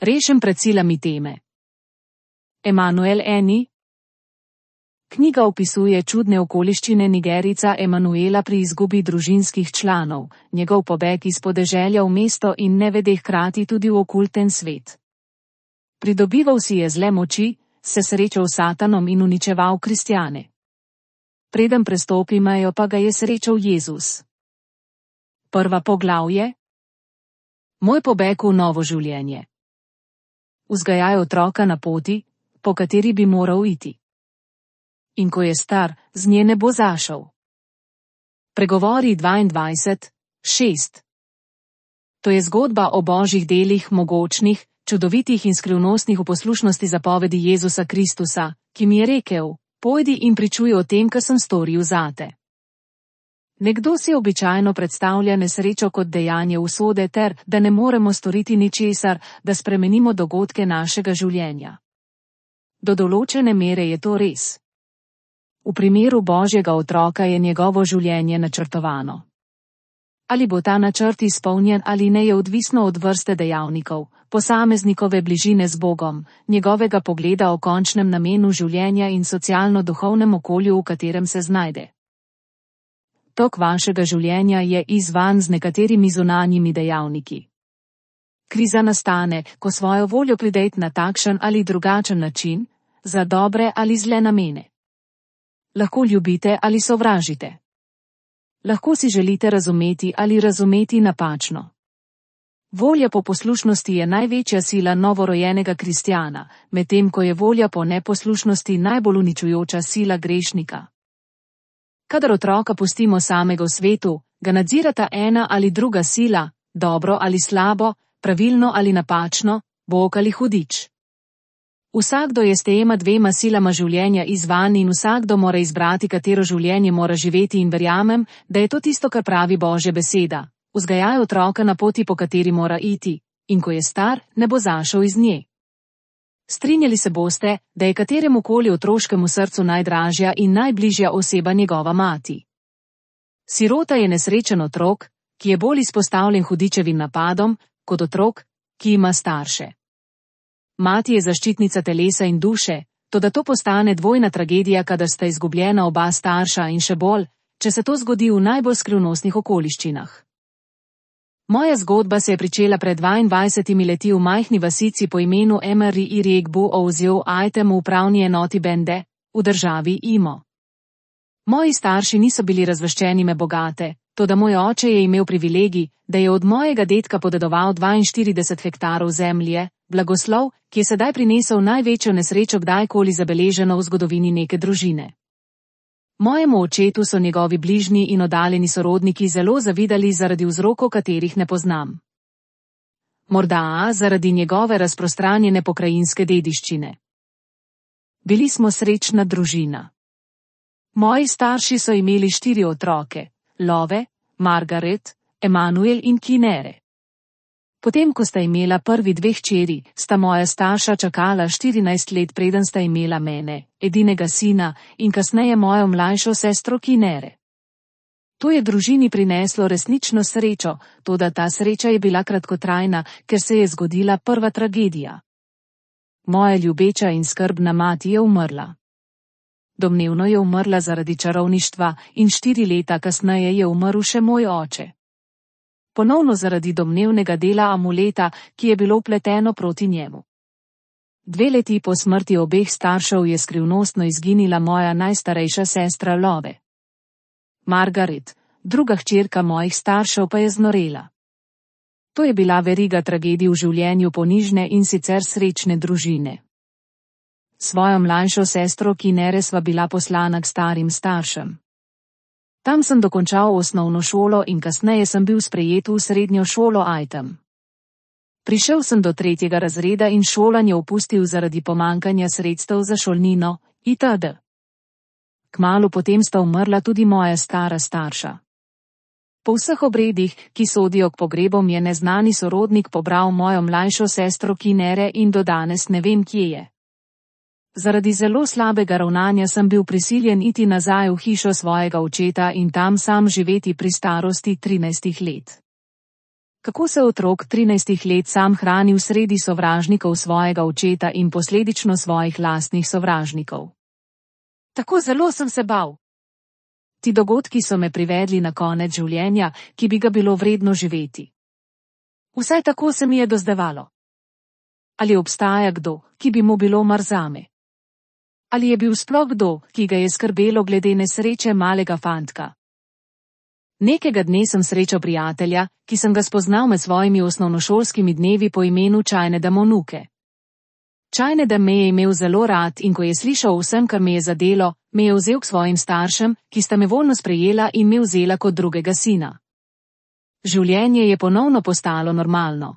Rešen pred silami teme. Emanuel Eni. Knjiga opisuje čudne okoliščine Nigerijca Emanuela pri izgubi družinskih članov, njegov pobeg iz podeželja v mesto in nevede hkrati tudi v okulten svet. Pridobival si je zle moči, se srečal s Satanom in uničeval kristjane. Preden prestopi mejo, pa ga je srečal Jezus. Prva poglavje. Moj pobeg v novo življenje. Vzgajaj otroka na poti, po kateri bi moral iti. In ko je star, z nje ne bo zašel. Pregovori 22:6. To je zgodba o božjih delih, mogočnih, čudovitih in skrivnostnih v poslušnosti zapovedi Jezusa Kristusa, ki mi je rekel: pojdi in pričuj o tem, kar sem storil zate. Nekdo si običajno predstavlja nesrečo kot dejanje usode ter, da ne moremo storiti ničesar, da spremenimo dogodke našega življenja. Do določene mere je to res. V primeru Božjega otroka je njegovo življenje načrtovano. Ali bo ta načrt izpolnjen ali ne, je odvisno od vrste dejavnikov, posameznikove bližine z Bogom, njegovega pogleda o končnem namenu življenja in socialno-duhovnem okolju, v katerem se znajde. Tok vašega življenja je izzvan z nekaterimi zunanjimi dejavniki. Kriza nastane, ko svojo voljo pridete na takšen ali drugačen način, za dobre ali zle namene. Lahko ljubite ali sovražite. Lahko si želite razumeti ali razumeti napačno. Volja po poslušnosti je največja sila novorojenega kristjana, medtem ko je volja po neposlušnosti najbolj uničujoča sila grešnika. Kadar otroka pustimo samega v svetu, ga nadzirata ena ali druga sila, dobro ali slabo, pravilno ali napačno, Bog ali hudič. Vsakdo je s tema dvema silama življenja izvan in vsakdo mora izbrati, katero življenje mora živeti, in verjamem, da je to tisto, kar pravi Božja beseda. Vzgajaj otroka na poti, po kateri mora iti, in ko je star, ne bo zašel iz nje. Strinjali se boste, da je kateremu koli otroškemu srcu najdražja in najbližja oseba njegova mati. Sirota je nesrečen otrok, ki je bolj izpostavljen hudičevim napadom, kot otrok, ki ima starše. Mati je zaščitnica telesa in duše, toda to postane dvojna tragedija, kadar sta izgubljena oba starša, in še bolj, če se to zgodi v najbolj skrivnostnih okoliščinah. Moja zgodba se je pričela pred 22 leti v majhni vasici po imenu Emery Irigbu Ozio Aitem v upravni enoti Bende, v državi Imo. Moji starši niso bili razveščeni me bogate, toda moj oče je imel privilegij, da je od mojega dedka podedoval 42 hektarov zemlje, blagoslov, ki je sedaj prinesel največjo nesrečo kdajkoli zabeleženo v zgodovini neke družine. Mojemu očetu so njegovi bližnji in oddaljeni sorodniki zelo zavidali zaradi vzrokov, katerih ne poznam. Morda zaradi njegove razprostranjene pokrajinske dediščine. Bili smo srečna družina. Moji starši so imeli 4 otroke, Love, Margaret, Emanuel in Kinere. Potem, ko sta imela prvi 2 hčeri, sta moja starša čakala 14 let, preden sta imela mene, edinega sina, in kasneje mojo mlajšo sestro Kinere. To je družini prineslo resnično srečo, toda ta sreča je bila kratkotrajna, ker se je zgodila prva tragedija. Moja ljubeča in skrbna mati je umrla. Domnevno je umrla zaradi čarovništva in 4 leta kasneje je umrl še moj oče. Ponovno zaradi domnevnega dela amuleta, ki je bilo vpleteno proti njemu. 2 leti po smrti obeh staršev je skrivnostno izginila moja najstarejša sestra Love. Margaret, druga hčerka mojih staršev, pa je znorela. To je bila veriga tragedij v življenju ponižne in sicer srečne družine. Svojo mlajšo sestro Kinere sva bila poslana k starim staršem. Tam sem dokončal osnovno šolo in kasneje sem bil sprejet v srednjo šolo Aitem. Prišel sem do 3. razreda in šolanje opustil zaradi pomankanja sredstev za šolnino, itd. Kmalu potem sta umrla tudi moja stara starša. Po vseh obredih, ki sodijo k pogrebom, je neznani sorodnik pobral mojo mlajšo sestro Kinere in do danes ne vem, kje je. Zaradi zelo slabega ravnanja sem bil prisiljen iti nazaj v hišo svojega očeta in tam sam živeti pri starosti 13 let. Kako se otrok 13 let sam hrani v sredi sovražnikov svojega očeta in posledično svojih lastnih sovražnikov. Tako zelo sem se bal. Ti dogodki so me privedli na konec življenja, ki bi ga bilo vredno živeti. Vsaj tako se mi je dozdevalo. Ali obstaja kdo, ki bi mu bilo mar zame? Ali je bil sploh kdo, ki ga je skrbelo glede nesreče malega fantka? Nekega dne sem srečal prijatelja, ki sem ga spoznal med svojimi osnovnošolskimi dnevi po imenu Čajneda Monuke. Čajneda me je imel zelo rad in ko je slišal vsem, kar me je zadelo, me je vzel k svojim staršem, ki sta me voljno sprejela in me vzela kot drugega sina. Življenje je ponovno postalo normalno.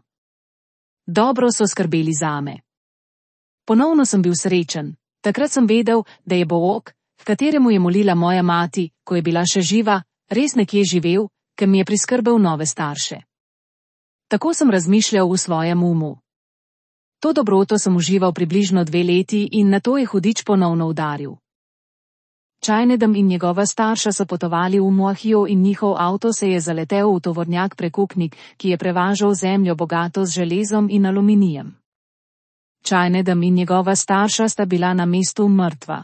Dobro so skrbeli zame. Ponovno sem bil srečen. Takrat sem vedel, da je Bog, v kateremu je molila moja mati, ko je bila še živa, res nekje živel, ker mi je priskrbel nove starše. Tako sem razmišljal v svojem umu. To dobroto sem užival približno 2 leti in nato je hudič ponovno udaril. Čajnedem in njegova starša so potovali v Moahijo in njihov avto se je zaletel v tovornjak prekupnik, ki je prevažal zemljo bogato z železom in aluminijem. Čajnedem in njegova starša sta bila na mestu mrtva.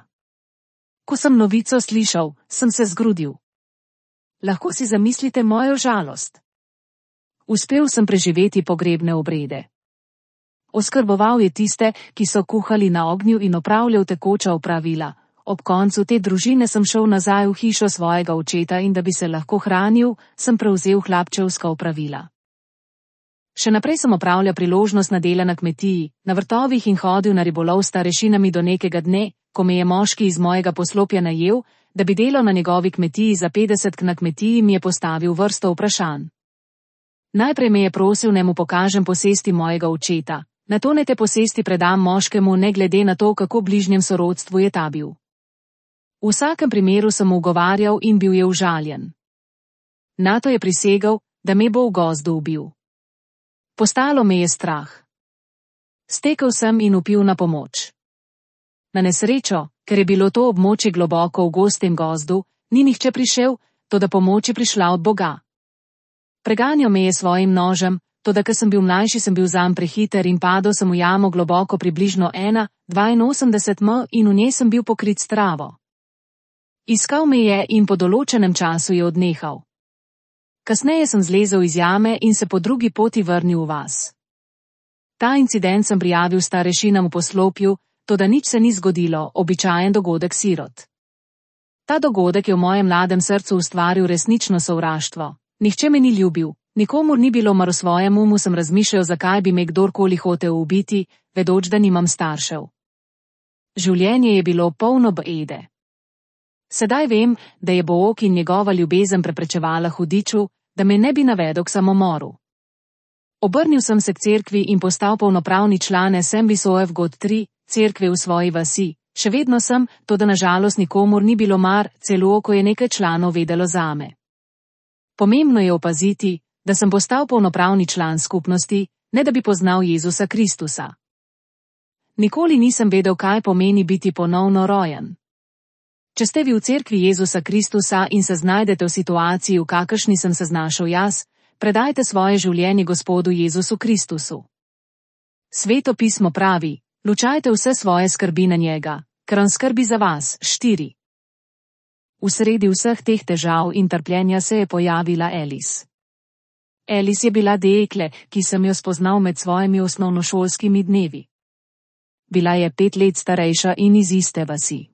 Ko sem novico slišal, sem se zgrudil. Lahko si zamislite mojo žalost. Uspel sem preživeti pogrebne obrede. Oskrboval je tiste, ki so kuhali na ognju in opravljal tekoča opravila. Ob koncu te družine sem šel nazaj v hišo svojega očeta in da bi se lahko hranil, sem prevzel hlapčevska opravila. Še naprej sem opravljal priložnostna dela na kmetiji, na vrtovih in hodil na ribolov s starešinami do nekega dne, ko me je moški iz mojega poslopja najel, da bi delal na njegovi kmetiji za 50 na kmetiji, mi je postavil vrsto vprašanj. Najprej me je prosil, naj mu pokažem posesti mojega očeta, nato naj te posesti predam moškemu ne glede na to, kako bližnjem sorodstvu je ta bil. V vsakem primeru sem mu ugovarjal in bil je užaljen. Nato je prisegel, da me bo v gozdu ubil. Postalo me je strah. Stekel sem in vpil na pomoč. Na nesrečo, ker je bilo to območje globoko v gostem gozdu, ni nihče prišel, toda pomoč je prišla od Boga. Preganjal me je svojim nožem, toda ker sem bil mlajši, sem bil zanj prehiter in padel sem v jamo globoko približno 1,82 m in v njej sem bil pokrit s travo. Iskal me je in po določenem času je odnehal. Kasneje sem zlezel iz jame in se po drugi poti vrnil v vas. Ta incident sem prijavil starešinam v poslopju, toda nič se ni zgodilo, običajen dogodek sirot. Ta dogodek je v mojem mladem srcu ustvaril resnično sovraštvo. Nihče me ni ljubil, nikomur ni bilo mar v svojem umu sem razmišljal, zakaj bi me kdorkoli hotel ubiti, vedoč, da nimam staršev. Življenje je bilo polno bede. Sedaj vem, da je Bog in njegova ljubezen preprečevala hudiču, da me ne bi navedel k samomoru. Obrnil sem se k cerkvi in postal polnopravni član SMBSOF God 3, cerkve v svoji vasi. Še vedno sem, toda na žalost nikomur ni bilo mar, celo ko je nekaj članov vedelo zame. Pomembno je opaziti, da sem postal polnopravni član skupnosti, ne da bi poznal Jezusa Kristusa. Nikoli nisem vedel, kaj pomeni biti ponovno rojen. Če ste vi v cerkvi Jezusa Kristusa in se znajdete v situaciji, v kakršni sem se znašel jaz, predajte svoje življenje Gospodu Jezusu Kristusu. Sveto pismo pravi, lučajte vse svoje skrbi na njega, ker on skrbi za vas. 4. V sredi vseh teh težav in trpljenja se je pojavila Alice. Alice je bila dekle, ki sem jo spoznal med svojimi osnovnošolskimi dnevi. Bila je 5 let starejša in iz iste vasi.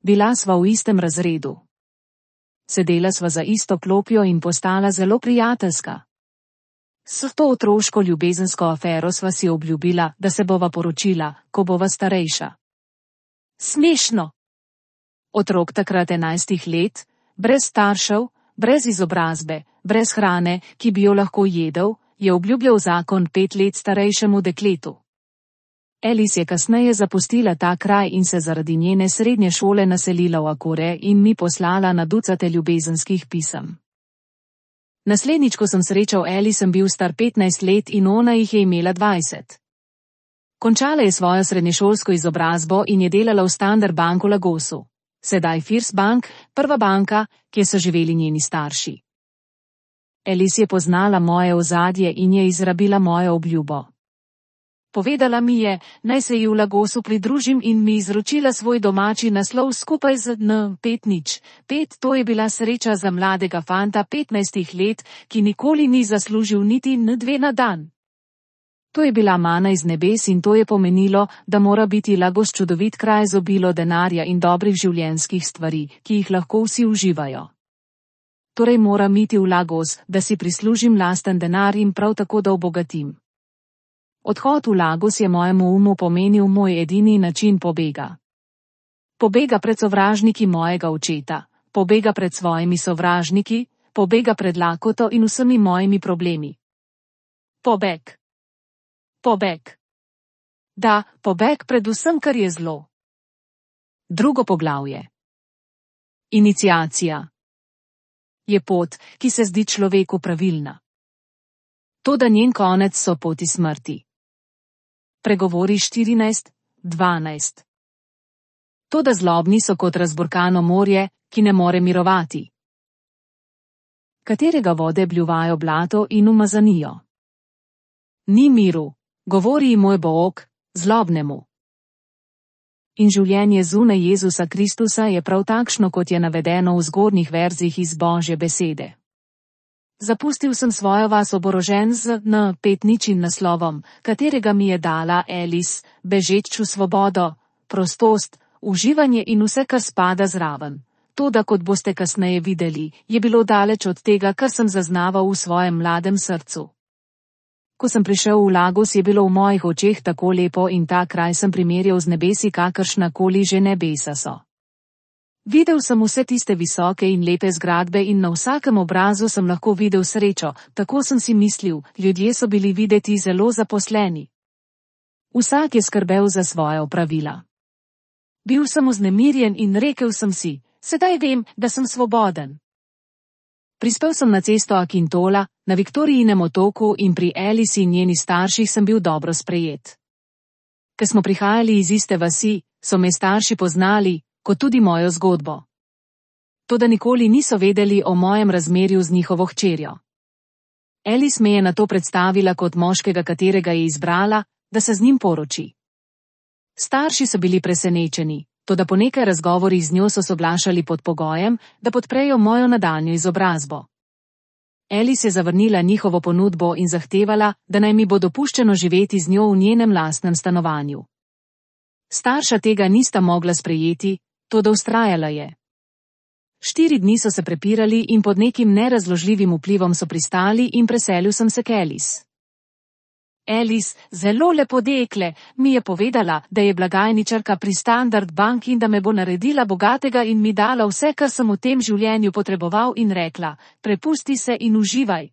Bila sva v istem razredu. Sedela sva za isto klopjo in postala zelo prijateljska. S to otroško ljubezensko afero sva si obljubila, da se bova poročila, ko bova starejša. Smešno! Otrok takrat 11 let, brez staršev, brez izobrazbe, brez hrane, ki bi jo lahko jedel, je obljubljal zakon 5 let starejšemu dekletu. Alice je kasneje zapustila ta kraj in se zaradi njene srednje šole naselila v Akure in mi poslala na ducate ljubezenskih pisem. Naslednjič, ko sem srečal Alice, sem bil star 15 let in ona jih je imela 20. Končala je svojo srednješolsko izobrazbo in je delala v Standard Bank v Lagosu. Sedaj First Bank, prva banka, kjer so živeli njeni starši. Elis je poznala moje ozadje in je izrabila mojo obljubo. Povedala mi je, naj se ji v Lagosu pridružim in mi izročila svoj domači naslov skupaj z N505. To je bila sreča za mladega fanta 15 let, ki nikoli ni zaslužil niti N2 na dan. To je bila mana iz nebes in to je pomenilo, da mora biti Lagos čudovit kraj z obilo denarja in dobrih življenjskih stvari, ki jih lahko vsi uživajo. Torej moram iti v Lagos, da si prislužim lasten denar in prav tako da obogatim. Odhod v Lagos je mojemu umu pomenil moj edini način pobega. Pobega pred sovražniki mojega očeta, pobega pred svojimi sovražniki, pobega pred lakoto in vsemi mojimi problemi. Pobeg. Pobeg. Da, pobeg pred vsem, kar je zlo. Drugo poglavje. Iniciacija. Je pot, ki se zdi človeku pravilna. Toda njen konec so poti smrti. Pregovori 14:12. Toda zlobni so kot razburkano morje, ki ne more mirovati. Katerega vode bljuvajo blato in umazanijo. Ni miru, govori moj Bog, zlobnemu. In življenje zunaj Jezusa Kristusa je prav takšno, kot je navedeno v zgornjih verzih iz Božje besede. Zapustil sem svojo vas oborožen z N5 naslovom, katerega mi je dala Elis, bežeč v svobodo, prostost, uživanje in vse, kar spada zraven. Toda, kot boste kasneje videli, je bilo daleč od tega, kar sem zaznaval v svojem mladem srcu. Ko sem prišel v Lagos, je bilo v mojih očeh tako lepo in ta kraj sem primerjal z nebesi, kakršna koli že nebesa so. Videl sem vse tiste visoke in lepe zgradbe in na vsakem obrazu sem lahko videl srečo, tako sem si mislil, ljudje so bili videti zelo zaposleni. Vsak je skrbel za svoje opravila. Bil sem vznemirjen in rekel sem si, sedaj vem, da sem svoboden. Prispel sem na cesto Akintola, na Viktorijinem otoku in pri Elisi in njeni starših sem bil dobro sprejet. Ker smo prihajali iz iste vasi, so me starši poznali, kot tudi mojo zgodbo. Toda nikoli niso vedeli o mojem razmerju z njihovo hčerjo. Elis me je nato predstavila kot moškega, katerega je izbrala, da se z njim poroči. Starši so bili presenečeni, toda po nekaj razgovorih z njo so soglašali pod pogojem, da podprejo mojo nadaljnjo izobrazbo. Elis je zavrnila njihovo ponudbo in zahtevala, da naj mi bo dopuščeno živeti z njo v njenem lastnem stanovanju. Starša tega nista mogla sprejeti, toda vztrajala je. 4 dni so se prepirali in pod nekim nerazložljivim vplivom so pristali in preselil sem se k Elis. Elis, zelo lepo dekle, mi je povedala, da je blagajničarka pri Standard Bank in da me bo naredila bogatega in mi dala vse, kar sem v tem življenju potreboval in rekla, prepusti se in uživaj.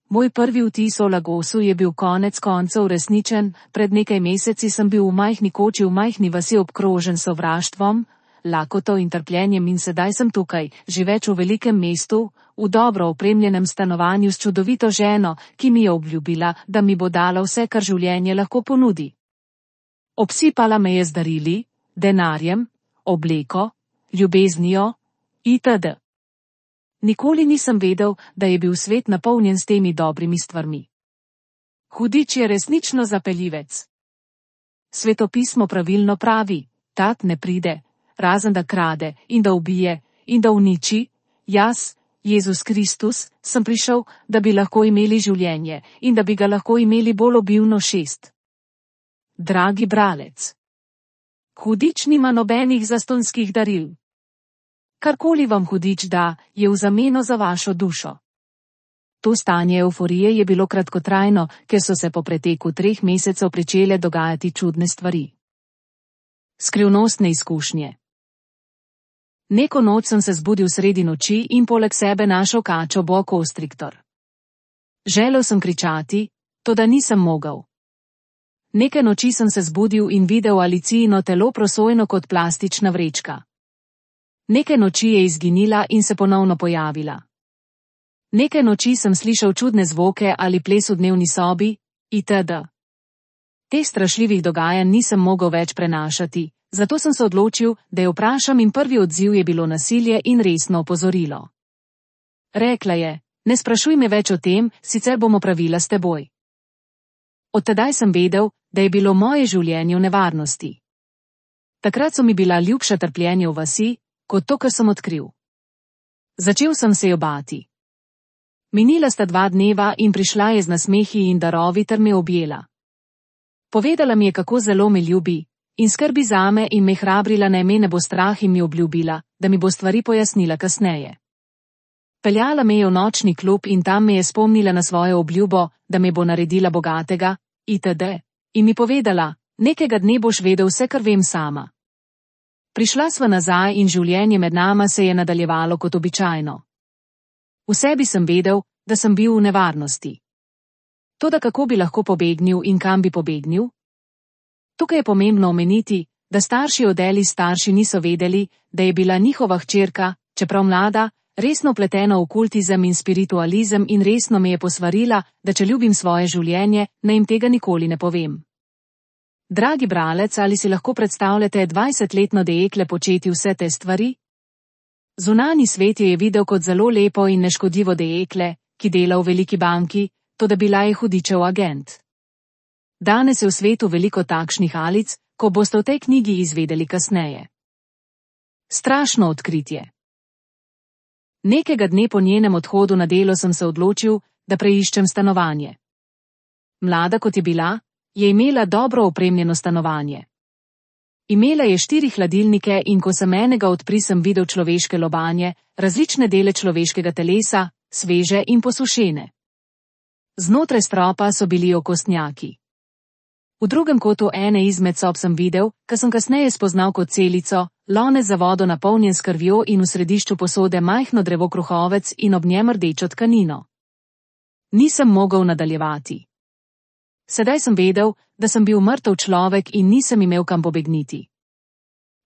Moj prvi vtis o Lagosu je bil konec koncev resničen, pred nekaj meseci sem bil v majhni koči v majhni vasi obkrožen sovraštvom, lakoto in trpljenjem in sedaj sem tukaj, živeč v velikem mestu, v dobro opremljenem stanovanju s čudovito ženo, ki mi je obljubila, da mi bo dala vse, kar življenje lahko ponudi. Obsipala me je z darili, denarjem, obleko, ljubeznijo, itd. Nikoli nisem vedel, da je bil svet napolnjen s temi dobrimi stvarmi. Hudič je resnično zapeljivec. Svetopismo pravilno pravi, tat ne pride, razen da krade in da ubije in da uniči, jaz, Jezus Kristus, sem prišel, da bi lahko imeli življenje in da bi ga lahko imeli bolj obilno 6. Dragi bralec. Hudič nima nobenih zastonjskih daril. Karkoli vam hudič da, je v zameno za vašo dušo. To stanje evforije je bilo kratkotrajno, ker so se po preteku 3 mesecev pričele dogajati čudne stvari. Skrivnostne izkušnje. Neko noč sem se zbudil sredi noči in poleg sebe našel kačo boa-konstriktor. Želel sem kričati, toda nisem mogel. Neke noči sem se zbudil in videl Alicijino telo prosojno kot plastična vrečka. Neke noči je izginila in se ponovno pojavila. Neke noči sem slišal čudne zvoke ali ples v dnevni sobi, itd. Teh strašljivih dogajanj nisem mogel več prenašati, zato sem se odločil, da jo vprašam in prvi odziv je bilo nasilje in resno opozorilo. Rekla je, Ne sprašuj me več o tem, sicer bomo pravila s teboj. Od tedaj sem vedel, da je bilo moje življenje v nevarnosti. Takrat so mi bila ljubša trpljenje v vasi, kot to, kar sem odkril. Začel sem se jo bati. Minila sta 2 dneva in prišla je z nasmehi in darovi ter me objela. Povedala mi je, kako zelo me ljubi, in skrbi zame in me hrabrila, naj me ne bo strah, in mi obljubila, da mi bo stvari pojasnila kasneje. Peljala me je v nočni klub in tam me je spomnila na svojo obljubo, da me bo naredila bogatega, itd., in mi povedala, nekega dne boš vedel vse, kar vem sama. Prišla sva nazaj in življenje med nama se je nadaljevalo kot običajno. V sebi sem vedel, da sem bil v nevarnosti. Toda kako bi lahko pobegnil in kam bi pobegnil? Tukaj je pomembno omeniti, da starši od Eli starši niso vedeli, da je bila njihova hčerka, čeprav mlada, resno vpletena v okultizem in spiritualizem in resno me je posvarila, da če ljubim svoje življenje, naj jim tega nikoli ne povem. Dragi bralec, ali si lahko predstavljate 20-letno dekle početi vse te stvari? Zunanji svet je videl kot zelo lepo in neškodljivo dekle, ki dela v veliki banki, toda bila je hudičev agent. Danes je v svetu veliko takšnih alic, ko boste v tej knjigi izvedeli kasneje. Strašno odkritje. Nekega dne po njenem odhodu na delo sem se odločil, da preiščem stanovanje. Mlada kot je bila, je imela dobro opremljeno stanovanje. Imela je 4 hladilnike in ko sem enega odprl, sem videl človeške lobanje, različne dele človeškega telesa, sveže in posušene. Znotraj stropa so bili okostnjaki. V drugem kotu ene izmed sob sem videl, kar sem kasneje spoznal kot celico, lonec za vodo napolnjen s krvjo in v središču posode majhno drevo kruhovec in ob njem rdečo tkanino. Nisem mogel nadaljevati. Sedaj sem vedel, da sem bil mrtev človek in nisem imel kam pobegniti.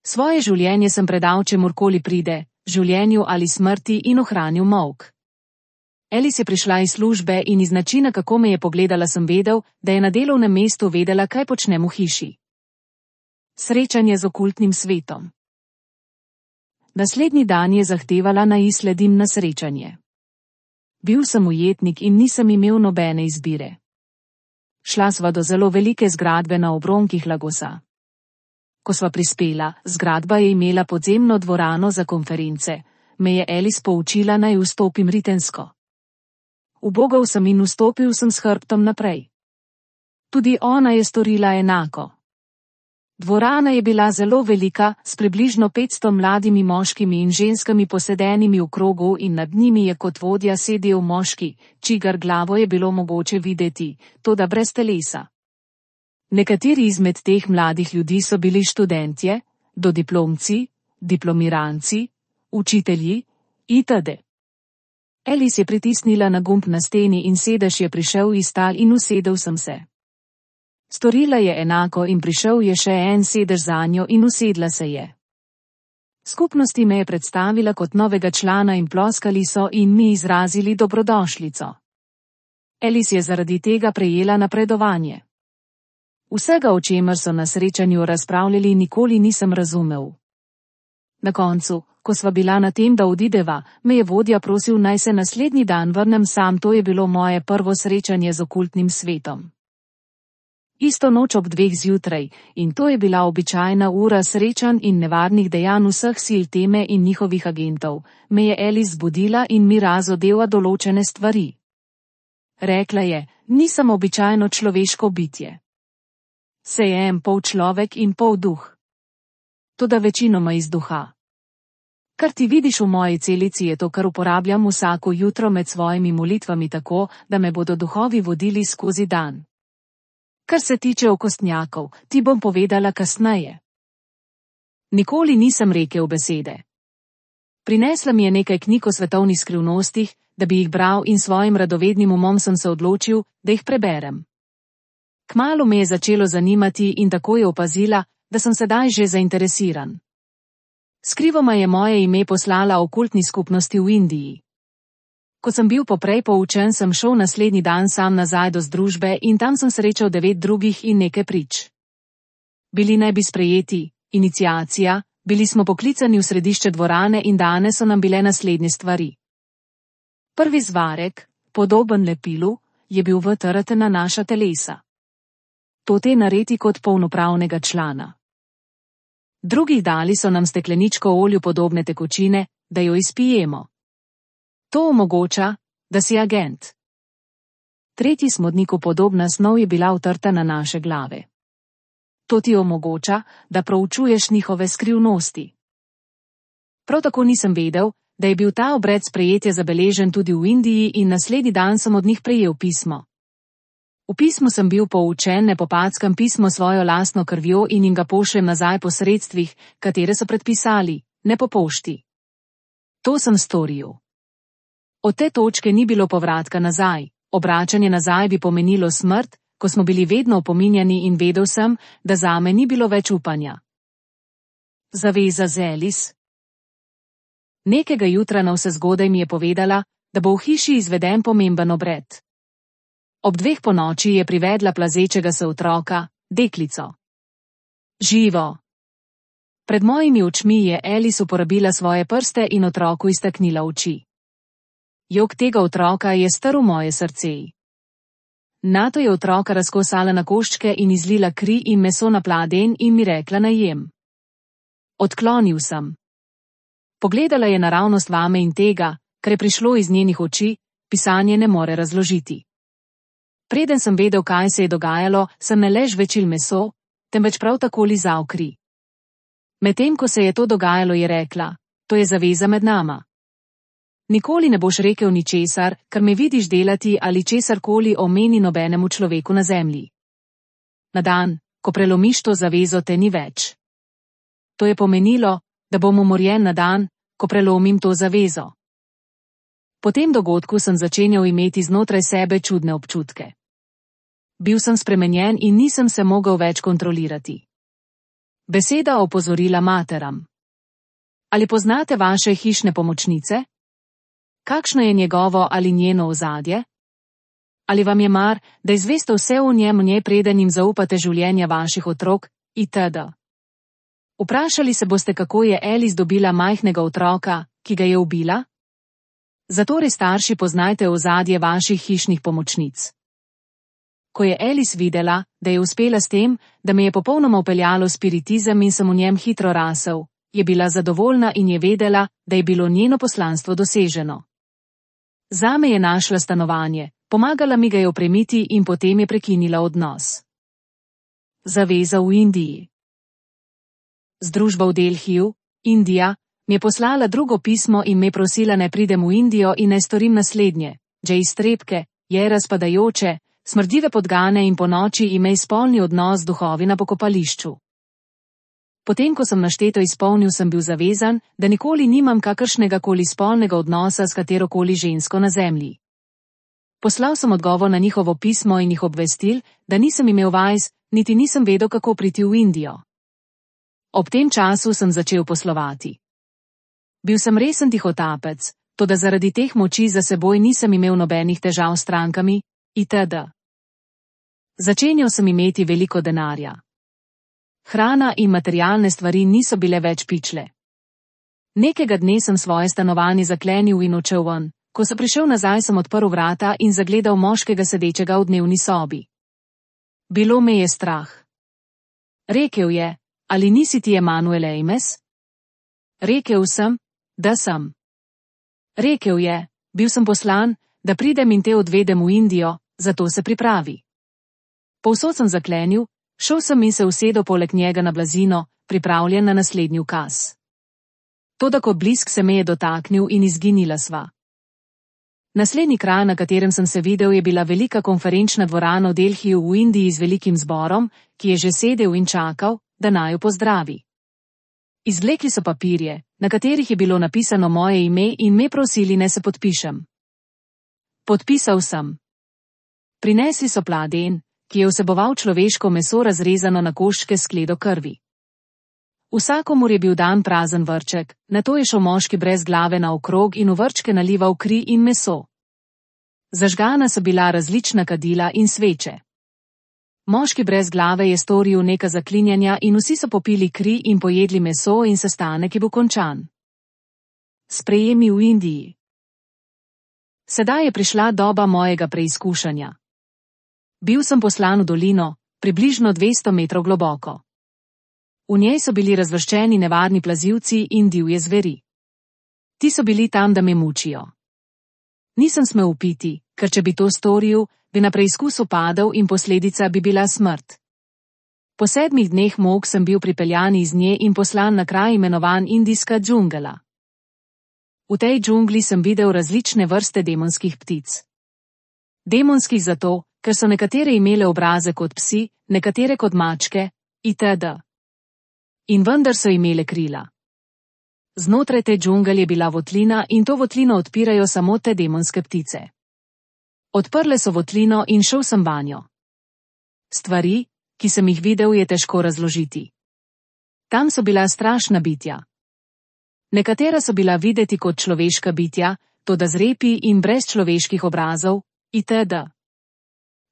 Svoje življenje sem predal čemurkoli pride, življenju ali smrti, in ohranil molk. Elis je prišla iz službe in iz načina, kako me je pogledala, sem vedel, da je na delovnem mestu vedela, kaj počnem v hiši. Srečanje z okultnim svetom. Naslednji dan je zahtevala, naj sledim na srečanje. Bil sem ujetnik in nisem imel nobene izbire. Šla sva do zelo velike zgradbe na obronkih Lagosa. Ko sva prispela, zgradba je imela podzemno dvorano za konference, me je Elis poučila, naj vstopim ritensko. Ubogal sem in vstopil sem s hrbtom naprej. Tudi ona je storila enako. Dvorana je bila zelo velika, s približno 500 mladimi moškimi in ženskami posedenimi v krogu in nad njimi je kot vodja sedel moški, čigar glavo je bilo mogoče videti, toda brez telesa. Nekateri izmed teh mladih ljudi so bili študentje, dodiplomci, diplomiranci, učitelji, itd. Elis je pritisnila na gumb na steni in sedež je prišel iz tal in usedel sem se. Storila je enako in prišel je še en sedež zanjo in usedla se je. Skupnosti me je predstavila kot novega člana in ploskali so in mi izrazili dobrodošlico. Elis je zaradi tega prejela napredovanje. Vsega, o čemer so na srečanju razpravljali, nikoli nisem razumel. Na koncu, ko sva bila na tem, da odideva, me je vodja prosil, naj se naslednji dan vrnem sam, to je bilo moje prvo srečanje z okultnim svetom. Isto noč ob 2 zjutraj, in to je bila običajna ura srečanj in nevarnih dejanj vseh sil teme in njihovih agentov, me je Elis zbudila in mi razodela določene stvari. Rekla je, nisem običajno človeško bitje. Sejem pol človek in pol duh. Toda večinoma iz duha. Kar ti vidiš v moji celici, je to, kar uporabljam vsako jutro med svojimi molitvami tako, da me bodo duhovi vodili skozi dan. Kar se tiče okostnjakov, ti bom povedala kasneje. Nikoli nisem rekel besede. Prinesla mi je nekaj knjig o svetovnih skrivnostih, da bi jih bral, in svojim radovednim umom sem se odločil, da jih preberem. Kmalu me je začelo zanimati in tako je opazila, da sem sedaj že zainteresiran. Skrivoma je moje ime poslala okultni skupnosti v Indiji. Ko sem bil poprej poučen, sem šel naslednji dan sam nazaj do združbe in tam sem srečal 9 drugih in nekaj prič. Bili naj bi sprejeti, iniciacija, bili smo poklicani v središče dvorane in danes so nam bile naslednje stvari. Prvi zvarek, podoben lepilu, je bil vtrten na naša telesa. To te naredi kot polnopravnega člana. Drugi dali so nam stekleničko olju podobne tekočine, da jo izpijemo. To omogoča, da si agent. Tretji smodniku podobna snov je bila vtrta na naše glave. To ti omogoča, da proučuješ njihove skrivnosti. Prav tako nisem vedel, da je bil ta obred sprejetja zabeležen tudi v Indiji in naslednji dan sem od njih prejel pismo. V pismu sem bil poučen, ne popackam pismo svojo lastno krvjo in jim ga pošljem nazaj po sredstvih, katere so predpisali, ne po pošti. To sem storil. Od te točke ni bilo povratka nazaj, obračanje nazaj bi pomenilo smrt, ko smo bili vedno opominjani in vedel sem, da zame ni bilo več upanja. Zaveza z Alice. Nekega jutra navsezgodaj mi je povedala, da bo v hiši izveden pomemben obred. Ob 2 ponoči je privedla plazečega se otroka, deklico. Živo. Pred mojimi očmi je Alice uporabila svoje prste in otroku iztaknila oči. Jok tega otroka je strl moje srce. Nato je otroka razkosala na koščke in izlila kri in meso na pladenj in mi rekla naj jem. Odklonil sem. Pogledala je naravnost vame in tega, kar je prišlo iz njenih oči, pisanje ne more razložiti. Preden sem vedel, kaj se je dogajalo, sem ne le žvečil meso, temveč prav tako lizal kri. Medtem ko se je to dogajalo, je rekla, to je zaveza med nama. Nikoli ne boš rekel ničesar, kar me vidiš delati ali česarkoli omeni nobenemu človeku na zemlji. Na dan, ko prelomiš to zavezo, te ni več. To je pomenilo, da bom umorjen na dan, ko prelomim to zavezo. Po tem dogodku sem začenjal imeti znotraj sebe čudne občutke. Bil sem spremenjen in nisem se mogel več kontrolirati. Beseda opozorila materam. Ali poznate vaše hišne pomočnice? Kakšno je njegovo ali njeno ozadje? Ali vam je mar, da izveste vse o njej, preden jim zaupate življenja vaših otrok, itd. Vprašali se boste, kako je Alice dobila majhnega otroka, ki ga je ubila? Zatorej starši poznajte ozadje vaših hišnih pomočnic. Ko je Alice videla, da je uspela s tem, da me je popolnoma upeljalo spiritizem in sem v njem hitro rasel, je bila zadovoljna in je vedela, da je bilo njeno poslanstvo doseženo. Zame je našla stanovanje, pomagala mi ga je opremiti in potem je prekinila odnos. Zaveza v Indiji. Združba v Delhiju, Indija, mi je poslala drugo pismo in me prosila, naj pridem v Indijo in naj storim naslednje. Že iztrebke, je razpadajoče, smrdive podgane in ponoči imej spolni odnos z duhovi na pokopališču. Potem, ko sem našteto izpolnil, sem bil zavezan, da nikoli nimam kakršnega koli spolnega odnosa s katerokoli žensko na zemlji. Poslal sem odgovor na njihovo pismo in jih obvestil, da nisem imel vajz, niti nisem vedel, kako priti v Indijo. Ob tem času sem začel poslovati. Bil sem resen tihotapec, toda zaradi teh moči za seboj nisem imel nobenih težav s strankami, itd. Začenjal sem imeti veliko denarja. Hrana in materialne stvari niso bile več pičle. Nekega dne sem svoje stanovanje zaklenil in odšel ven. Ko sem prišel nazaj, sem odprl vrata in zagledal moškega sedečega v dnevni sobi. Bilo me je strah. Rekel je, ali nisi ti Emanuel Ames? Rekel sem, da sem. Rekel je, bil sem poslan, da pridem in te odvedem v Indijo, zato se pripravi. Povsod sem zaklenil, šel sem in se usedel poleg njega na blazino, pripravljen na naslednji ukaz. Toda kot blisk se me je dotaknil in izginila sva. Naslednji kraj, na katerem sem se videl, je bila velika konferenčna dvorana v Delhiju v Indiji z velikim zborom, ki je že sedel in čakal, da naju pozdravi. Izvlekli so papirje, na katerih je bilo napisano moje ime in me prosili, naj se podpišem. Podpisal sem. Prinesli so pladenj, ki je vseboval človeško meso razrezano na koščke s skledo krvi. Vsakomur je bil dan prazen vrček, nato je šel moški brez glave naokrog in v vrčke nalival kri in meso. Zažgana so bila različna kadila in sveče. Moški brez glave je storil neka zaklinjanja in vsi so popili kri in pojedli meso in sestanek je bil končan. Sprejemi v Indiji. Sedaj je prišla doba mojega preizkušanja. Bil sem poslan v dolino, približno 200 metrov globoko. V njej so bili razvrščeni nevarni plazilci in divje zveri. Ti so bili tam, da me mučijo. Nisem smel upiti, ker če bi to storil, bi na preizkusu padel in posledica bi bila smrt. Po 7 dneh mok sem bil pripeljan iz nje in poslan na kraj imenovan Indijska džungla. V tej džungli sem videl različne vrste demonskih ptic. Demonskih zato, ker so nekatere imele obraze kot psi, nekatere kot mačke, itd. In vendar so imele krila. Znotraj te džungel je bila votlina in to votlino odpirajo samo te demonske ptice. Odprle so votlino in šel sem vanjo. Stvari, ki sem jih videl, je težko razložiti. Tam so bila strašna bitja. Nekatera so bila videti kot človeška bitja, toda z repi in brez človeških obrazov, itd.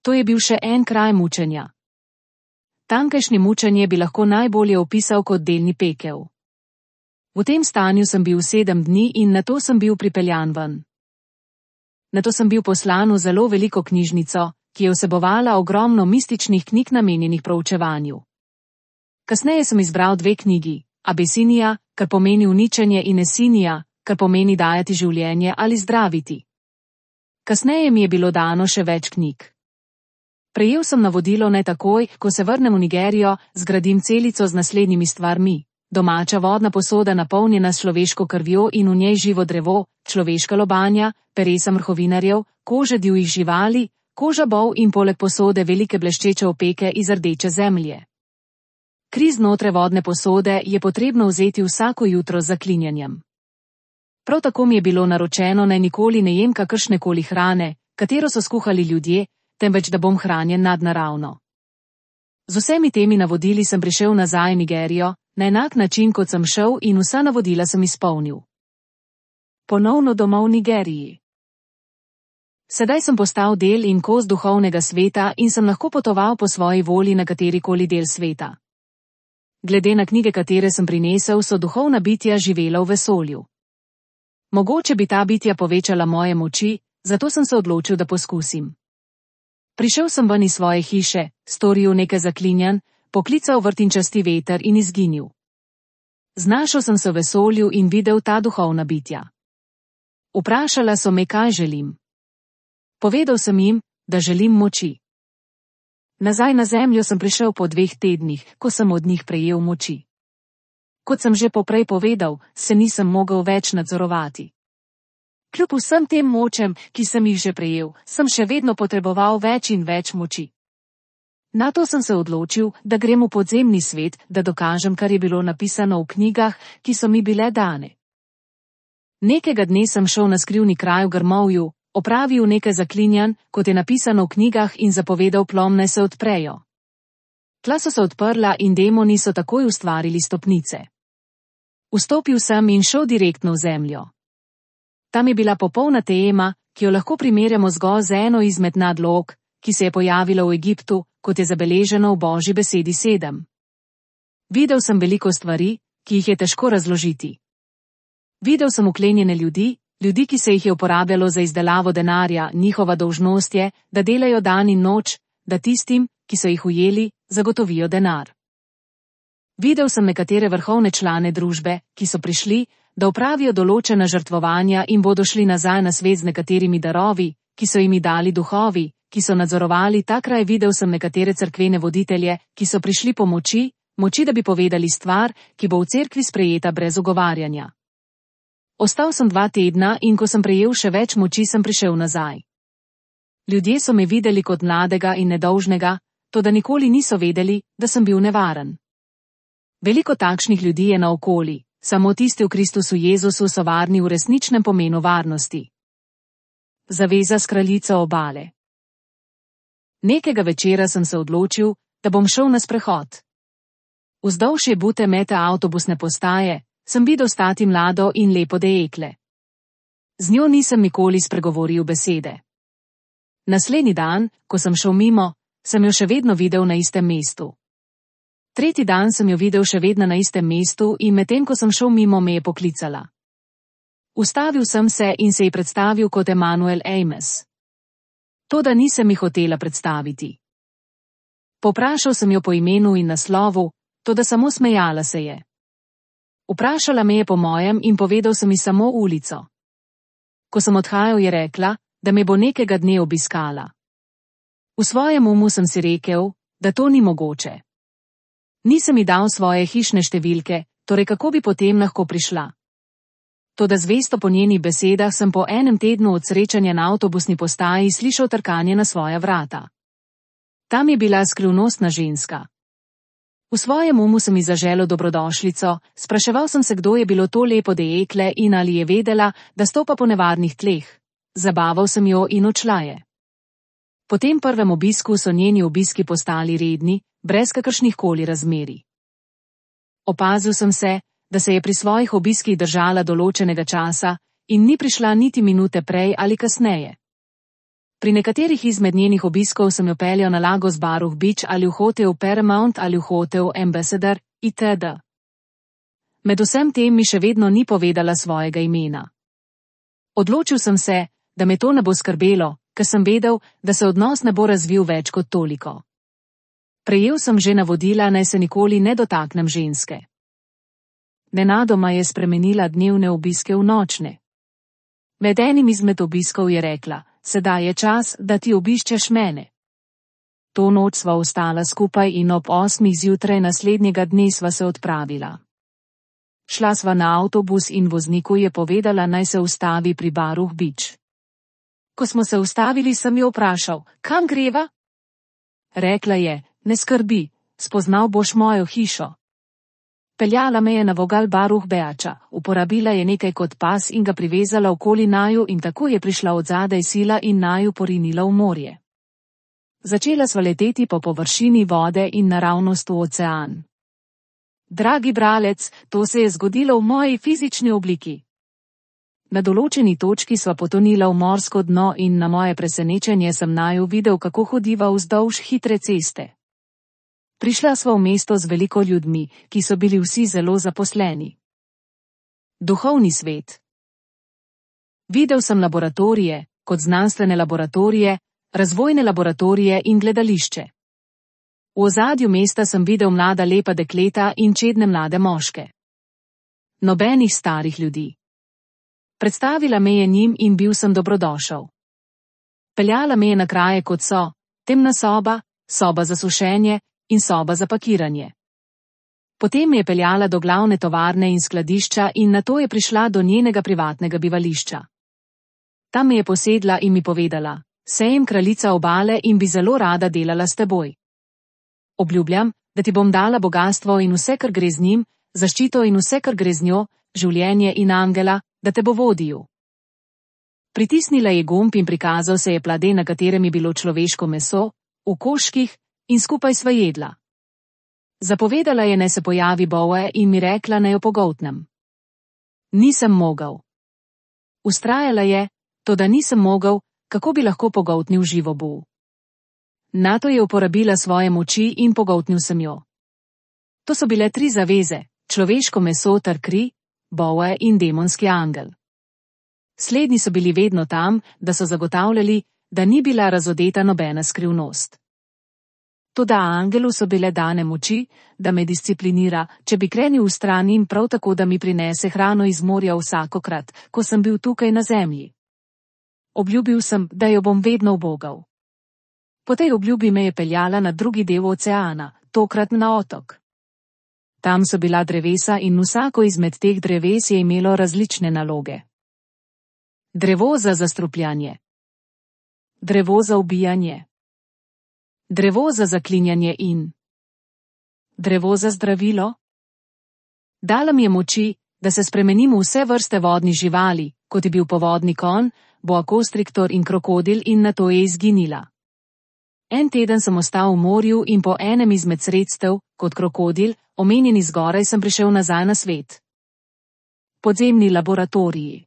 To je bil še en kraj mučenja. Tamkajšnje mučenje bi lahko najbolje opisal kot delni pekel. V tem stanju sem bil 7 dni in nato sem bil pripeljan ven. Nato sem bil poslan v zelo veliko knjižnico, ki je vsebovala ogromno mističnih knjig namenjenih proučevanju. Kasneje sem izbral 2 knjigi, Abesinija, kar pomeni uničenje, in Esinija, kar pomeni dajati življenje ali zdraviti. Kasneje mi je bilo dano še več knjig. Prejel sem navodilo naj takoj, ko se vrnem v Nigerijo, zgradim celico z naslednjimi stvarmi. Domača vodna posoda napolnjena s človeško krvjo in v njej živo drevo, človeška lobanja, peresa mrhovinarjev, kože divjih živali, koža bov in poleg posode velike bleščeče opeke iz rdeče zemlje. Kri znotraj vodne posode je potrebno vzeti vsako jutro z zaklinjanjem. Prav tako mi je bilo naročeno, naj nikoli ne jem kakršnekoli hrane, katero so skuhali ljudje, temveč da bom hranjen nadnaravno. Z vsemi temi navodili sem prišel nazaj v Nigerijo, na enak način kot sem šel, in vsa navodila sem izpolnil. Ponovno domov v Nigeriji. Sedaj sem postal del in kos duhovnega sveta in sem lahko potoval po svoji volji na katerikoli del sveta. Glede na knjige, katere sem prinesel, so duhovna bitja živela v vesolju. Mogoče bi ta bitja povečala moje moči, zato sem se odločil, da poskusim. Prišel sem ven iz svoje hiše, storil nekaj zaklinjanj, poklical vrtinčasti veter in izginil. Znašel sem se v vesolju in videl ta duhovna bitja. Vprašala so me, kaj želim. Povedal sem jim, da želim moči. Nazaj na zemljo sem prišel po 2 tednih, ko sem od njih prejel moči. Kot sem že poprej povedal, se nisem mogel več nadzorovati. Kljub vsem tem močem, ki sem jih že prejel, sem še vedno potreboval več in več moči. Nato sem se odločil, da grem v podzemni svet, da dokažem, kar je bilo napisano v knjigah, ki so mi bile dane. Nekega dne sem šel na skrivni kraj v grmovju, opravil nekaj zaklinjanj, kot je napisano v knjigah, in zapovedal plom, naj se odprejo. Tla so se odprla in demoni so takoj ustvarili stopnice. Vstopil sem in šel direktno v zemljo. Tam je bila popolna tema, ki jo lahko primerjamo zgolj z eno izmed nadlog, ki se je pojavila v Egiptu, kot je zabeleženo v Božji besedi 7. Videl sem veliko stvari, ki jih je težko razložiti. Videl sem uklenjene ljudi, ki se jih je uporabljalo za izdelavo denarja, njihova dolžnost je, da delajo dan in noč, da tistim, ki so jih ujeli, zagotovijo denar. Videl sem nekatere vrhovne člane družbe, ki so prišli, da opravijo določena žrtvovanja in bodo šli nazaj na svet z nekaterimi darovi, ki so jim dali duhovi, ki so nadzorovali ta kraj. Videl sem nekatere cerkvene voditelje, ki so prišli po moči, da bi povedali stvar, ki bo v cerkvi sprejeta brez ogovarjanja. Ostal sem 2 tedna in ko sem prejel še več moči, sem prišel nazaj. Ljudje so me videli kot mladega in nedolžnega, toda nikoli niso vedeli, da sem bil nevaren. Veliko takšnih ljudi je naokoli, samo tisti v Kristusu Jezusu so varni v resničnem pomenu varnosti. Zaveza s kraljico obale. Nekega večera sem se odločil, da bom šel na sprehod. Vzdolž Bute Mete avtobusne postaje sem videl stati mlado in lepo dekle. Z njo nisem nikoli spregovoril besede. Naslednji dan, ko sem šel mimo, sem jo še vedno videl na istem mestu. Tretji dan sem jo videl še vedno na istem mestu in medtem ko sem šel mimo, me je poklicala. Ustavil sem se in se ji predstavil kot Emanuel Ames. Toda nisem ji hotela predstaviti. Poprašal sem jo po imenu in naslovu, toda samo smejala se je. Vprašala me je po mojem in povedal sem ji samo ulico. Ko sem odhajal, je rekla, da me bo nekega dne obiskala. V svojem umu sem si rekel, da to ni mogoče. Nisem ji dal svoje hišne številke, torej kako bi potem lahko prišla. Toda zvesto po njenih besedah sem po enem tednu od srečanja na avtobusni postaji slišal trkanje na svoja vrata. Tam je bila skrivnostna ženska. V svojem umu sem ji zaželel dobrodošlico, spraševal sem se, kdo je bilo to lepo dekle in ali je vedela, da stopa po nevarnih tleh. Zabaval sem jo in odšla je. Po tem prvem obisku so njeni obiski postali redni, brez kakršnihkoli razmerij. Opazil sem se, da se je pri svojih obiskih držala določenega časa in ni prišla niti minute prej ali kasneje. Pri nekaterih izmed njenih obiskov sem jo peljal na Lagos Baruch Beach ali v hotel Paramount ali v hotel Ambassador itd. Med vsem tem mi še vedno ni povedala svojega imena. Odločil sem se, da me to ne bo skrbelo, ker sem vedel, da se odnos ne bo razvil več kot toliko. Prejel sem že navodila, naj se nikoli ne dotaknem ženske. Nenadoma je spremenila dnevne obiske v nočne. Med enim izmed obiskov je rekla, sedaj je čas, da ti obiščeš mene. To noč sva ostala skupaj in ob 8 zjutraj naslednjega dne sva se odpravila. Šla sva na avtobus in vozniku je povedala, naj se ustavi pri Baruch Beach. Ko smo se ustavili, sem jo vprašal, kam greva? Rekla je, ne skrbi, spoznal boš mojo hišo. Peljala me je na vogal Baruch Beacha, uporabila je nekaj kot pas in ga privezala okoli naju in tako je prišla od zadaj sila in naju porinila v morje. Začela sva leteti po površini vode in naravnost v ocean. Dragi bralec, to se je zgodilo v moji fizični obliki. Na določeni točki sva potonila v morsko dno in na moje presenečenje sem naju videl, kako hodiva vzdolž hitre ceste. Prišla sva v mesto z veliko ljudmi, ki so bili vsi zelo zaposleni. Duhovni svet. Videl sem laboratorije, kot znanstvene laboratorije, razvojne laboratorije in gledališče. V ozadju mesta sem videl mlada lepa dekleta in čedne mlade moške. Nobenih starih ljudi. Predstavila me je njim in bil sem dobrodošel. Peljala me je na kraje, kot so temna soba, soba za sušenje in soba za pakiranje. Potem je peljala do glavne tovarne in skladišča in nato je prišla do njenega privatnega bivališča. Tam me je posedla in mi povedala, sem kraljica obale in bi zelo rada delala s teboj. Obljubljam, da ti bom dala bogastvo in vse, kar gre z njim, zaščito in vse, kar gre z njo, življenje in angela, da te bo vodil. Pritisnila je gumb in prikazal se je plade, na katerem je bilo človeško meso, v koščkih, in skupaj sva jedla. Zapovedala je, naj se pojavi Boe in mi rekla, naj jo pogoltnem. Nisem mogel. Vztrajala je, toda nisem mogel, kako bi lahko pogoltnil živo Bo. Nato je uporabila svoje moči in pogoltnil sem jo. To so bile 3 zaveze, človeško meso ter kri, Boe in demonski angel. Slednji so bili vedno tam, da so zagotavljali, da ni bila razodeta nobena skrivnost. Toda angelu so bile dane moči, da me disciplinira, če bi krenil v stran in prav tako, da mi prinese hrano iz morja vsakokrat, ko sem bil tukaj na zemlji. Obljubil sem, da jo bom vedno ubogal. Po tej obljubi me je peljala na drugi del oceana, tokrat na otok. Tam so bila drevesa in vsako izmed teh dreves je imelo različne naloge. Drevo za zastrupljanje. Drevo za ubijanje. Drevo za zaklinjanje in drevo za zdravilo. Dala mi je moči, da se spremenim v vse vrste vodnih živali, kot je bil povodni konj, boa constrictor in krokodil, in nato je izginila. En teden sem ostal v morju in po enem izmed sredstev, kot krokodil, omenjeni zgoraj, sem prišel nazaj na svet. Podzemni laboratoriji.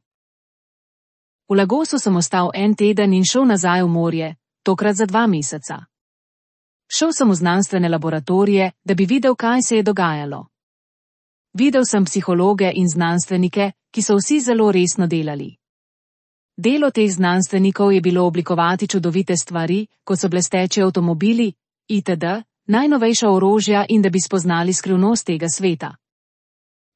V Lagosu sem ostal en teden in šel nazaj v morje, tokrat za 2 meseca. Šel sem v znanstvene laboratorije, da bi videl, kaj se je dogajalo. Videl sem psihologe in znanstvenike, ki so vsi zelo resno delali. Delo teh znanstvenikov je bilo oblikovati čudovite stvari, kot so blesteči avtomobili, itd., najnovejša orožja in da bi spoznali skrivnost tega sveta.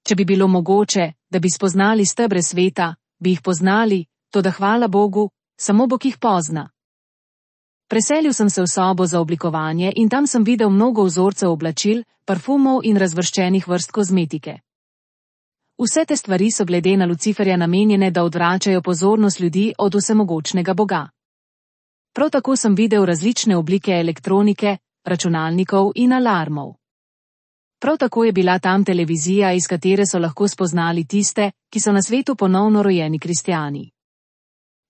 Če bi bilo mogoče, da bi spoznali stebre sveta, bi jih poznali, toda hvala Bogu, samo Bog jih pozna. Preselil sem se v sobo za oblikovanje in tam sem videl mnogo vzorcev oblačil, parfumov in razvrščenih vrst kozmetike. Vse te stvari so glede na Luciferja namenjene, da odvračajo pozornost ljudi od vsemogočnega Boga. Prav tako sem videl različne oblike elektronike, računalnikov in alarmov. Prav tako je bila tam televizija, iz katere so lahko spoznali tiste, ki so na svetu ponovno rojeni kristjani.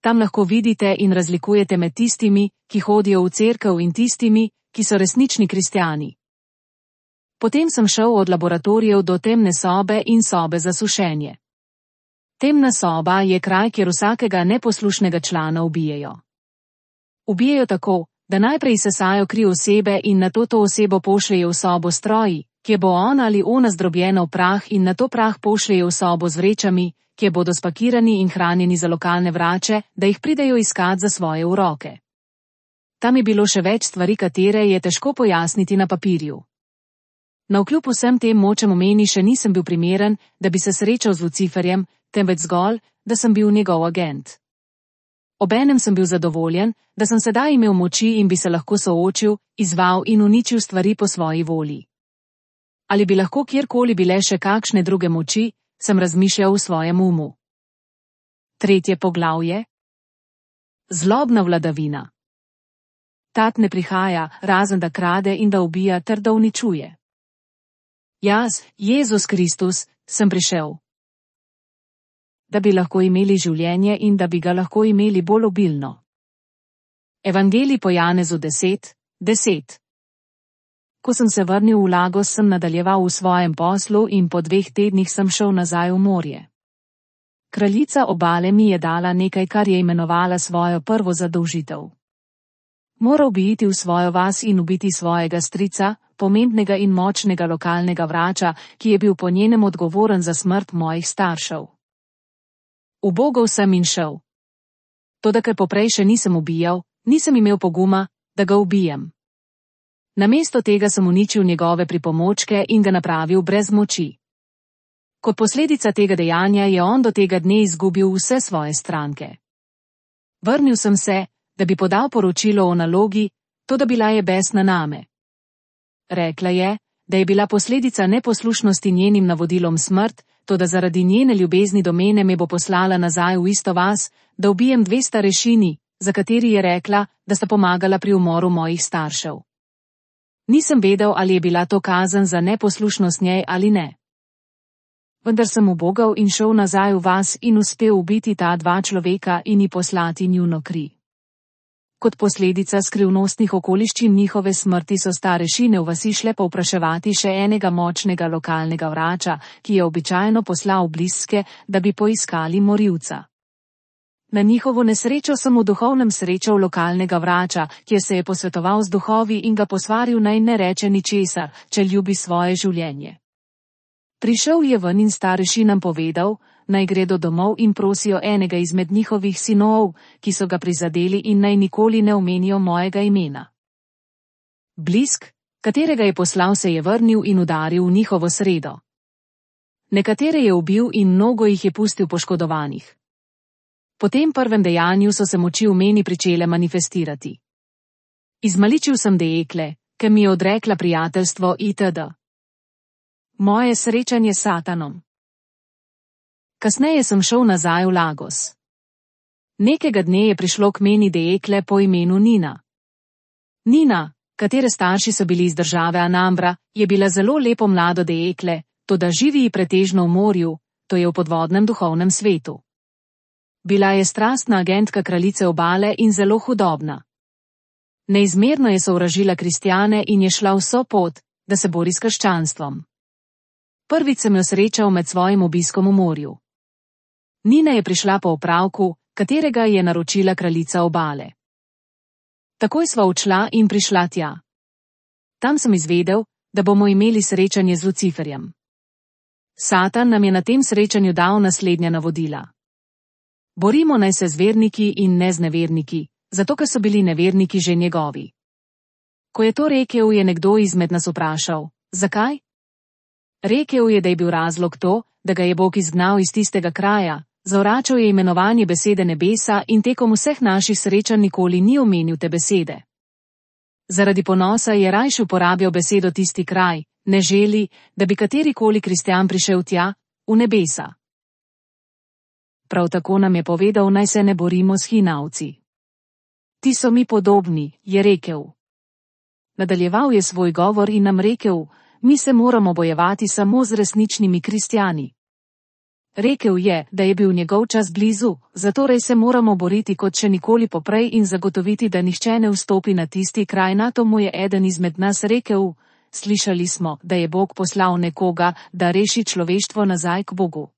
Tam lahko vidite in razlikujete med tistimi, ki hodijo v cerkev in tistimi, ki so resnični kristjani. Potem sem šel od laboratorijev do temne sobe in sobe za sušenje. Temna soba je kraj, kjer vsakega neposlušnega člana ubijejo. Ubijejo tako, da najprej sesajo kri osebe in nato to osebo pošljejo v sobo s stroji, kjer bo on ali ona zdrobljena v prah in nato prah pošljejo v sobo z vrečami, kjer bodo spakirani in hranjeni za lokalne vrače, da jih pridejo iskat za svoje uroke. Tam je bilo še več stvari, katere je težko pojasniti na papirju. Navkljub vsem tem močem omeni še nisem bil primeren, da bi se srečal z Luciferjem, temveč zgolj, da sem bil njegov agent. Obenem sem bil zadovoljen, da sem sedaj imel moči in bi se lahko soočil, izzval in uničil stvari po svoji volji. Ali bi lahko kjerkoli bile še kakšne druge moči, sem razmišljal v svojem umu. 3. poglavje. Zlobna vladavina. Tat ne prihaja, razen da krade in da ubija ter da uničuje. Jaz, Jezus Kristus, sem prišel, da bi lahko imeli življenje in da bi ga lahko imeli bolj obilno. Evangelij po Janezu 10:10. Ko sem se vrnil v Lagos, sem nadaljeval v svojem poslu in po 2 tednih sem šel nazaj v morje. Kraljica obale mi je dala nekaj, kar je imenovala svojo prvo zadolžitev. Moral bi iti v svojo vas in ubiti svojega strica, pomembnega in močnega lokalnega vrača, ki je bil po njenem odgovoren za smrt mojih staršev. Ubogal sem in šel. Toda ker poprej še nisem ubijal, nisem imel poguma, da ga ubijem. Namesto tega sem uničil njegove pripomočke in ga napravil brez moči. Kot posledica tega dejanja je on do tega dne izgubil vse svoje stranke. Vrnil sem se, da bi podal poročilo o nalogi, toda bila je besna name. Rekla je, da je bila posledica neposlušnosti njenim navodilom smrt, toda zaradi njene ljubezni do mene me bo poslala nazaj v isto vas, da ubijem 2 starešini, za kateri je rekla, da sta pomagala pri umoru mojih staršev. Nisem vedel, ali je bila to kazen za neposlušnost njej ali ne. Vendar sem ubogal in šel nazaj v vas in uspel ubiti ta 2 človeka in ji poslati njuno kri. Kot posledica skrivnostnih okoliščin njihove smrti so starešine v vasi šle povpraševati še enega močnega lokalnega vrača, ki je običajno poslal bliske, da bi poiskali morilca. Na njihovo nesrečo sem v duhovnem srečal lokalnega vrača, kjer se je posvetoval z duhovi in ga posvaril, naj ne reče ničesar, če ljubi svoje življenje. Prišel je ven in starešinam povedal, naj gredo domov in prosijo enega izmed njihovih sinov, ki so ga prizadeli, in naj nikoli ne omenijo mojega imena. Blisk, katerega je poslal, se je vrnil in udaril v njihovo sredo. Nekatere je ubil in mnogo jih je pustil poškodovanih. Po tem prvem dejanju so se moči v meni pričele manifestirati. Izmaličil sem dekle, ki mi je odrekla prijateljstvo itd. Moje srečanje s Satanom. Kasneje sem šel nazaj v Lagos. Nekega dne je prišlo k meni dekle po imenu Nina. Nina, katere starši so bili iz države Anambra, je bila zelo lepo mlado dekle, toda živi pretežno v morju, to je v podvodnem duhovnem svetu. Bila je strastna agentka kraljice obale in zelo hudobna. Neizmerno je sovražila kristjane in je šla vso pot, da se bori s krščanstvom. Prvič sem jo srečal med svojim obiskom v morju. Nina je prišla po opravku, katerega je naročila kraljica obale. Takoj sva odšla in prišla tja. Tam sem izvedel, da bomo imeli srečanje z Luciferjem. Satan nam je na tem srečanju dal naslednja navodila. Borimo naj se z verniki in ne z neverniki, zato ker so bili neverniki že njegovi. Ko je to rekel, je nekdo izmed nas vprašal, zakaj? Rekel je, da je bil razlog to, da ga je Bog izgnal iz tistega kraja, zavračal je imenovanje besede nebesa in tekom vseh naših srečanj nikoli ni omenil te besede. Zaradi ponosa je rajši uporabljal besedo tisti kraj, ne želi, da bi katerikoli kristjan prišel tja, v nebesa. Prav tako nam je povedal, naj se ne borimo s hinavci. Ti so mi podobni, je rekel. Nadaljeval je svoj govor in nam rekel, mi se moramo bojevati samo z resničnimi kristjani. Rekel je, da je bil njegov čas blizu, zatorej se moramo boriti kot še nikoli poprej in zagotoviti, da nihče ne vstopi na tisti kraj. Nato mu je eden izmed nas rekel, slišali smo, da je Bog poslal nekoga, da reši človeštvo nazaj k Bogu.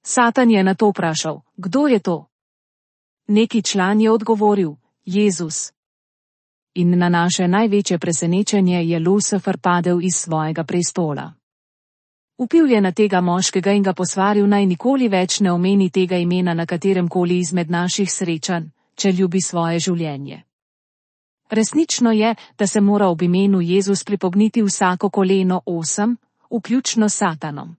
Satan je na to vprašal, kdo je to? Neki član je odgovoril, Jezus. In na naše največje presenečenje je Lucifer padel iz svojega prestola. Vpil je na tega moškega in ga posvaril, naj nikoli več ne omeni tega imena na katerem koli izmed naših srečanj, če ljubi svoje življenje. Resnično je, da se mora ob imenu Jezus pripogniti vsako koleno 8, vključno s Satanom.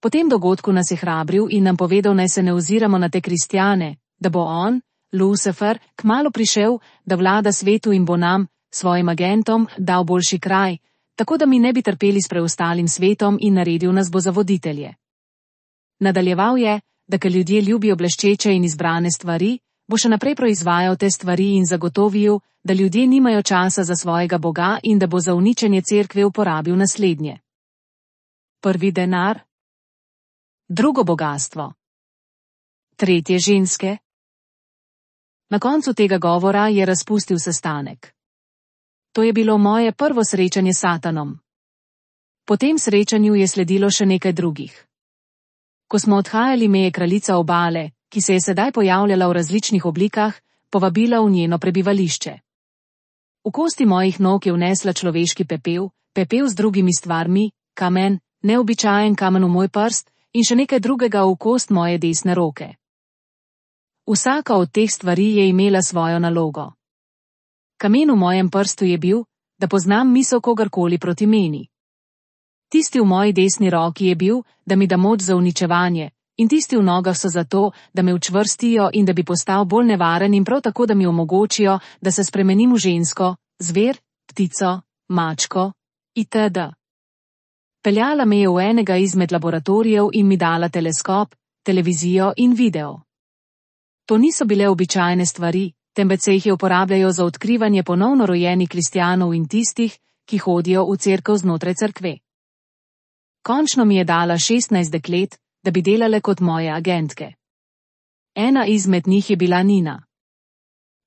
Po tem dogodku nas je hrabril in nam povedal, naj se ne oziramo na te kristjane, da bo on, Lucifer, kmalu prišel, da vlada svetu in bo nam, svojim agentom, dal boljši kraj, tako da mi ne bi trpeli s preostalim svetom in naredil nas bo za voditelje. Nadaljeval je, da ker ljudje ljubijo bleščeče in izbrane stvari, bo še naprej proizvajal te stvari in zagotovil, da ljudje nimajo časa za svojega Boga in da bo za uničenje cerkve uporabil naslednje. Prvi denar. Drugo bogastvo. Tretje ženske. Na koncu tega govora je razpustil sestanek. To je bilo moje prvo srečanje s Satanom. Po tem srečanju je sledilo še nekaj drugih. Ko smo odhajali, me je kraljica obale, ki se je sedaj pojavljala v različnih oblikah, povabila v njeno prebivališče. V kosti mojih nog je vnesla človeški pepel, pepel z drugimi stvarmi, kamen, neobičajen kamen v moj prst in še nekaj drugega v kost moje desne roke. Vsaka od teh stvari je imela svojo nalogo. Kamen v mojem prstu je bil, da poznam misel kogarkoli proti meni. Tisti v moji desni roki je bil, da mi da moč za uničevanje, in tisti v nogah so zato, da me učvrstijo in da bi postal bolj nevaren in prav tako, da mi omogočijo, da se spremenim v žensko, zver, ptico, mačko, itd. Peljala me je v enega izmed laboratorijev in mi dala teleskop, televizijo in video. To niso bile običajne stvari, temveč se jih je uporabljajo za odkrivanje ponovno rojenih kristjanov in tistih, ki hodijo v cerkev znotraj cerkve. Končno mi je dala 16 deklet, da bi delale kot moje agentke. Ena izmed njih je bila Nina.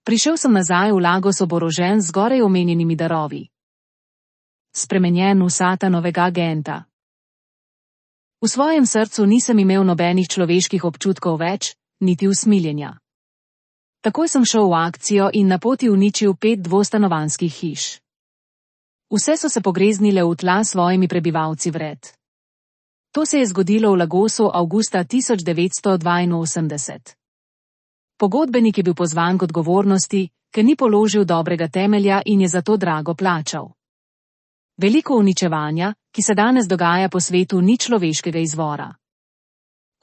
Prišel sem nazaj v Lagos oborožen z zgoraj omenjenimi darovi. Spremenjen v Satanovega agenta. V svojem srcu nisem imel nobenih človeških občutkov več, niti usmiljenja. Takoj sem šel v akcijo in na poti uničil 5 dvostanovanjskih hiš. Vse so se pogreznile v tla s svojimi prebivalci vred. To se je zgodilo v Lagosu avgusta 1982. Pogodbenik je bil pozvan k odgovornosti, ker ni položil dobrega temelja in je zato drago plačal. Veliko uničevanja, ki se danes dogaja po svetu, ni človeškega izvora.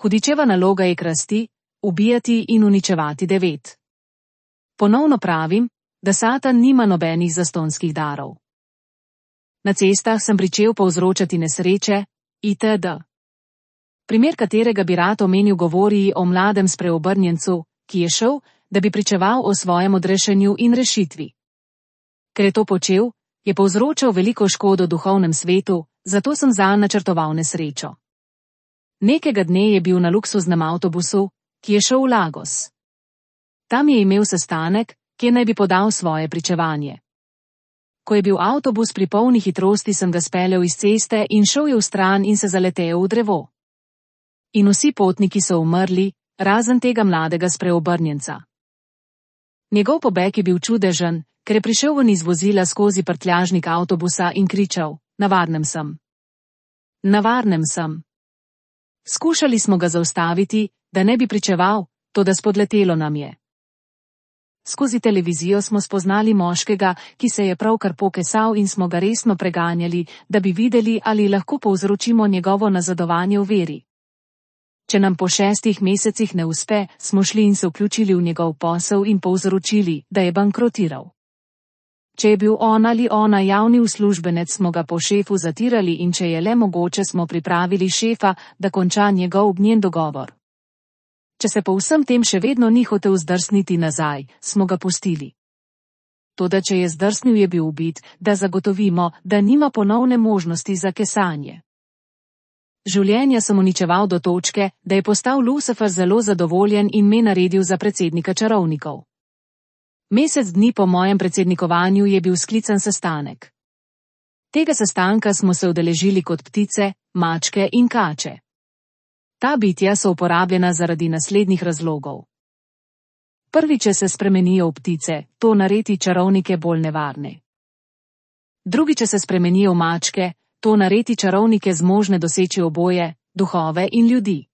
Hudičeva naloga je krasti, ubijati in uničevati 9. Ponovno pravim, da Satan nima nobenih zastonjskih darov. Na cestah sem pričel povzročati nesreče, itd. Primer, katerega bi rad omenil, govori o mladem spreobrnjencu, ki je šel, da bi pričeval o svojem odrešenju in rešitvi. Ker je to počel, je povzročal veliko škodo v duhovnem svetu, zato sem zanj načrtoval nesrečo. Nekega dne je bil na luksuznem avtobusu, ki je šel v Lagos. Tam je imel sestanek, kjer naj bi podal svoje pričevanje. Ko je bil avtobus pri polni hitrosti, sem ga speljal iz ceste in šel je vstran in se zaletel v drevo. In vsi potniki so umrli, razen tega mladega spreobrnjenca. Njegov pobeg je bil čudežen, ker je prišel ven iz vozila skozi prtljažnik avtobusa in kričal, na varnem sem. Na varnem sem. Skušali smo ga zaustaviti, da ne bi pričeval, toda spodletelo nam je. Skozi televizijo smo spoznali moškega, ki se je pravkar pokesal in smo ga resno preganjali, da bi videli, ali lahko povzročimo njegovo nazadovanje v veri. Če nam po 6 mesecih ne uspe, smo šli in se vključili v njegov posel in povzročili, da je bankrotiral. Če je bil on ali ona javni uslužbenec, smo ga po šefu zatirali in če je le mogoče, smo pripravili šefa, da konča njegov gnjen dogovor. Če se po vsem tem še vedno ni hotel zdrsniti nazaj, smo ga pustili. Toda če je zdrsnil, je bil ubit, da zagotovimo, da nima ponovne možnosti za kesanje. Življenja sem uničeval do točke, da je postal Lucifer zelo zadovoljen in me naredil za predsednika čarovnikov. Mesec dni po mojem predsednikovanju je bil sklican sestanek. Tega sestanka smo se udeležili kot ptice, mačke in kače. Ta bitja so uporabljena zaradi naslednjih razlogov. Prvič, če se spremenijo v ptice, to naredi čarovnike bolj nevarne. Drugič, če se spremenijo v mačke, to naredi čarovnike zmožne doseči oboje, duhove in ljudi.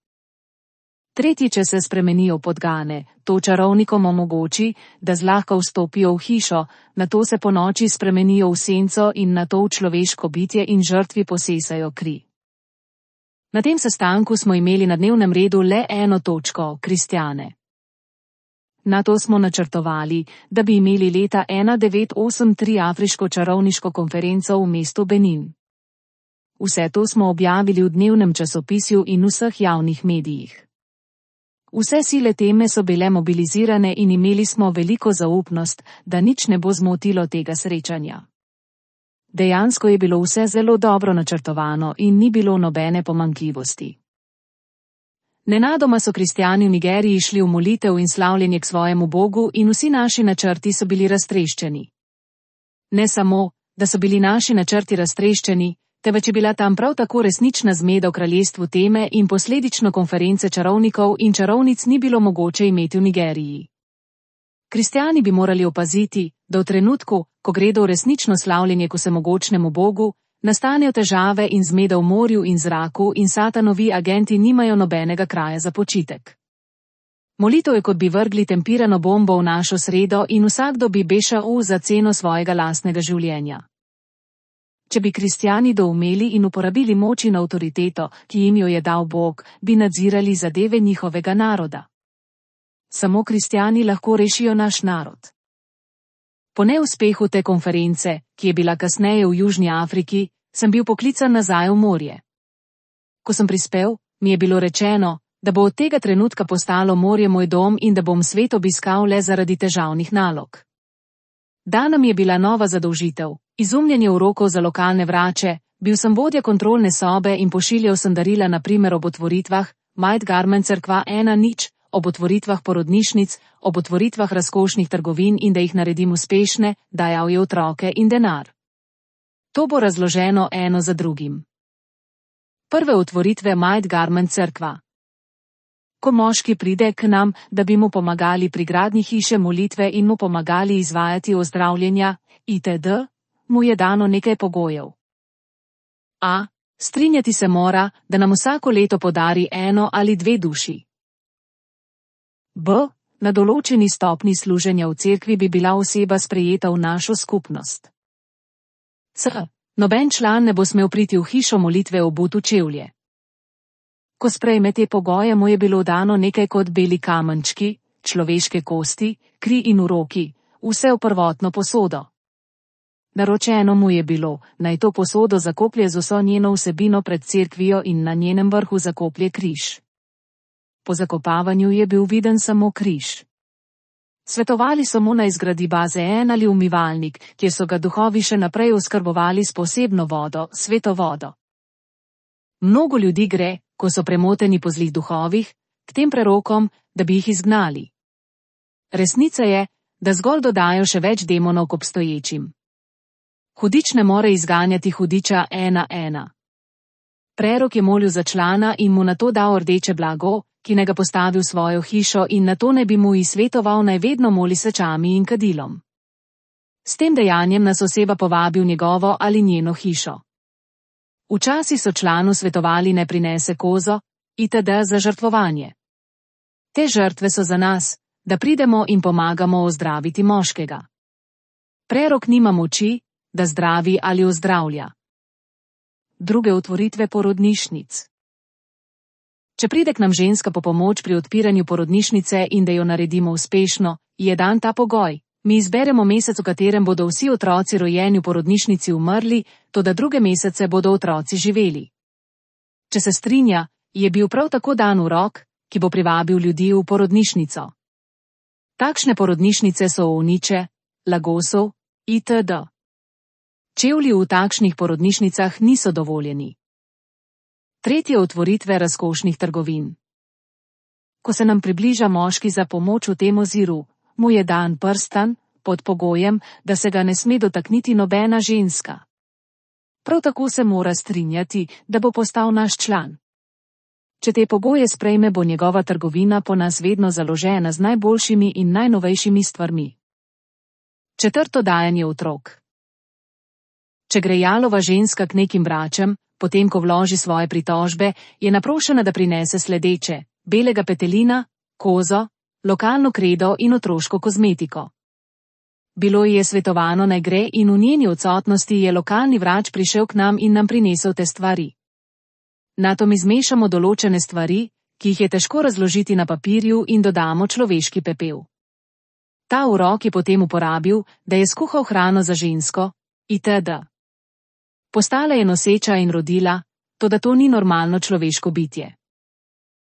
Tretjič, če se spremenijo v podgane, to čarovnikom omogoči, da zlahka vstopijo v hišo, nato se ponoči spremenijo v senco in nato v človeško bitje in žrtvi posesajo kri. Na tem sestanku smo imeli na dnevnem redu le eno točko, kristjane. Na to smo načrtovali, da bi imeli leta 1983 afriško čarovniško konferenco v mestu Benin. Vse to smo objavili v dnevnem časopisju in vseh javnih medijih. Vse sile teme so bile mobilizirane in imeli smo veliko zaupnost, da nič ne bo zmotilo tega srečanja. Dejansko je bilo vse zelo dobro načrtovano in ni bilo nobene pomanjkljivosti. Nenadoma so kristjani v Nigeriji šli v molitev in slavljenje k svojemu Bogu in vsi naši načrti so bili raztreščeni. Ne samo, da so bili naši načrti raztreščeni, temveč je bila tam prav tako resnična zmeda v kraljestvu teme in posledično konference čarovnikov in čarovnic ni bilo mogoče imeti v Nigeriji. Kristjani bi morali opaziti, da v trenutku, ko gredo v resnično slavljenje k vsemogočnemu Bogu, nastanejo težave in zmeda v morju in zraku in satanovi agenti nimajo nobenega kraja za počitek. Molitev je, kot bi vrgli tempirano bombo v našo sredo in vsakdo bi bešal za ceno svojega lastnega življenja. Če bi kristjani doumeli in uporabili moč in avtoriteto, ki jim jo je dal Bog, bi nadzirali zadeve njihovega naroda. Samo kristjani lahko rešijo naš narod. Po neuspehu te konference, ki je bila kasneje v Južni Afriki, sem bil poklican nazaj v morje. Ko sem prispel, mi je bilo rečeno, da bo od tega trenutka postalo morje moj dom in da bom svet obiskal le zaradi težavnih nalog. Dana mi je bila nova zadolžitev, izumljanje urokov za lokalne vrače, bil sem vodja kontrolne sobe in pošiljal sem darila na primer ob otvoritvah, Might Garment Cerkva 1:0, ob otvoritvah porodnišnic, ob otvoritvah razkošnih trgovin in da jih naredim uspešne, dajal je otroke in denar. To bo razloženo eno za drugim. Prve otvoritve Might Garment Cerkva. Ko moški pride k nam, da bi mu pomagali pri gradnji hiše molitve in mu pomagali izvajati ozdravljenja, itd., mu je dano nekaj pogojev. A. Strinjati se mora, da nam vsako leto podari 1 ali 2 duši. B. Na določeni stopni služenja v cerkvi bi bila oseba sprejeta v našo skupnost. C. Noben član ne bo smel priti v hišo molitve obut v čevlje. Ko sprejme te pogoje, mu je bilo dano nekaj kot beli kamenčki, človeške kosti, kri in uroki, vse v prvotno posodo. Naročeno mu je bilo, naj to posodo zakoplje z vso njeno vsebino pred cerkvijo in na njenem vrhu zakoplje križ. Po zakopavanju je bil viden samo križ. Svetovali so mu, naj zgradi bazen ali umivalnik, kjer so ga duhovi še naprej oskrbovali s posebno vodo, sveto vodo. Mnogo ljudi gre, ko so premoteni po zlih duhovih, k tem prerokom, da bi jih izgnali. Resnica je, da zgolj dodajo še več demonov k obstoječim. Hudič ne more izganjati hudiča 1:1. Prerok je molil za člana in mu nato dal rdeče blago, ki ne ga postavi v svojo hišo in nato ne bi mu svetoval, naj vedno moli svečami in kadilom. S tem dejanjem nas oseba povabi v njegovo ali njeno hišo. Včasih so članu svetovali, ne prinese kozo, itd. za žrtvovanje. Te žrtve so za nas, da pridemo in pomagamo ozdraviti moškega. Prerok nima moči, da zdravi ali ozdravlja. Druge otvoritve porodnišnic. Če pride k nam ženska po pomoč pri odpiranju porodnišnice in da jo naredimo uspešno, je dan ta pogoj. Mi izberemo mesec, v katerem bodo vsi otroci rojeni v porodnišnici umrli, toda druge mesece bodo otroci živeli. Če se strinja, je bil prav tako dan urok, ki bo privabil ljudi v porodnišnico. Takšne porodnišnice so ovniče, Lagosov, itd. Čevlji v takšnih porodnišnicah niso dovoljeni. Tretje otvoritve razkošnih trgovin. Ko se nam približa moški za pomoč v tem oziru, mu je dan prstan, pod pogojem, da se ga ne sme dotakniti nobena ženska. Prav tako se mora strinjati, da bo postal naš član. Če te pogoje sprejme, bo njegova trgovina po nas vedno založena z najboljšimi in najnovejšimi stvarmi. Četrto, dajanje otrok. Če gre jalova ženska k nekim bračem, potem ko vloži svoje pritožbe, je naprošena, da prinese sledeče: belega petelina, kozo, lokalno kredo in otroško kozmetiko. Bilo ji je svetovano, naj gre, in v njeni odsotnosti je lokalni vrač prišel k nam in nam prinesel te stvari. Nato mi zmešamo določene stvari, ki jih je težko razložiti na papirju, in dodamo človeški pepel. Ta urok je potem uporabil, da je skuhal hrano za žensko, itd. Postala je noseča in rodila, toda to ni normalno človeško bitje.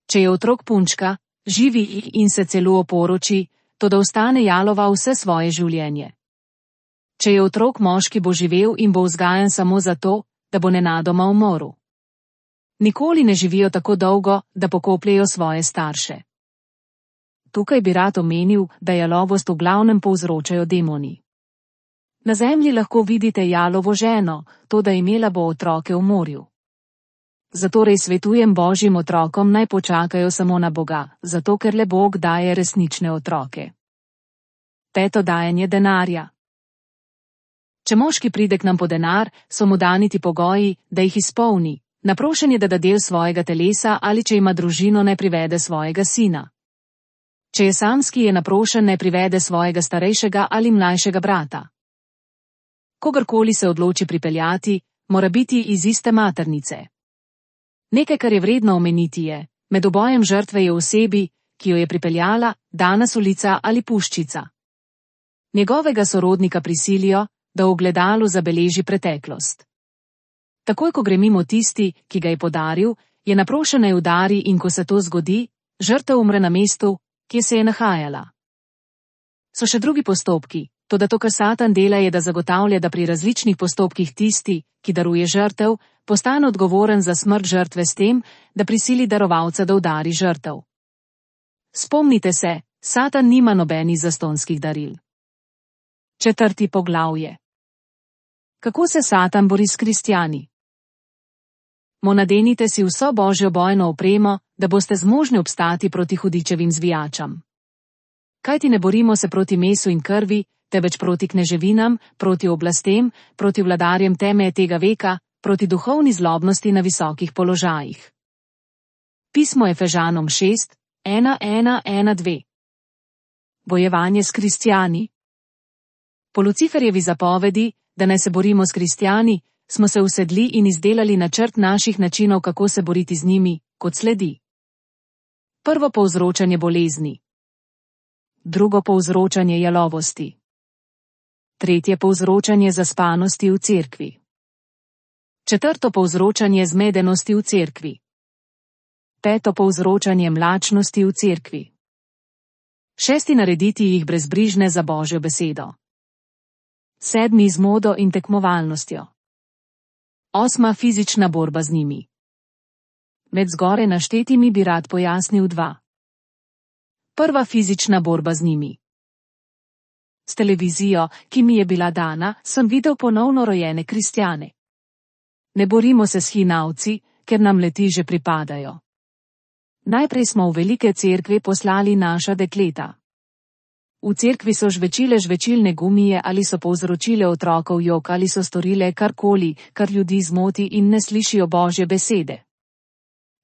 Če je otrok punčka, živi in se celo oporoči, toda ostane jalova vse svoje življenje. Če je otrok moški, bo živel in bo vzgajan samo zato, da bo nenadoma umrl. Nikoli ne živijo tako dolgo, da pokopljejo svoje starše. Tukaj bi rad omenil, da jalovost v glavnem povzročajo demoni. Na zemlji lahko vidite jalovo ženo, toda imela bo otroke v morju. Zatorej svetujem Božjim otrokom, naj počakajo samo na Boga, zato ker le Bog daje resnične otroke. Peto, dajanje denarja. Če moški pride k nam po denar, so mu dani ti pogoji, da jih izpolni. Naprošen je, da da del svojega telesa, ali če ima družino, ne privede svojega sina. Če je samski, je naprošen, ne privede svojega starejšega ali mlajšega brata. Kogarkoli se odloči pripeljati, mora biti iz iste maternice. Nekaj, kar je vredno omeniti, je: med obojem žrtve je osebi, ki jo je pripeljala, dana solica ali puščica. Njegovega sorodnika prisilijo, da v ogledalu zabeleži preteklost. Takoj, ko gre mimo tisti, ki ga je podaril, je naprošen, naj udari, in ko se to zgodi, žrtev umre na mestu, kje se je nahajala. So še drugi postopki, toda to, kar Satan dela, je, da zagotavlja, da pri različnih postopkih tisti, ki daruje žrtev, postane odgovoren za smrt žrtve s tem, da prisili darovalca, da udari žrtev. Spomnite se, Satan nima nobenih zastonjskih daril. Četrti poglavje. Kako se Satan bori s kristjani? Nadenite si vso Božjo bojno opremo, da boste zmožni obstati proti hudičevim zvijačam. Kajti ne borimo se proti mesu in krvi, temveč proti kneževinam, proti oblastem, proti vladarjem teme tega veka, proti duhovni zlobnosti na visokih položajih. Pismo Efežanom 6, 1:1-1:2. Bojevanje s kristjani. Po Luciferjevi zapovedi, da naj se borimo s kristjani, smo se usedli in izdelali načrt naših načinov, kako se boriti z njimi, kot sledi. Prvo, povzročanje bolezni. Drugo, povzročanje jalovosti. Tretje, povzročanje zaspanosti v cerkvi. Četrto, povzročanje zmedenosti v cerkvi. Peto, povzročanje mlačnosti v cerkvi. Šesti, narediti jih brezbrižne za Božjo besedo. Sedmi, z modo in tekmovalnostjo. Osma, fizična borba z njimi. Med zgoraj naštetimi bi rad pojasnil dva. Prva, fizična borba z njimi. S televizijo, ki mi je bila dana, sem videl ponovno rojene kristjane. Ne borimo se s hinavci, ker nam leti že pripadajo. Najprej smo v velike cerkve poslali naša dekleta. V cerkvi so žvečile žvečilne gumije ali so povzročile otrokov jok ali so storile karkoli, kar ljudi zmoti in ne slišijo Božje besede.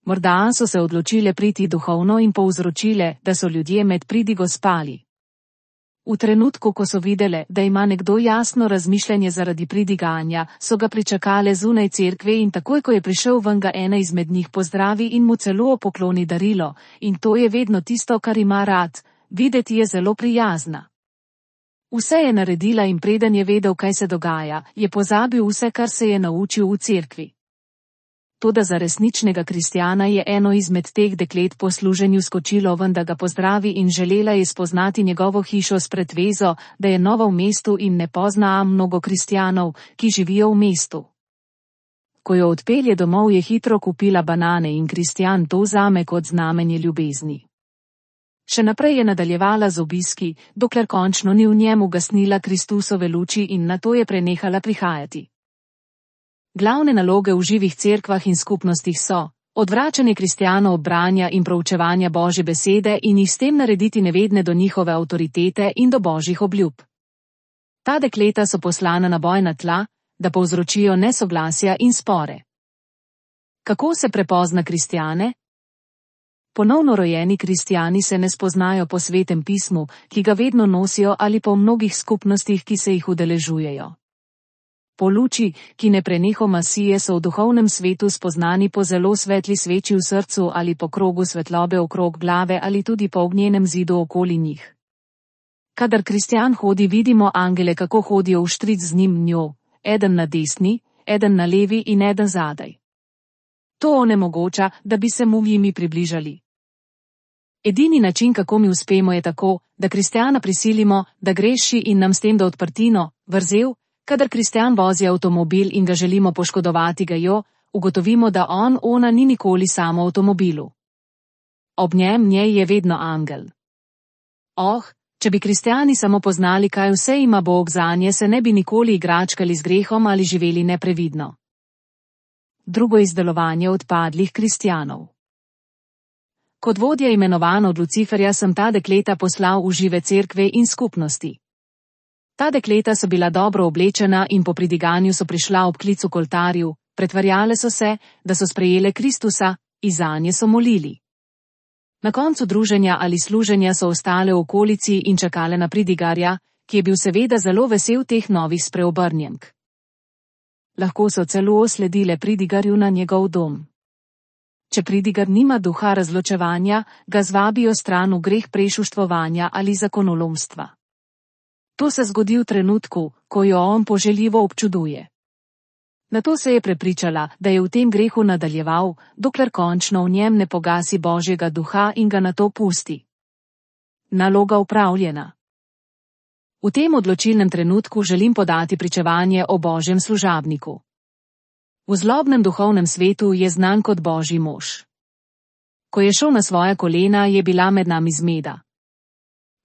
Morda so se odločile priti duhovno in povzročile, da so ljudje med pridigo spali. V trenutku, ko so videle, da ima nekdo jasno razmišljanje zaradi pridiganja, so ga pričakale zunaj cerkve in takoj, ko je prišel ven, ga ena izmed njih pozdravi in mu celo pokloni darilo, in to je vedno tisto, kar ima rad, videti je zelo prijazna. Vse je naredila in preden je vedel, kaj se dogaja, je pozabil vse, kar se je naučil v cerkvi. Toda za resničnega kristjana je eno izmed teh deklet po služenju skočilo ven, da ga pozdravi in želela je spoznati njegovo hišo s pretvezo, da je nova v mestu in ne pozna mnogo kristjanov, ki živijo v mestu. Ko jo odpelje domov, je hitro kupila banane in kristjan to vzame kot znamenje ljubezni. Še naprej je nadaljevala z obiski, dokler končno ni v njem ugasnila Kristusove luči in nato je prenehala prihajati. Glavne naloge v živih cerkvah in skupnostih so odvračanje kristjanov od branja in proučevanja Božje besede in jih s tem narediti nevedne do njihove avtoritete in do Božjih obljub. Ta dekleta so poslana na bojna tla, da povzročijo nesoglasja in spore. Kako se prepozna kristjane? Ponovno rojeni kristjani se ne spoznajo po Svetem pismu, ki ga vedno nosijo, ali po mnogih skupnostih, ki se jih udeležujejo. Po luči, ki ne prenehoma sije, so v duhovnem svetu spoznani po zelo svetli sveči v srcu ali po krogu svetlobe okrog glave ali tudi po ognjenem zidu okoli njih. Kadar kristjan hodi, vidimo angele, kako hodijo vštric z njim njo, eden na desni, eden na levi in eden zadaj. To onemogoča, da bi se mu jimi približali. Edini način, kako mi uspemo, je tako, da kristjana prisilimo, da greši in nam s tem da odprtino, vrzel. Kadar kristjan vozi avtomobil in ga želimo poškodovati, ugotovimo, da ona ni nikoli samo v avtomobilu. Ob njej je vedno angel. Če bi kristjani samo poznali, kaj vse ima Bog zanje, se ne bi nikoli igračkali z grehom ali živeli neprevidno. Drugo izdelovanje odpadlih kristjanov. Kot vodja imenovan od Luciferja sem ta dekleta poslal v žive cerkve in skupnosti. Ta dekleta so bila dobro oblečena in po pridiganju so prišla ob klicu k oltarju, pretvarjale so se, da so sprejele Kristusa, in zanje so molili. Na koncu druženja ali služenja so ostale v okolici in čakale na pridigarja, ki je bil seveda zelo vesel teh novih spreobrnjenk. Lahko so celo sledile pridigarju na njegov dom. Če pridigar nima duha razločevanja, ga zvabijo stran v greh prešuštvovanja ali zakonolomstva. To se zgodi v trenutku, ko jo on poželjivo občuduje. Nato se je prepričala, da je v tem grehu nadaljeval, dokler končno v njem ne pogasi Božjega duha in ga nato pusti. Naloga opravljena. V tem odločilnem trenutku želim podati pričevanje o Božjem služabniku. V zlobnem duhovnem svetu je znan kot Božji mož. Ko je šel na svoja kolena, je bila med nami zmeda.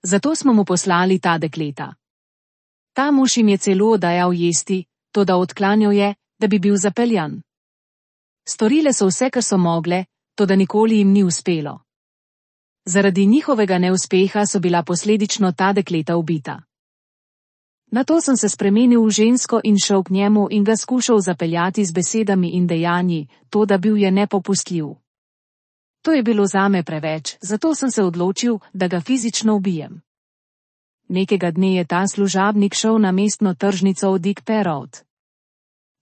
Zato smo mu poslali ta dekleta. Ta mož jim je celo dajal jesti, toda odklanjal je, da bi bil zapeljan. Storile so vse, kar so mogle, toda nikoli jim ni uspelo. Zaradi njihovega neuspeha so bila posledično ta dekleta ubita. Nato sem se spremenil v žensko in šel k njemu in ga skušal zapeljati z besedami in dejanji, toda bil je nepopustljiv. To je bilo zame preveč, zato sem se odločil, da ga fizično ubijem. Nekega dne je ta služabnik šel na mestno tržnico v Dick Road.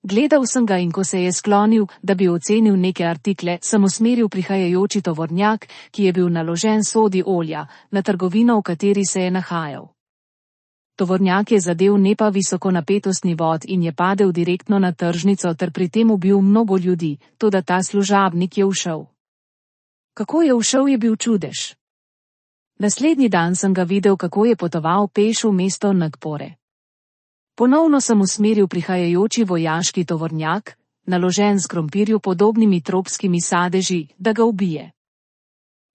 Gledal sem ga in ko se je sklonil, da bi ocenil neke artikle, sem usmeril prihajajoči tovornjak, ki je bil naložen sodi olja, na trgovino, v kateri se je nahajal. Tovornjak je zadel nepa visokonapetostni vod in je padel direktno na tržnico ter pri tem ubil mnogo ljudi, toda ta služabnik je ušel. Kako je ušel, je bil čudež. Naslednji dan sem ga videl, kako je potoval peš v mesto Nagpore. Ponovno sem usmeril prihajajoči vojaški tovornjak, naložen s krompirju podobnimi tropskimi sadeži, da ga ubije.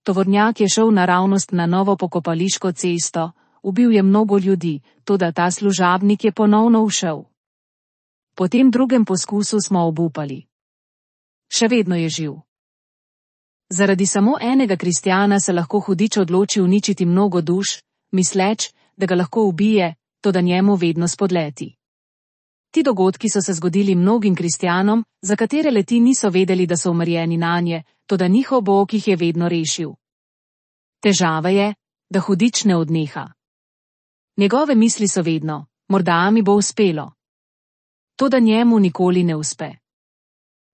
Tovornjak je šel naravnost na novo pokopališko cesto, ubil je mnogo ljudi, toda ta služabnik je ponovno ušel. Po tem drugem poskusu smo obupali. Še vedno je živ. Zaradi samo enega kristjana se lahko hudič odloči uničiti mnogo duš, misleč, da ga lahko ubije, toda njemu vedno spodleti. Ti dogodki so se zgodili mnogim kristjanom, za katere leti niso vedeli, da so umrjeni nanje, toda njihov Bog jih je vedno rešil. Težava je, da hudič ne odneha. Njegove misli so vedno, morda mi bo uspelo. Toda njemu nikoli ne uspe.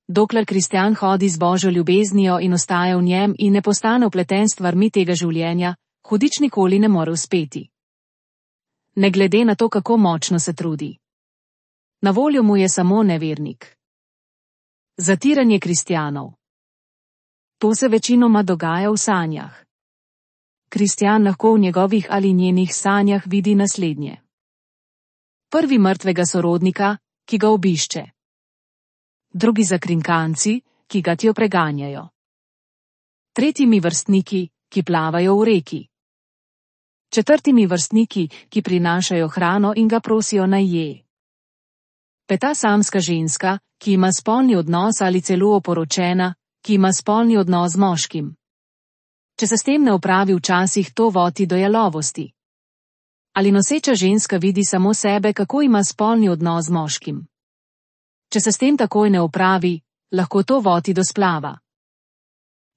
Dokler kristjan hodi z Božjo ljubeznijo in ostaja v njem in ne postane vpleten s stvarmi tega življenja, hudič nikoli ne more uspeti. Ne glede na to, kako močno se trudi. Na voljo mu je samo nevernik. Zatiranje kristjanov. To se večinoma dogaja v sanjah. Kristjan lahko v njegovih ali njenih sanjah vidi naslednje. Prvi mrtvega sorodnika, ki ga obišče. Drugi zakrinkanci, ki ga tjo preganjajo. Tretjimi vrstniki, ki plavajo v reki. Četrtimi vrstniki, ki prinašajo hrano in ga prosijo naj je. Peta samska ženska, ki ima spolni odnos ali celo oporočena, ki ima spolni odnos z moškim. Če se s tem ne opravi včasih, to vodi do jalovosti. Ali noseča ženska vidi samo sebe, kako ima spolni odnos z moškim. Če se s tem takoj ne opravi, lahko to vodi do splava.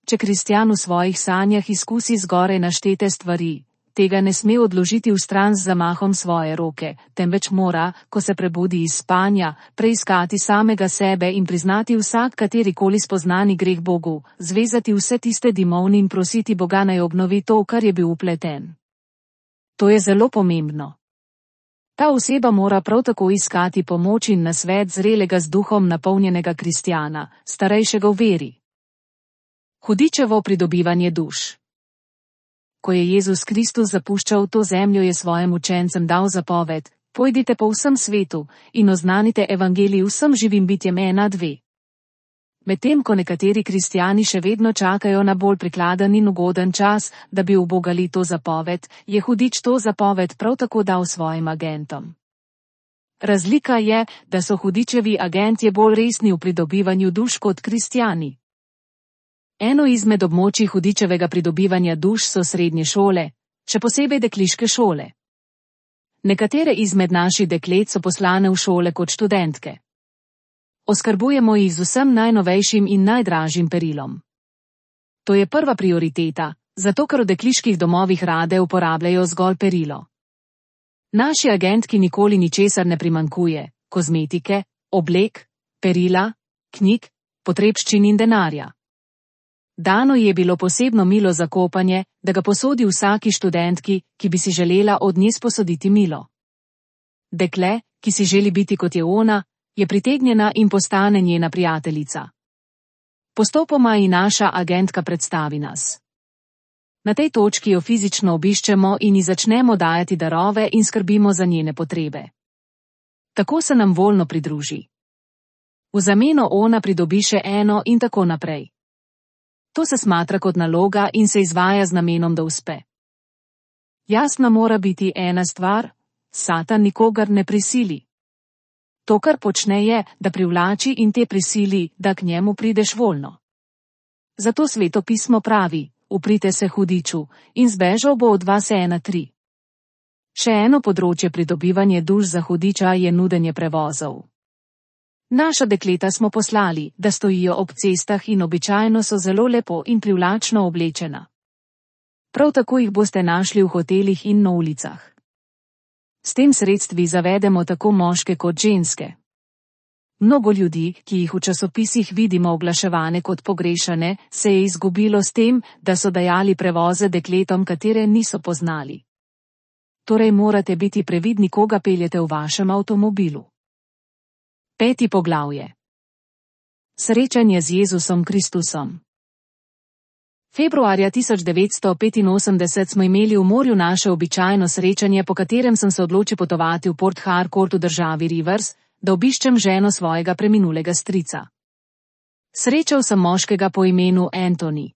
Če kristjan v svojih sanjah izkusi zgoraj naštete stvari, tega ne sme odložiti v stran z zamahom svoje roke, temveč mora, ko se prebudi iz spanja, preiskati samega sebe in priznati vsak katerikoli spoznani greh Bogu, zvezati vse tiste dimovni in prositi Boga naj obnovi to, kar je bil vpleten. To je zelo pomembno. Ta oseba mora prav tako iskati pomoč in nasvet zrelega z duhom napolnjenega kristjana, starejšega v veri. Hudičevo pridobivanje duš. Ko je Jezus Kristus zapuščal to zemljo, je svojim učencem dal zapoved: pojdite po vsem svetu in oznanite evangelij vsem živim bitjem 1:2. Medtem ko nekateri kristjani še vedno čakajo na bolj prikladen in ugoden čas, da bi ubogali to zapoved, je hudič to zapoved prav tako dal svojim agentom. Razlika je, da so hudičevi agentje bolj resni v pridobivanju duš kot kristjani. Eno izmed območij hudičevega pridobivanja duš so srednje šole, še posebej dekliške šole. Nekatere izmed naših deklet so poslane v šole kot študentke. Oskrbujemo jih z vsem najnovejšim in najdražjim perilom. To je prva prioriteta, zato ker v dekliških domovih rade uporabljajo zgolj perilo. Naši agentki nikoli ničesar ne primanjkuje: kozmetike, oblek, perila, knjig, potrebščin in denarja. Dano je bilo posebno milo za kopanje, da ga posodi vsaki študentki, ki bi si želela od nje sposoditi milo. Dekle, ki si želi biti kot je ona, je pritegnjena in postane njena prijateljica. Postopoma ji naša agentka predstavi nas. Na tej točki jo fizično obiščemo in ji začnemo dajati darove in skrbimo za njene potrebe. Tako se nam voljno pridruži. V zameno ona pridobi še eno in tako naprej. To se smatra kot naloga in se izvaja z namenom, da uspe. Jasna mora biti ena stvar: Satan nikogar ne prisili. To, kar počne, je, da privlači in te prisili, da k njemu prideš voljno. Zato Sveto pismo pravi: uprite se hudiču in zbežal bo od vas 1:3. Še eno področje pridobivanja duš za hudiča je nudenje prevozov. Naša dekleta smo poslali, da stojijo ob cestah in običajno so zelo lepo in privlačno oblečena. Prav tako jih boste našli v hotelih in na ulicah. S tem sredstvi zavedemo tako moške kot ženske. Mnogo ljudi, ki jih v časopisih vidimo oglaševane kot pogrešane, se je izgubilo s tem, da so dajali prevoze dekletom, katere niso poznali. Torej morate biti previdni, koga peljete v vašem avtomobilu. 5. poglavje. Srečanje z Jezusom Kristusom. Februarja 1985 smo imeli v morju naše običajno srečanje, po katerem sem se odločil potovati v Port Harcourt v državi Rivers, da obiščem ženo svojega preminulega strica. Srečal sem moškega po imenu Anthony.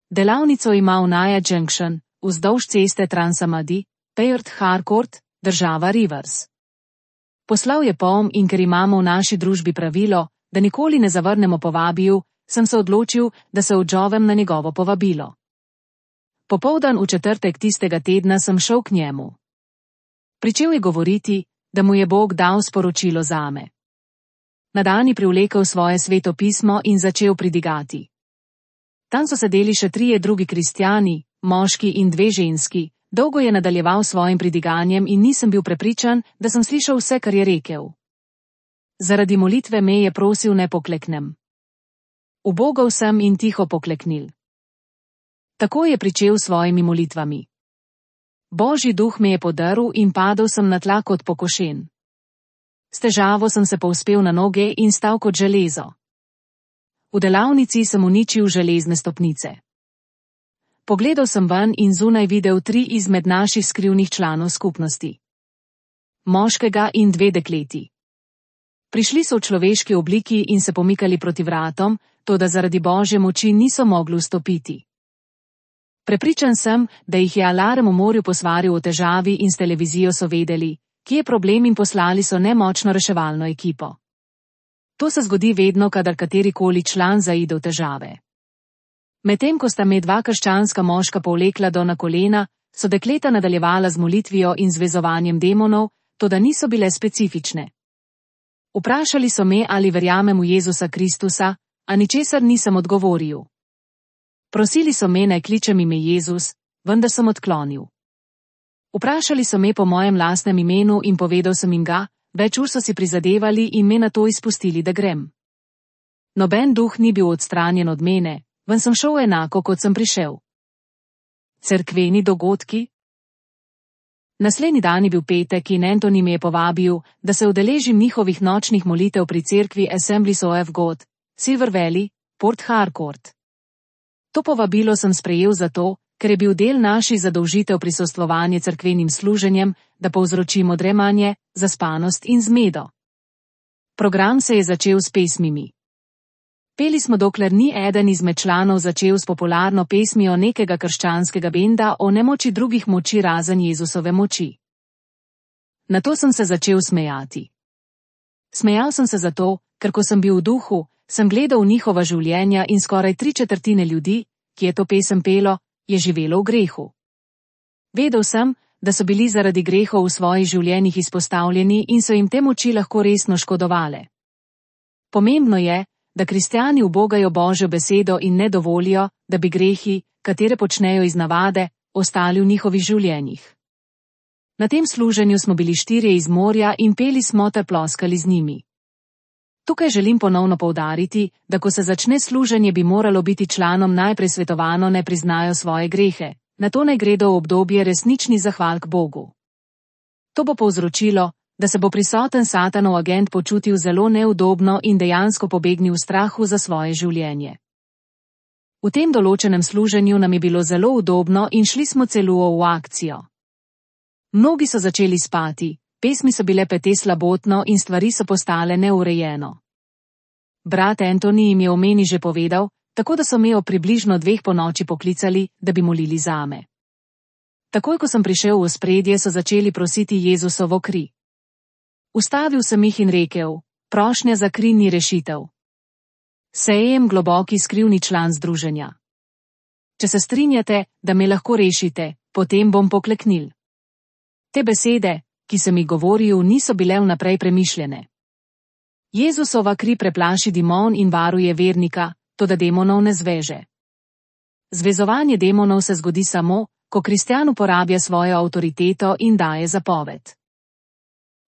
Delavnico ima v Naya Junction, vzdolž ceste Transamadi, Port Harcourt, država Rivers. Poslal je pom in ker imamo v naši družbi pravilo, da nikoli ne zavrnemo povabil, sem se odločil, da se odzovem na njegovo povabilo. Popoldan v četrtek tistega tedna sem šel k njemu. Pričel je govoriti, da mu je Bog dal sporočilo zame. Na dan je privlekel svoje sveto pismo in začel pridigati. Tam so sedeli še 3 drugi kristjani, moški in 2 ženski. Dolgo je nadaljeval svojim pridiganjem in nisem bil prepričan, da sem slišal vse, kar je rekel. Zaradi molitve me je prosil, ne pokleknem. Ubogal sem in tiho pokleknil. Tako je pričel s svojimi molitvami. Božji duh me je podrl in padel sem na tla kot pokošen. S težavo sem se povzpel na noge in stal kot železo. V delavnici sem uničil železne stopnice. Pogledal sem ven in zunaj videl 3 izmed naših skrivnih članov skupnosti. Moškega in 2 dekleti. Prišli so v človeški obliki in se pomikali proti vratom, toda zaradi Božje moči niso mogli vstopiti. Prepričan sem, da jih je alarm v morju posvaril o težavi in s televizijo so vedeli, kje je problem in poslali so nemočno reševalno ekipo. To se zgodi vedno, kadar katerikoli član zaide v težave. Medtem ko sta me 2 krščanska moška povlekla do na kolena, so dekleta nadaljevala z molitvijo in zvezovanjem demonov, toda niso bile specifične. Vprašali so me, ali verjamem v Jezusa Kristusa, a ničesar nisem odgovoril. Prosili so me, naj kličem ime Jezus, vendar sem odklonil. Vprašali so me po mojem lastnem imenu in povedal sem jim ga, več ur so si prizadevali in me na to izpustili, da grem. Noben duh ni bil odstranjen od mene, ven sem šel enako, kot sem prišel. Cerkveni dogodki? Naslednji dan je bil petek in Anthony me je povabil, da se udeležim njihovih nočnih molitev pri cerkvi Assemblies of God, Silver Valley, Port Harcourt. To povabilo sem sprejel zato, ker je bil del naših zadolžitev prisostvovanje cerkvenim služenjem, da povzročimo dremanje, zaspanost in zmedo. Program se je začel s pesmimi. Peli smo, dokler ni eden izmed članov začel s popularno pesmijo nekega krščanskega benda o nemoči drugih moči razen Jezusove moči. Nato sem se začel smejati. Smejal sem se zato, ker ko sem bil v duhu, sem gledal njihova življenja in skoraj 3/4 ljudi, ki je to pesem pelo, je živelo v grehu. Vedel sem, da so bili zaradi grehov v svojih življenjih izpostavljeni in so jim te moči lahko resno škodovale. Pomembno je, da kristjani ubogajo Božjo besedo in ne dovolijo, da bi grehi, katere počnejo iz navade, ostali v njihovih življenjih. Na tem služenju smo bili 4 iz morja in peli smo ter ploskali z njimi. Tukaj želim ponovno poudariti, da ko se začne služenje, bi moralo biti članom najprej svetovano, naj priznajo svoje grehe, nato naj gredo v obdobje resnični zahval k Bogu. To bo povzročilo, da se bo prisoten Satanov agent počutil zelo neudobno in dejansko pobegnil v strahu za svoje življenje. V tem določenem služenju nam je bilo zelo udobno in šli smo celo v akcijo. Mnogi so začeli spati, pesmi so bile pete slabotno in stvari so postale neurejeno. Brat Anthony jim je o meni že povedal, tako da so me o približno 2 ponoči poklicali, da bi molili zame. Takoj ko sem prišel v ospredje, so začeli prositi Jezusovo kri. Ustavil sem jih in rekel, prošnja za kri ni rešitev. Sejem globoki skrivni član združenja. Če se strinjate, da me lahko rešite, potem bom pokleknil. Te besede, ki sem jih govoril, niso bile vnaprej premišljene. Jezusova kri preplaši demon in varuje vernika, toda demonov ne zveže. Zvezovanje demonov se zgodi samo, ko kristjan uporablja svojo avtoriteto in daje zapoved.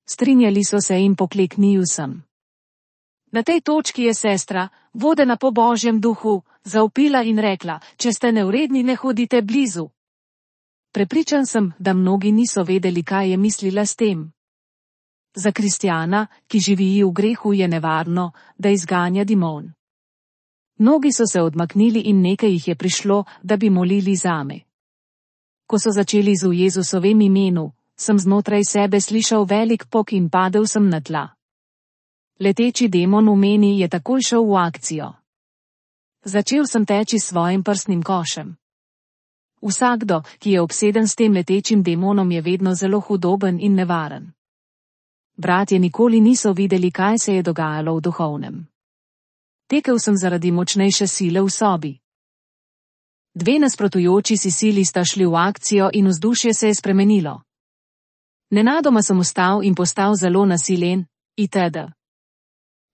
Strinjali so se in pokleknil sem. Na tej točki je sestra, vodena po Božjem duhu, zavpila in rekla, če ste nevredni, ne hodite blizu. Prepričan sem, da mnogi niso vedeli, kaj je mislila s tem. Za kristjana, ki živi v grehu, je nevarno, da izganja demon. Mnogi so se odmaknili in nekaj jih je prišlo, da bi molili zame. Ko so začeli z v Jezusovem imenu, sem znotraj sebe slišal velik pok in padel sem na tla. Leteči demon v meni je takoj šel v akcijo. Začel sem teči s svojim prsnim košem. Vsakdo, ki je obseden s tem letečim demonom, je vedno zelo hudoben in nevaren. Bratje nikoli niso videli, kaj se je dogajalo v duhovnem. Tekel sem zaradi močnejše sile v sobi. 2 nasprotujoči si sili sta šli v akcijo in vzdušje se je spremenilo. Nenadoma sem vstal in postal zelo nasilen, itd.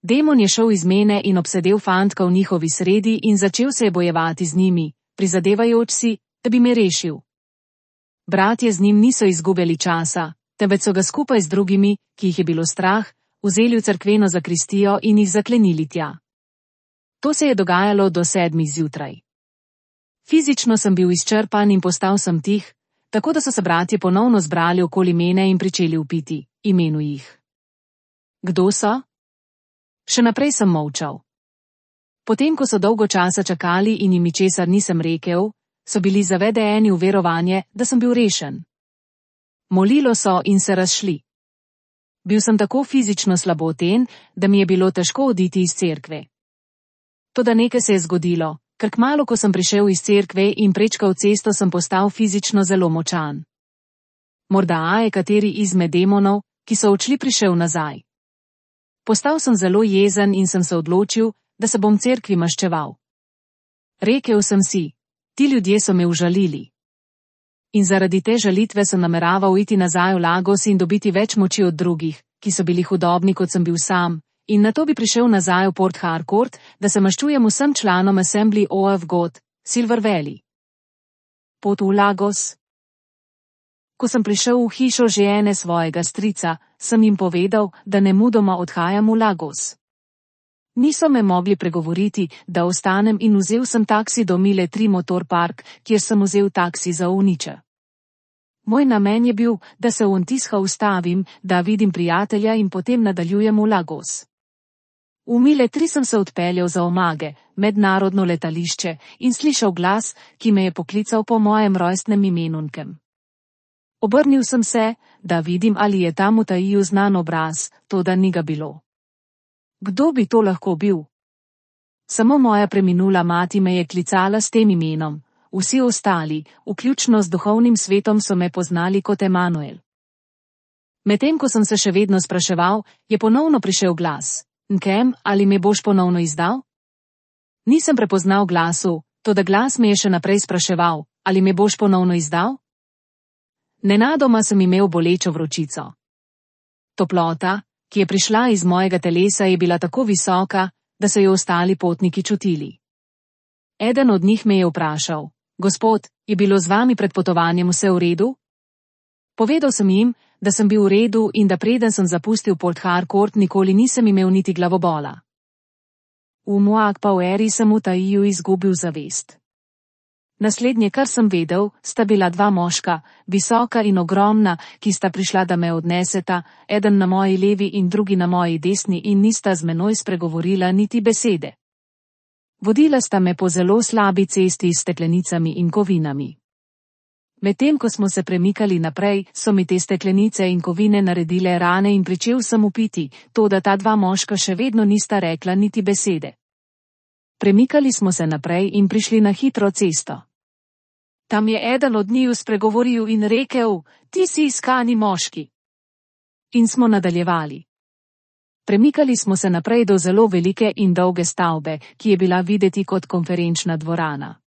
Demon je šel iz mene in obsedel fantka v njihovi sredi in začel se je bojevati z njimi, prizadevajoč si, da bi me rešil. Bratje z njim niso izgubljali časa, temveč so ga skupaj z drugimi, ki jih je bilo strah, vzeli v cerkveno zakristijo in jih zaklenili tja. To se je dogajalo do 7 zjutraj. Fizično sem bil izčrpan in postal sem tih, tako da so se bratje ponovno zbrali okoli mene in pričeli vpiti, imenu jih. Kdo so? Še naprej sem molčal. Potem, ko so dolgo časa čakali in jim ničesar nisem rekel, so bili zavedeni v verovanje, da sem bil rešen. Molilo so in se razšli. Bil sem tako fizično slaboten, da mi je bilo težko oditi iz cerkve. Toda nekaj se je zgodilo, ker kmalu, ko sem prišel iz cerkve in prečkal cesto, sem postal fizično zelo močan. Morda je kateri izmed demonov, ki so odšli, prišel nazaj. Postal sem zelo jezen in sem se odločil, da se bom cerkvi maščeval. Rekel sem si, ti ljudje so me užalili. In zaradi te žalitve sem nameraval iti nazaj v Lagos in dobiti več moči od drugih, ki so bili hudobni, kot sem bil sam, in nato bi prišel nazaj v Port Harcourt, da se maščujem vsem članom Assembly of God, Silver Valley. Pot v Lagos. Ko sem prišel v hišo žene svojega strica, sem jim povedal, da nemudoma odhajam v Lagos. Niso me mogli pregovoriti, da ostanem, in vzel sem taksi do Mile 3 Motor Park, kjer sem vzel taksi za Uniče. Moj namen je bil, da se v Ontisha ustavim, da vidim prijatelja in potem nadaljujem v Lagos. V Mile 3 sem se odpeljal za Omage, mednarodno letališče, in slišal glas, ki me je poklical po mojem rojstnem imenunkem. Obrnil sem se, da vidim, ali je tam v tajiju znan obraz, toda ni ga bilo. Kdo bi to lahko bil? Samo moja preminula mati me je klicala s tem imenom, vsi ostali, vključno z duhovnim svetom, so me poznali kot Emanuel. Medtem ko sem se še vedno spraševal, je ponovno prišel glas. Nkem, ali me boš ponovno izdal? Nisem prepoznal glasu, toda glas me je še naprej spraševal, ali me boš ponovno izdal? Nenadoma sem imel bolečo vročico. Toplota, ki je prišla iz mojega telesa, je bila tako visoka, da so jo ostali potniki čutili. Eden od njih me je vprašal, gospod, je bilo z vami pred potovanjem vse v redu? Povedal sem jim, da sem bil v redu in da preden sem zapustil Port Harcourt, nikoli nisem imel niti glavobola. V Moagpaueri sem v tajiju izgubil zavest. Naslednje, kar sem vedel, sta bila 2 moška, visoka in ogromna, ki sta prišla, da me odneseta, eden na moji levi in drugi na moji desni, in nista z menoj spregovorila niti besede. Vodila sta me po zelo slabi cesti s steklenicami in kovinami. Medtem ko smo se premikali naprej, so mi te steklenice in kovine naredile rane in pričel sem vpiti, toda ta 2 moška še vedno nista rekla niti besede. Premikali smo se naprej in prišli na hitro cesto. Tam je eden od njiju spregovoril in rekel, ti si iskani moški. In smo nadaljevali. Premikali smo se naprej do zelo velike in dolge stavbe, ki je bila videti kot konferenčna dvorana.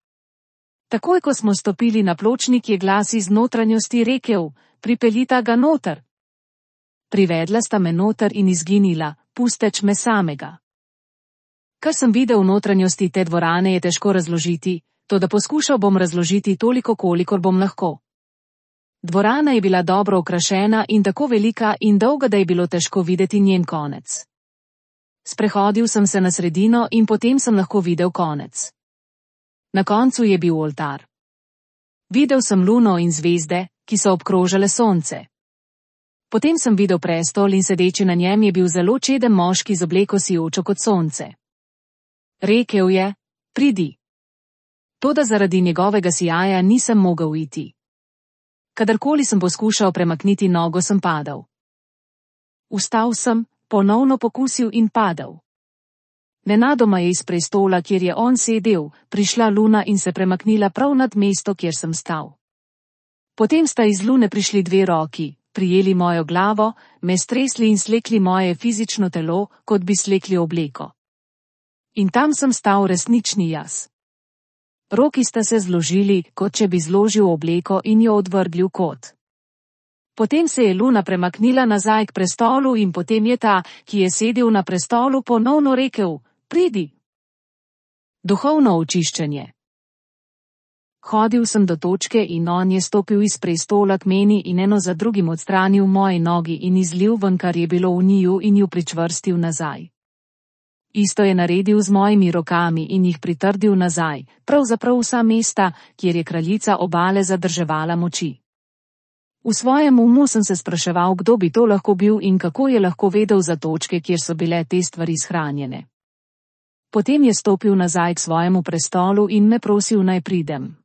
Takoj, ko smo stopili na pločnik, je glas iz notranjosti rekel, pripeljita ga noter. Privedla sta me noter in izginila, pusteč me samega. Kar sem videl v notranjosti te dvorane, je težko razložiti, toda poskušal bom razložiti toliko, kolikor bom lahko. Dvorana je bila dobro okrašena in tako velika in dolga, da je bilo težko videti njen konec. Sprehodil sem se na sredino in potem sem lahko videl konec. Na koncu je bil oltar. Videl sem luno in zvezde, ki so obkrožale sonce. Potem sem videl prestol in sedeči na njem je bil zelo čeden moški z obleko sijočo kot sonce. Rekel je, pridi. Toda zaradi njegovega sijaja nisem mogel iti. Kadarkoli sem poskušal premakniti nogo, sem padal. Vstal sem, ponovno pokusil in padal. Nenadoma je iz prestola, kjer je on sedel, prišla luna in se premaknila prav nad mesto, kjer sem stal. Potem sta iz lune prišli 2 roki, prijeli mojo glavo, me stresli in slekli moje fizično telo, kot bi slekli obleko. In tam sem stal resnični jaz. Roki sta se zložili, kot če bi zložil obleko in jo odvrgli v kot. Potem se je luna premaknila nazaj k prestolu in potem je ta, ki je sedel na prestolu, ponovno rekel: Pridi. Duhovno očiščenje. Hodil sem do točke in on je stopil iz prestola k meni in eno za drugim odstranil moje nogi in izlil ven, kar je bilo v njiju, in ju pričvrstil nazaj. Isto je naredil z mojimi rokami in jih pritrdil nazaj, pravzaprav vsa mesta, kjer je kraljica obale zadrževala moči. V svojem umu sem se spraševal, kdo bi to lahko bil in kako je lahko vedel za točke, kjer so bile te stvari shranjene. Potem je stopil nazaj k svojemu prestolu in me prosil, naj pridem.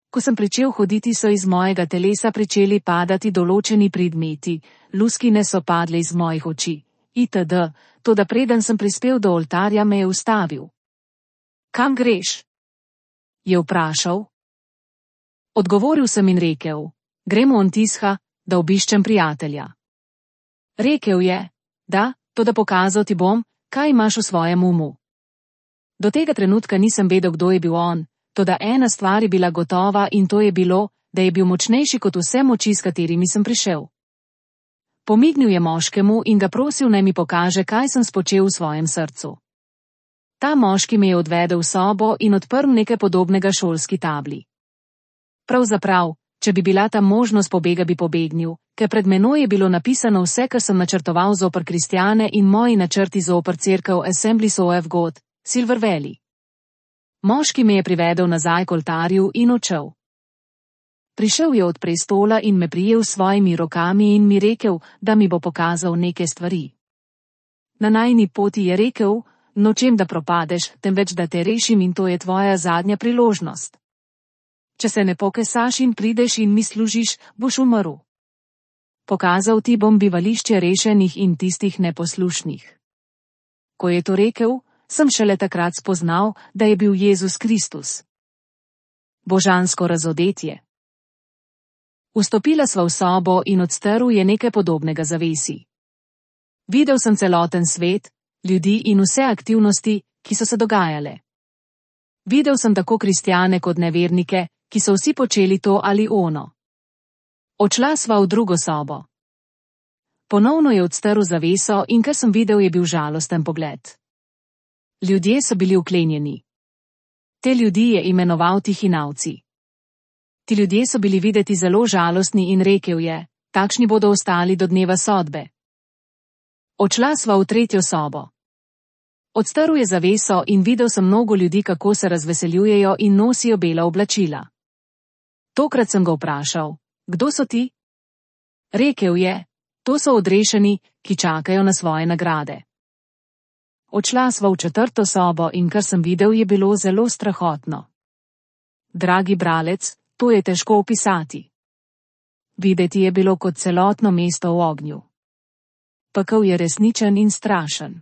Ko sem pričel hoditi, so iz mojega telesa pričeli padati določeni predmeti, luskine so padle iz mojih oči, itd., toda preden sem prispel do oltarja, me je ustavil. Kam greš? Je vprašal. Odgovoril sem in rekel: Grem v Antisha, da obiščem prijatelja. Rekel je: Da, toda pokazal ti bom, kaj imaš v svojem umu. Do tega trenutka nisem vedel, kdo je bil on, toda ena stvar je bila gotova in to je bilo, da je bil močnejši kot vse moči, s katerimi sem prišel. Pomignil je moškemu in ga prosil, naj mi pokaže, kaj sem spočel v svojem srcu. Ta moški me je odvedel v sobo in odprl nekaj podobnega šolski tabli. Pravzaprav, če bi bila ta možnost pobega, bi pobegnil, ker pred menoj je bilo napisano vse, kar sem načrtoval zoper kristjane in moji načrti zoper cerkev Assemblies of God, Silver Valley. Moški me je privedel nazaj k oltarju in odšel. Prišel je od prestola in me prijel s svojimi rokami in mi rekel, da mi bo pokazal neke stvari. Na najini poti je rekel: Nočem, da propadeš, temveč da te rešim in to je tvoja zadnja priložnost. Če se ne pokesaš in prideš in mi služiš, boš umrl. Pokazal ti bom bivališče rešenih in tistih neposlušnih. Ko je to rekel, sem šele takrat spoznal, da je bil Jezus Kristus. Božansko razodetje. Vstopila sva v sobo in od strv je nekaj podobnega zavesi. Videl sem celoten svet, ljudi in vse aktivnosti, ki so se dogajale. Videl sem tako kristjane kot nevernike, ki so vsi počeli to ali ono. Odšla sva v drugo sobo. Ponovno je odstrl zaveso in kar sem videl, je bil žalosten pogled. Ljudje so bili vklenjeni. Te ljudi je imenoval tihinavci. Ti ljudje so bili videti zelo žalostni in rekel je: Takšni bodo ostali do dneva sodbe. Odšla sva v tretjo sobo. Odstrl je zaveso in videl sem mnogo ljudi, kako se razveseljujejo in nosijo bela oblačila. Tokrat sem ga vprašal: Kdo so ti? Rekel je: To so odrešeni, ki čakajo na svoje nagrade. Odšla sva v četrto sobo in kar sem videl, je bilo zelo strahotno. Dragi bralec, to je težko opisati. Videti je bilo kot celotno mesto v ognju. Pekel je resničen in strašen.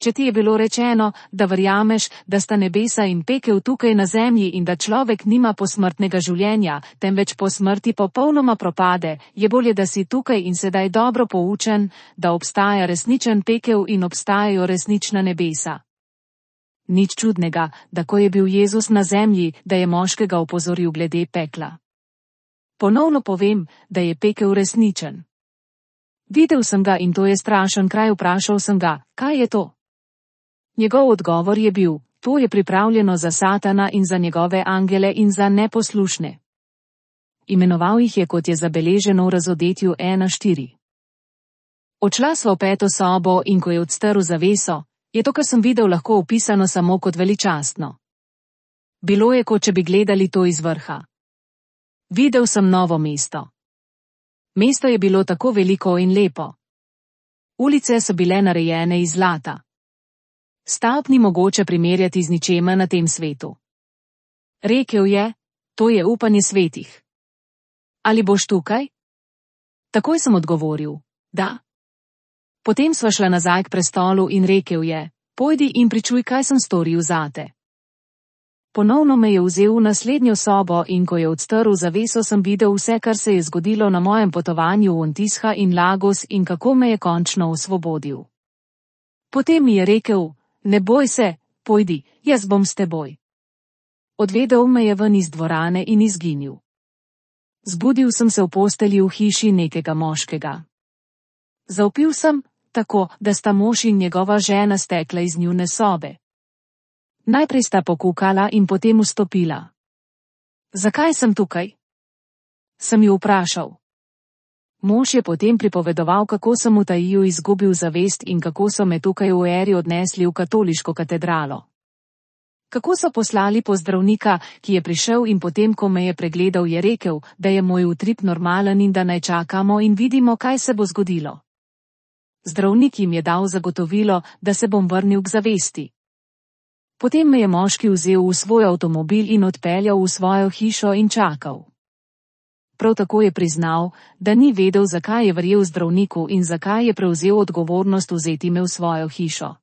Če ti je bilo rečeno, da verjameš, da sta nebesa in pekel tukaj na zemlji in da človek nima posmrtnega življenja, temveč po smrti popolnoma propade, je bolje, da si tukaj in sedaj dobro poučen, da obstaja resničen pekel in obstajajo resnična nebesa. Nič čudnega, da ko je bil Jezus na zemlji, da je moškega opozoril glede pekla. Ponovno povem, da je pekel resničen. Videl sem ga in to je strašen kraj, vprašal sem ga: Kaj je to? Njegov odgovor je bil: To je pripravljeno za Satana in za njegove angele in za neposlušne. Imenoval jih je, kot je zabeleženo v Razodetju 1:4. Odšla sva v peto sobo in ko je odstrl zaveso, je to, kar sem videl, lahko opisano samo kot veličastno. Bilo je, kot če bi gledali to iz vrha. Videl sem novo mesto. Mesto je bilo tako veliko in lepo. Ulice so bile narejene iz zlata. Stavb ni mogoče primerjati z ničemer na tem svetu. Rekel je: To je upanje svetih. Ali boš tukaj? Takoj sem odgovoril: Da. Potem sva šla nazaj k prestolu in rekel je: Pojdi in pričuj, kaj sem storil zate. Ponovno me je vzel v naslednjo sobo in ko je odstrl zaveso, sem videl vse, kar se je zgodilo na mojem potovanju v Antisha in Lagos in kako me je končno osvobodil. Potem mi je rekel: Ne boj se, pojdi, jaz bom s teboj. Odvedel me je ven iz dvorane in izginil. Zbudil sem se v postelji v hiši nekega moškega. Zavpil sem, tako, da sta mož in njegova žena stekla iz njune sobe. Najprej sta pokukala in potem vstopila. Zakaj sem tukaj? Sem ju vprašal. Mož je potem pripovedoval, kako sem v Taiju izgubil zavest in kako so me tukaj v eri odnesli v katoliško katedralo. Kako so poslali po zdravnika, ki je prišel in potem, ko me je pregledal, je rekel, da je moj utrip normalen in da naj čakamo in vidimo, kaj se bo zgodilo. Zdravnik jim je dal zagotovilo, da se bom vrnil k zavesti. Potem me je moški vzel v svoj avtomobil in odpeljal v svojo hišo in čakal. Prav tako je priznal, da ni vedel, zakaj je verjel zdravniku in zakaj je prevzel odgovornost vzeti me v svojo hišo.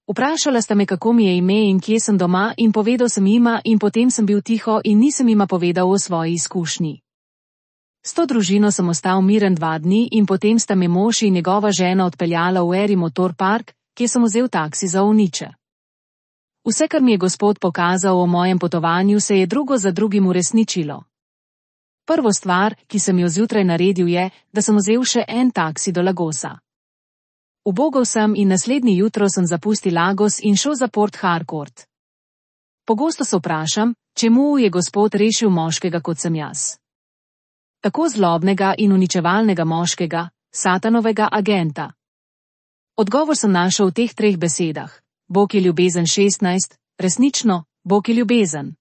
Vprašala sta me, kako mi je ime in kje sem doma, in povedal sem jima in potem sem bil tiho in nisem jima povedal o svoji izkušnji. S to družino sem ostal miren 2 dni in potem sta me mož in njegova žena odpeljala v Eri Motor Park, kjer sem vzel taksi za Ovniče. Vse, kar mi je Gospod pokazal o mojem potovanju, se je drugo za drugim uresničilo. Prvo stvar, ki sem jo zjutraj naredil, je, da sem vzel še en taksi do Lagosa. Ubogal sem in naslednji jutro sem zapustil Lagos in šel za Port Harcourt. Pogosto se vprašam, čemu je Gospod rešil moškega, kot sem jaz. Tako zlobnega in uničevalnega moškega, satanovega agenta. Odgovor sem našel v teh 3 besedah. Bog je ljubezen 16, resnično, Bog je ljubezen.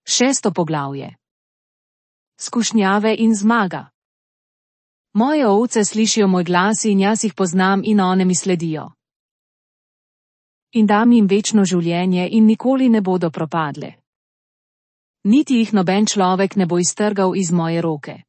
6. poglavje. Skušnjave in zmaga. Moje ovce slišijo moj glas in jaz jih poznam in one mi sledijo. In dam jim večno življenje in nikoli ne bodo propadle. Niti jih noben človek ne bo iztrgal iz moje roke.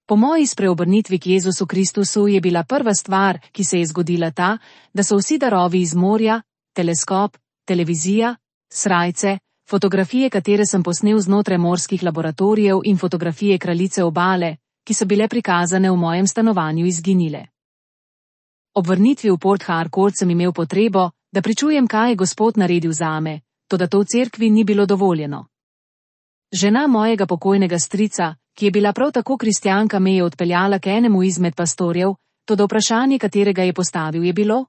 Po moji spreobrnitvi k Jezusu Kristusu je bila prva stvar, ki se je zgodila ta, da so vsi darovi iz morja, teleskop, televizija, srajce, fotografije, katere sem posnel znotraj morskih laboratorijev in fotografije kraljice obale, ki so bile prikazane v mojem stanovanju, izginile. Ob vrnitvi v Port Harcourt sem imel potrebo, da pričujem, kaj je Gospod naredil zame, toda to v cerkvi ni bilo dovoljeno. Žena mojega pokojnega strica, ki je bila prav tako kristjanka, me je odpeljala k enemu izmed pastorjev, toda vprašanje, katerega je postavil, je bilo: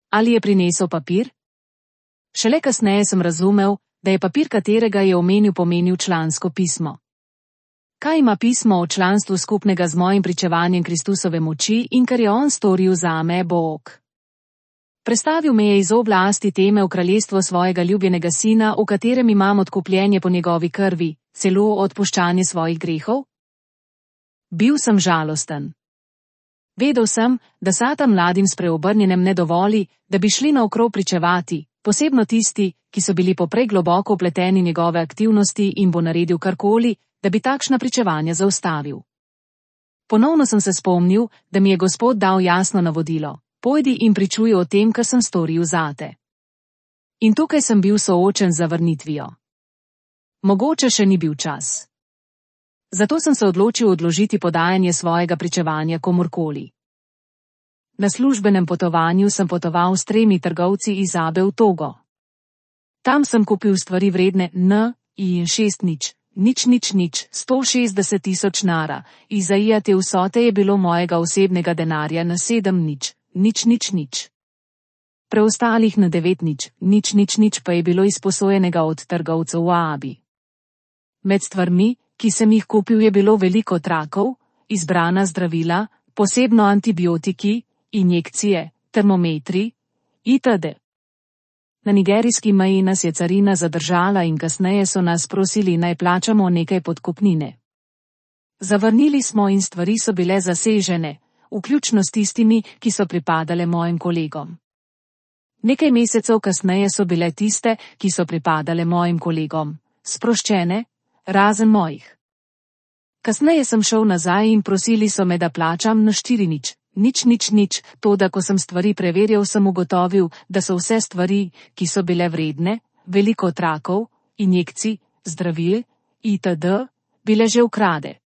ali je prinesel papir? Šele kasneje sem razumel, da je papir, katerega je omenil, pomenil člansko pismo. Kaj ima pismo o članstvu skupnega z mojim pričevanjem Kristusove moči in kar je on storil zame, Bog? Prestavil me je iz oblasti teme v kraljestvo svojega ljubljenega sina, v katerem imam odkupljenje po njegovi krvi, celo odpuščanje svojih grehov? Bil sem žalosten. Vedel sem, da Satan mladim spreobrnjenem ne dovoli, da bi šli naokrog pričevati, posebno tisti, ki so bili poprej globoko vpleteni njegove aktivnosti, in bo naredil karkoli, da bi takšna pričevanja zaustavil. Ponovno sem se spomnil, da mi je Gospod dal jasno navodilo: pojdi in pričuj o tem, kar sem storil zate. In tukaj sem bil soočen z zavrnitvijo. Mogoče še ni bil čas. Zato sem se odločil odložiti podajanje svojega pričevanja komurkoli. Na službenem potovanju sem potoval s 3 trgovci iz Abe v Togo. Tam sem kupil stvari vredne in 160 tisoč nara. Izaija te vsote je bilo mojega osebnega denarja na 7 Preostalih na 9 pa je bilo izposojenega od trgovcev v Abi. Med stvarmi, ki sem jih kupil, je bilo veliko trakov, izbrana zdravila, posebno antibiotiki, injekcije, termometri itd. Na nigerijski meji nas je carina zadržala in kasneje so nas prosili, naj plačamo nekaj podkupnine. Zavrnili smo in stvari so bile zasežene, vključno s tistimi, ki so pripadale mojim kolegom. Nekaj mesecev kasneje so bile tiste, ki so pripadale mojim kolegom, sproščene, razen mojih. Kasneje sem šel nazaj in prosili so me, da plačam na 4 toda ko sem stvari preverjal, sem ugotovil, da so vse stvari, ki so bile vredne, veliko trakov, injekcij, zdravil itd., bile že ukrade.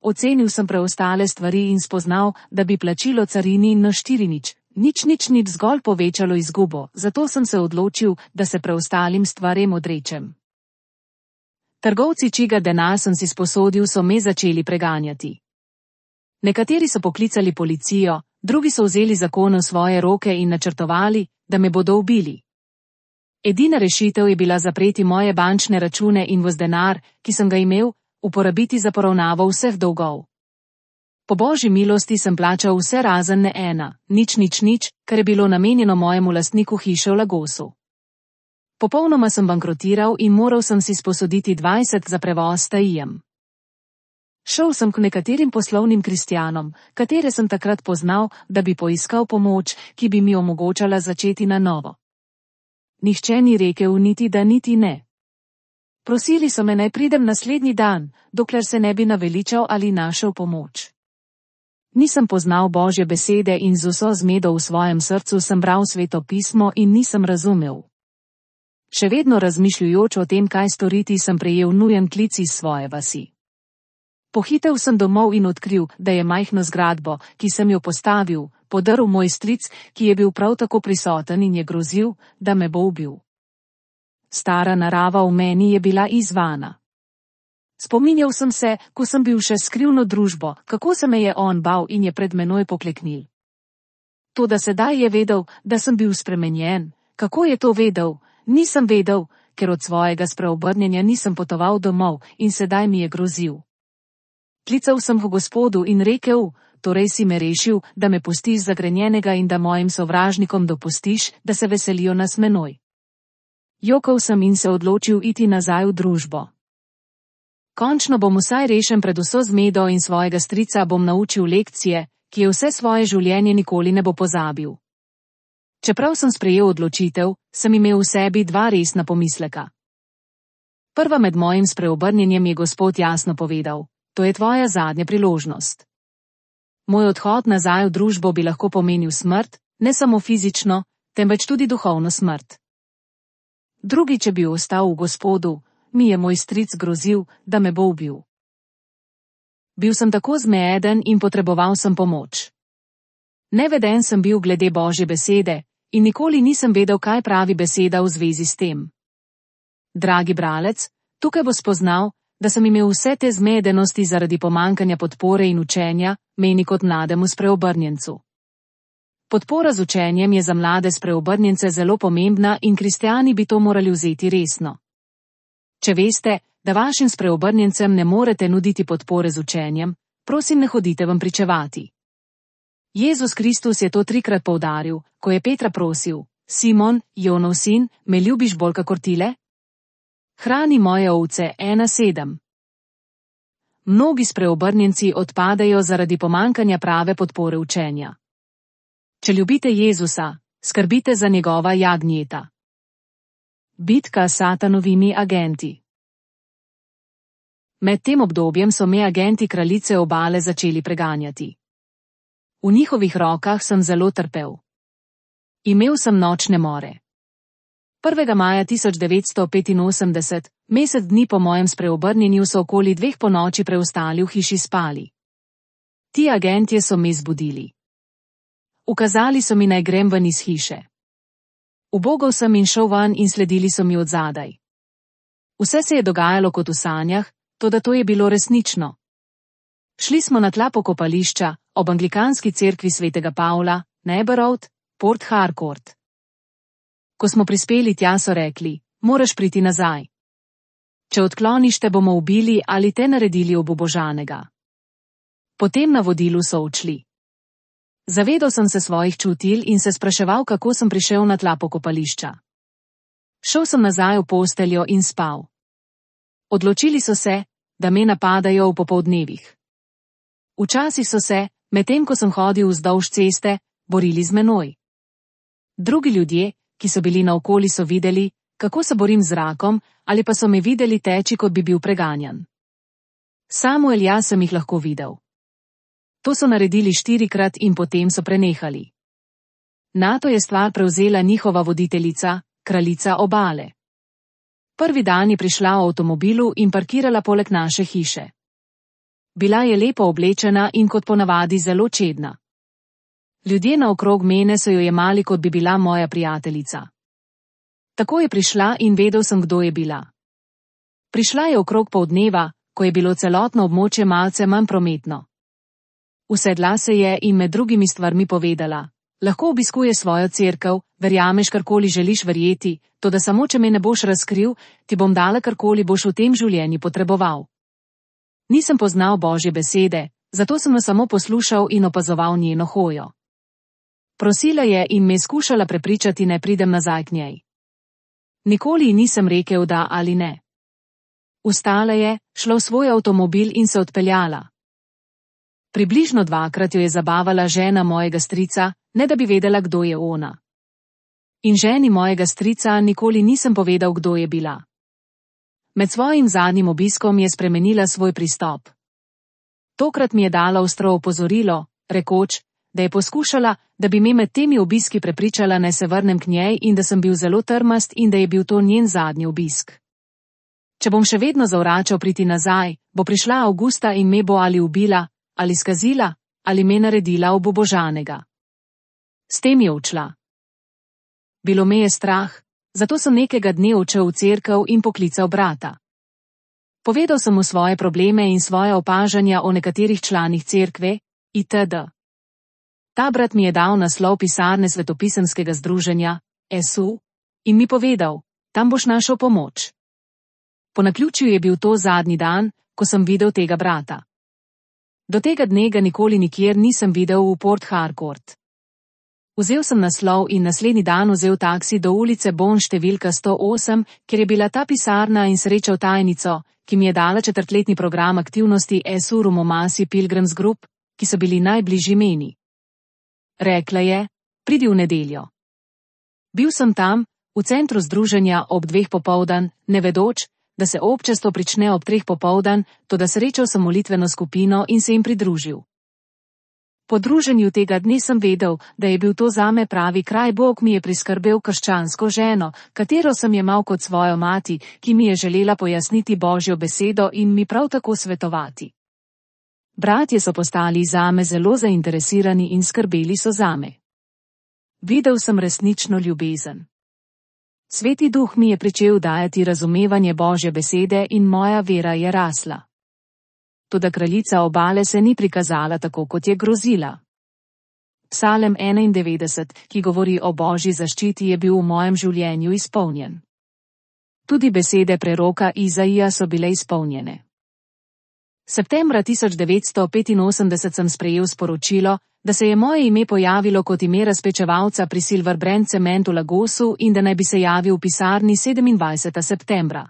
Ocenil sem preostale stvari in spoznal, da bi plačilo carini na 4 zgolj povečalo izgubo, zato sem se odločil, da se preostalim stvarem odrečem. Trgovci, čiga denar sem si sposodil, so me začeli preganjati. Nekateri so poklicali policijo, drugi so vzeli zakone v svoje roke in načrtovali, da me bodo ubili. Edina rešitev je bila zapreti moje bančne račune in vs denar, ki sem ga imel, uporabiti za poravnavo vseh dolgov. Po božji milosti sem plačal vse razen ne ena, nič, kar je bilo namenjeno mojemu lastniku hiše v Lagosu. Popolnoma sem bankrotiral in moral sem si sposoditi 20 za prevoz Taijem. Šel sem k nekaterim poslovnim kristjanom, katere sem takrat poznal, da bi poiskal pomoč, ki bi mi omogočala začeti na novo. Nihče ni rekel niti da niti ne. Prosili so me, naj pridem naslednji dan, dokler se ne bi naveličal ali našel pomoč. Nisem poznal Božje besede in z vso zmedo v svojem srcu sem bral Sveto pismo in nisem razumel. Še vedno razmišljujoč o tem, kaj storiti, sem prejel nujen klic iz svoje vasi. Pohitev sem domov in odkril, da je majhno zgradbo, ki sem jo postavil, podrl moj stric, ki je bil prav tako prisoten in je grozil, da me bo ubil. Stara narava v meni je bila izzvana. Spominjal sem se, ko sem bil še skrivno družbo, kako se me je on bal in je pred menoj pokleknil. Toda sedaj je vedel, da sem bil spremenjen. Kako je to vedel? Nisem vedel, ker od svojega spreobrnjenja nisem potoval domov in sedaj mi je grozil. Klical sem k Gospodu in rekel, torej si me rešil, da me pustiš zagrenjenega in da mojim sovražnikom dopustiš, da se veselijo nas menoj. Jokal sem in se odločil iti nazaj v družbo. Končno bom vsaj rešen pred vso zmedo in svojega strica bom naučil lekcije, ki je vse svoje življenje nikoli ne bo pozabil. Čeprav sem sprejel odločitev, sem imel v sebi dva resna pomisleka. Prva med mojim spreobrnjenjem je Gospod jasno povedal, to je tvoja zadnja priložnost. Moj odhod nazaj v družbo bi lahko pomenil smrt, ne samo fizično, temveč tudi duhovno smrt. Drugi, če bi ostal v Gospodu, mi je moj stric grozil, da me bo ubil. Bil sem tako zmeden in potreboval sem pomoč. Neveden sem bil glede Božje besede in nikoli nisem vedel, kaj pravi beseda v zvezi s tem. Dragi bralec, tukaj bo spoznal, da sem imel vse te zmedenosti zaradi pomankanja podpore in učenja, meni kot mlademu spreobrnjencu. Podpora z učenjem je za mlade spreobrnjence zelo pomembna in kristjani bi to morali vzeti resno. Če veste, da vašim spreobrnjencem ne morete nuditi podpore z učenjem, prosim, ne hodite vam pričevati. Jezus Kristus je to 3-krat poudaril, ko je Petra prosil, Simon, Jonov sin, me ljubiš bolj kakor tile? Hrani moje ovce 1:7. Mnogi spreobrnjenci odpadajo zaradi pomankanja prave podpore učenja. Če ljubite Jezusa, skrbite za njegova jagnjeta. Bitka s satanovimi agenti. Med tem obdobjem so me agenti kraljice obale začeli preganjati. V njihovih rokah sem zelo trpel. Imel sem nočne more. 1. maja 1985, mesec dni po mojem spreobrnjenju, so okoli 2 ponoči preostali v hiši spali. Ti agentje so me zbudili. Ukazali so mi, naj grem ven iz hiše. Ubogal sem in šel ven in sledili so mi odzadaj. Vse se je dogajalo kot v sanjah, toda to je bilo resnično. Šli smo na tla pokopališča, ob anglikanski cerkvi svetega Pavla, Neighbour Road, Port Harcourt. Ko smo prispeli tja, so rekli, moraš priti nazaj. Če odkloniš, te bomo ubili ali te naredili obubožanega. Po tem navodilu so odšli. Zavedal sem se svojih čutil in se spraševal, kako sem prišel na tla pokopališča. Šel sem nazaj v posteljo in spal. Odločili so se, da me napadajo v popoldnevih. Včasih so se, medtem ko sem hodil vzdolž ceste, borili z menoj. Drugi ljudje, ki so bili naokoli, so videli, kako se borim z rakom, ali pa so me videli teči, kot bi bil preganjan. Samuel, jaz sem jih lahko videl. To so naredili 4-krat in potem so prenehali. Nato je stvar prevzela njihova voditeljica, kraljica obale. Prvi dan je prišla v avtomobilu in parkirala poleg naše hiše. Bila je lepo oblečena in kot ponavadi zelo čedna. Ljudje naokrog mene so jo jemali, kot bi bila moja prijateljica. Tako je prišla in vedel sem, kdo je bila. Prišla je okrog poldneva, ko je bilo celotno območje malce manj prometno. Usedla se je in med drugimi stvarmi povedala: lahko obiskuje svojo cerkev, verjameš karkoli želiš verjeti, toda samo če me ne boš razkril, ti bom dala karkoli boš v tem življenju potreboval. Nisem poznal Božje besede, zato sem jo samo poslušal in opazoval njeno hojo. Prosila je in me skušala prepričati, naj pridem nazaj k njej. Nikoli ji nisem rekel da ali ne. Vstala je, šla v svoj avtomobil in se odpeljala. Približno 2-krat jo je zabavala žena mojega strica, ne da bi vedela, kdo je ona. In ženi mojega strica nikoli nisem povedal, kdo je bila. Med svojim zadnjim obiskom je spremenila svoj pristop. Tokrat mi je dala ostro opozorilo, rekoč, da je poskušala, da bi me med temi obiski prepričala, naj se vrnem k njej in da sem bil zelo trmast in da je bil to njen zadnji obisk. Če bom še vedno zavračal priti nazaj, bo prišla avgusta in me bo ali ubila, ali skazila, ali me naredila obubožanega. S tem je odšla. Bilo me je strah, zato sem nekega dne odšel v cerkev in poklical brata. Povedal sem mu svoje probleme in svoje opažanja o nekaterih članih cerkve, itd. Ta brat mi je dal naslov pisarne svetopisemskega združenja, SU, in mi povedal: tam boš našel pomoč. Po naključju je bil to zadnji dan, ko sem videl tega brata. Do tega dne ga nikoli nikjer nisem videl v Port Harcourt. Vzel sem naslov in naslednji dan vzel taksi do ulice Bon številka 108, kjer je bila ta pisarna, in srečal tajnico, ki mi je dala 4-letni program aktivnosti SU Rumomasi Pilgrims Group, ki so bili najbližji meni. Rekla je: pridi v nedeljo. Bil sem tam, v centru združenja ob 2 popoldan, ne vedoč, da se občestvo prične ob 3 popoldan, toda srečal sem molitveno skupino in se jim pridružil. Po druženju tega dne sem vedel, da je bil to zame pravi kraj. Bog mi je priskrbel krščansko ženo, katero sem jemal kot svojo mati, ki mi je želela pojasniti Božjo besedo in mi prav tako svetovati. Bratje so postali zame zelo zainteresirani in skrbeli so zame. Videl sem resnično ljubezen. Sveti Duh mi je pričel dajati razumevanje Božje besede in moja vera je rasla. Toda kraljica obale se ni prikazala tako, kot je grozila. Psalem 91, ki govori o Božji zaščiti, je bil v mojem življenju izpolnjen. Tudi besede preroka Izaija so bile izpolnjene. Septembra 1985 sem sprejel sporočilo, da se je moje ime pojavilo kot ime razpečevalca pri Silver Brand Cement v Lagosu in da naj bi se javil v pisarni 27. septembra.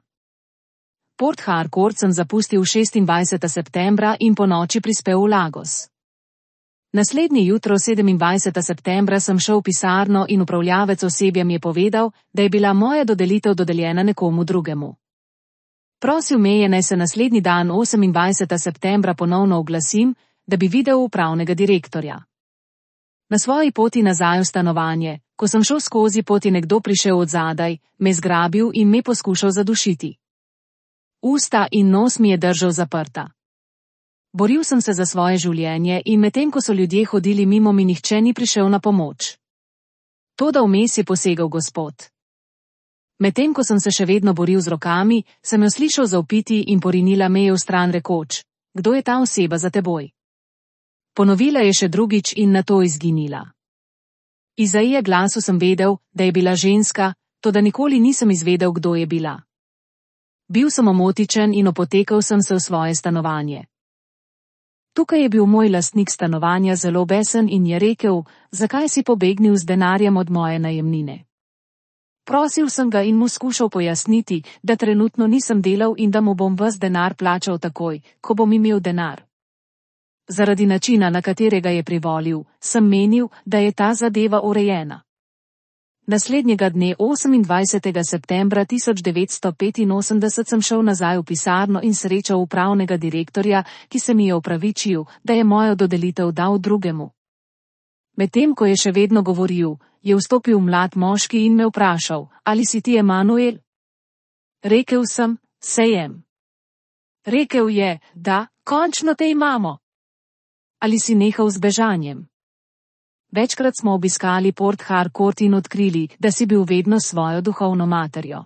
Port Harcourt sem zapustil 26. septembra in po noči prispel v Lagos. Naslednje jutro 27. septembra sem šel v pisarno in upravljavec osebja mi je povedal, da je bila moja dodelitev dodeljena nekomu drugemu. Prosil me je, naj se naslednji dan 28. septembra ponovno oglasim, da bi videl upravnega direktorja. Na svoji poti nazaj v stanovanje, ko sem šel skozi pot, je nekdo prišel od zadaj, me zgrabil in me poskušal zadušiti. Usta in nos mi je držal zaprta. Boril sem se za svoje življenje in medtem ko so ljudje hodili mimo, mi nihče ni prišel na pomoč. Toda vmes je posegel Gospod. Medtem ko sem se še vedno boril z rokami, sem jo slišal zavpiti in porinila me je v stran rekoč: kdo je ta oseba za teboj? Ponovila je še drugič in nato izginila. Iz Izaije glasu sem vedel, da je bila ženska, toda nikoli nisem izvedel, kdo je bila. Bil sem omotičen in opotekal sem se v svoje stanovanje. Tukaj je bil moj lastnik stanovanja zelo besen in je rekel: zakaj si pobegnil z denarjem od moje najemnine? Prosil sem ga in mu skušal pojasniti, da trenutno nisem delal in da mu bom ves denar plačal takoj, ko bom imel denar. Zaradi načina, na katerega je privolil, sem menil, da je ta zadeva urejena. Naslednjega dne 28. septembra 1985 sem šel nazaj v pisarno in srečal upravnega direktorja, ki se mi je opravičil, da je mojo dodelitev dal drugemu. Medtem ko je še vedno govoril, je vstopil mlad moški in me vprašal: ali si ti Emanuel? Rekel sem: sejem. Rekel je: da, končno te imamo. Ali si nehal z bežanjem? Večkrat smo obiskali Port Harcourt in odkrili, da si bil vedno svojo duhovno materjo.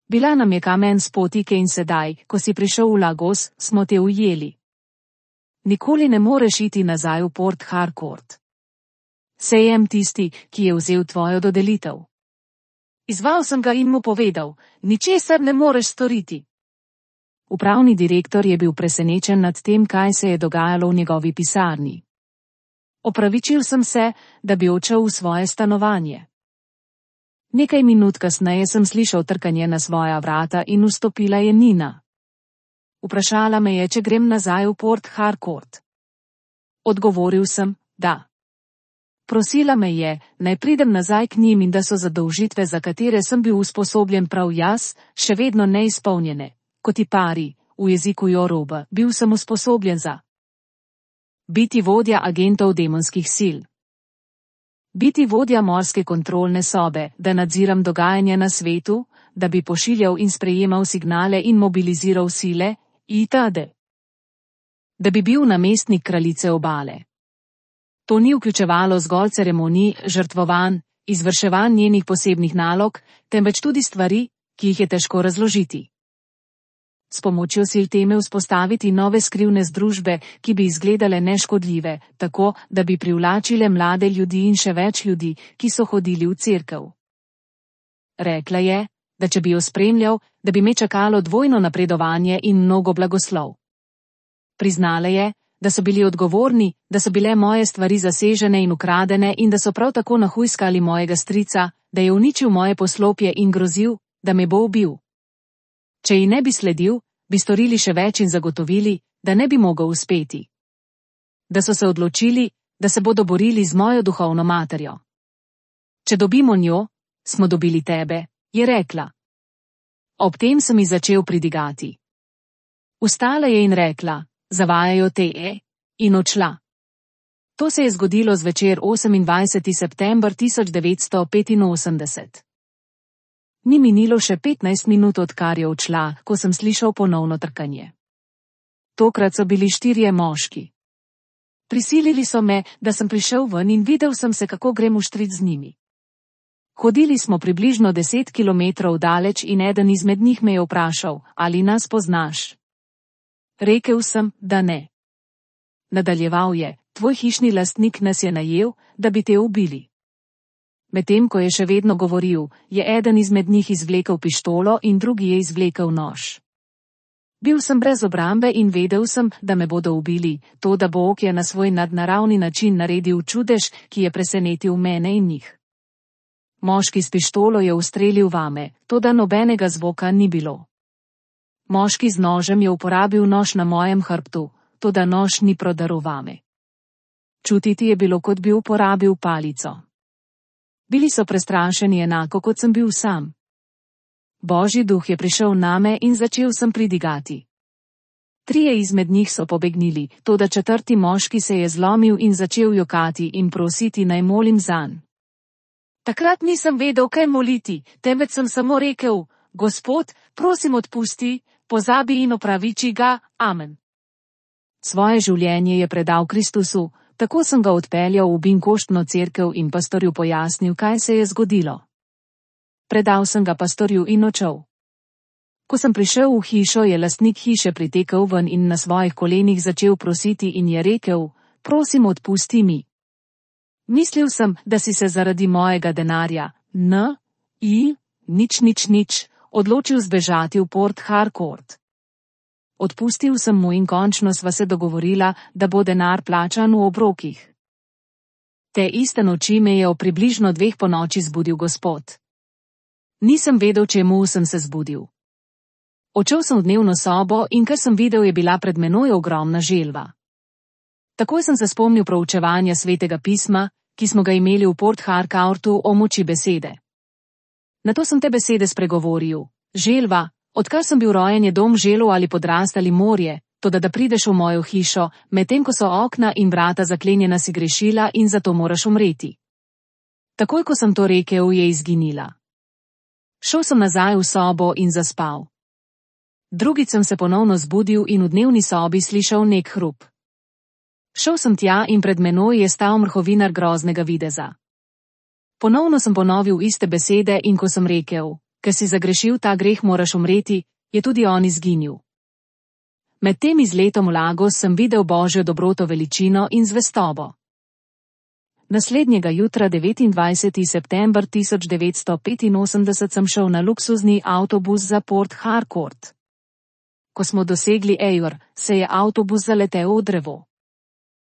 Bila nam je kamen s potike in sedaj, ko si prišel v Lagos, smo te ujeli. Nikoli ne moreš iti nazaj v Port Harcourt. Sejem tisti, ki je vzel tvojo dodelitev. Izval sem ga in mu povedal, ničesar ne moreš storiti. Upravni direktor je bil presenečen nad tem, kaj se je dogajalo v njegovi pisarni. Opravičil sem se, da bi odšel v svoje stanovanje. Nekaj minut kasneje sem slišal trkanje na svoja vrata in vstopila je Nina. Vprašala me je, če grem nazaj v Port Harcourt. Odgovoril sem, da. Prosila me je, naj pridem nazaj k njim in da so zadolžitve, za katere sem bil usposobljen prav jaz, še vedno neizpolnjene. Kot ti pari, v jeziku Yoruba, bil sem usposobljen za biti vodja agentov demonskih sil. Biti vodja morske kontrolne sobe, da nadziram dogajanje na svetu, da bi pošiljal in sprejemal signale in mobiliziral sile, itd. Da bi bil namestnik kraljice obale. To ni vključevalo zgolj ceremonij, žrtvovanj, izvrševanj njenih posebnih nalog, temveč tudi stvari, ki jih je težko razložiti. S pomočjo sil teme vzpostaviti nove skrivne združbe, ki bi izgledale neškodljive, tako, da bi privlačile mlade ljudi in še več ljudi, ki so hodili v cerkev. Rekla je, da če bi jo spremljal, da bi me čakalo dvojno napredovanje in mnogo blagoslov. Priznala je, da so bili odgovorni, da so bile moje stvari zasežene in ukradene in da so prav tako nahujskali mojega strica, da je uničil moje poslopje in grozil, da me bo ubil. Če ji ne bi sledil, bi storili še več in zagotovili, da ne bi mogel uspeti. Da so se odločili, da se bodo borili z mojo duhovno materjo. Če dobimo njo, smo dobili tebe, je rekla. Ob tem sem ji začel pridigati. Vstala je in rekla, zavajajo te, in odšla. To se je zgodilo zvečer 28. september 1985. Ni minilo še 15 minut, odkar je odšla, ko sem slišal ponovno trkanje. Tokrat so bili 4 moški. Prisilili so me, da sem prišel ven in videl sem se, kako grem v štrit z njimi. Hodili smo približno 10 kilometrov daleč in eden izmed njih me je vprašal, ali nas poznaš. Rekel sem, da ne. Nadaljeval je, tvoj hišni lastnik nas je najel, da bi te ubili. Medtem ko je še vedno govoril, je eden izmed njih izvlekel pištolo in drugi je izvlekel nož. Bil sem brez obrambe in vedel sem, da me bodo ubili, to da Bog je na svoj nadnaravni način naredil čudež, ki je presenetil mene in njih. Moški s pištolo je ustrelil vame, toda nobenega zvoka ni bilo. Moški z nožem je uporabil nož na mojem hrbtu, toda nož ni prodaril vame. Čutiti je bilo, kot bi uporabil palico. Bili so prestrašeni enako, kot sem bil sam. Božji duh je prišel name in začel sem pridigati. 3 izmed njih so pobegnili, toda 4. moški se je zlomil in začel jokati in prositi, naj molim zanj. Takrat nisem vedel, kaj moliti, temveč sem samo rekel, Gospod, prosim odpusti, pozabi in opraviči ga, amen. Svoje življenje je predal Kristusu, tako sem ga odpeljal v Binkoštno cerkev in pastorju pojasnil, kaj se je zgodilo. Predal sem ga pastorju in odšel. Ko sem prišel v hišo, je lastnik hiše pritekel ven in na svojih kolenih začel prositi in je rekel, prosim odpusti mi. Mislil sem, da si se zaradi mojega denarja, nič, odločil zbežati v Port Harcourt. Odpustil sem mu in končno sva se dogovorila, da bo denar plačan v obrokih. Te iste noči me je o približno 2 ponoči zbudil Gospod. Nisem vedel, čemu sem se zbudil. Odšel sem v dnevno sobo in kar sem videl, je bila pred menoj ogromna želva. Takoj sem se spomnil proučevanja Svetega pisma, ki smo ga imeli v Port Harcourtu o moči besede. Nato sem te besede spregovoril, želva, odkar sem bil rojen, je dom želv ali podrastali morje, toda da prideš v mojo hišo, medtem ko so okna in vrata zaklenjena, si grešila in zato moraš umreti. Takoj ko sem to rekel, je izginila. Šel sem nazaj v sobo in zaspal. Drugič sem se ponovno zbudil in v dnevni sobi slišal nek hrup. Šel sem tja in pred menoj je stal mrhovinar groznega videza. Ponovno sem ponovil iste besede in ko sem rekel, ker si zagrešil ta greh, moraš umreti, je tudi on izginil. Med tem izletom v Lagos sem videl Božjo dobroto, veličino in zvestobo. Naslednjega jutra, 29. september 1985, sem šel na luksuzni avtobus za Port Harcourt. Ko smo dosegli Ejor, se je avtobus zaletel v drevo.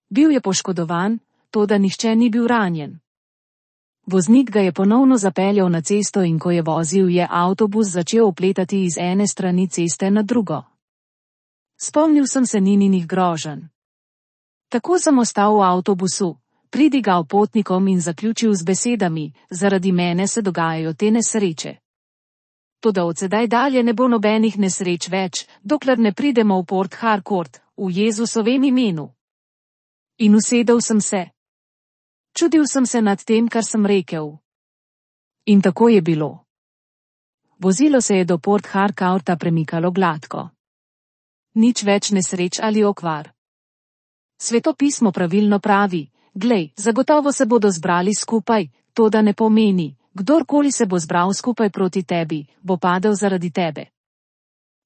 Bil je poškodovan, toda nihče ni bil ranjen. Voznik ga je ponovno zapeljal na cesto in ko je vozil, je avtobus začel opletati iz ene strani ceste na drugo. Spomnil sem se Nininih groženj. Tako sem ostal v avtobusu, pridigal potnikom in zaključil z besedami: zaradi mene se dogajajo te nesreče. Toda od sedaj dalje ne bo nobenih nesreč več, dokler ne pridemo v Port Harcourt, v Jezusovem imenu. In usedel sem se. Čudil sem se nad tem, kar sem rekel. In tako je bilo. Vozilo se je do Port Harcourta premikalo gladko. Nič več nesreč ali okvar. Sveto pismo pravilno pravi: glej, zagotovo se bodo zbrali skupaj, to da ne pomeni, kdorkoli se bo zbral skupaj proti tebi, bo padel zaradi tebe.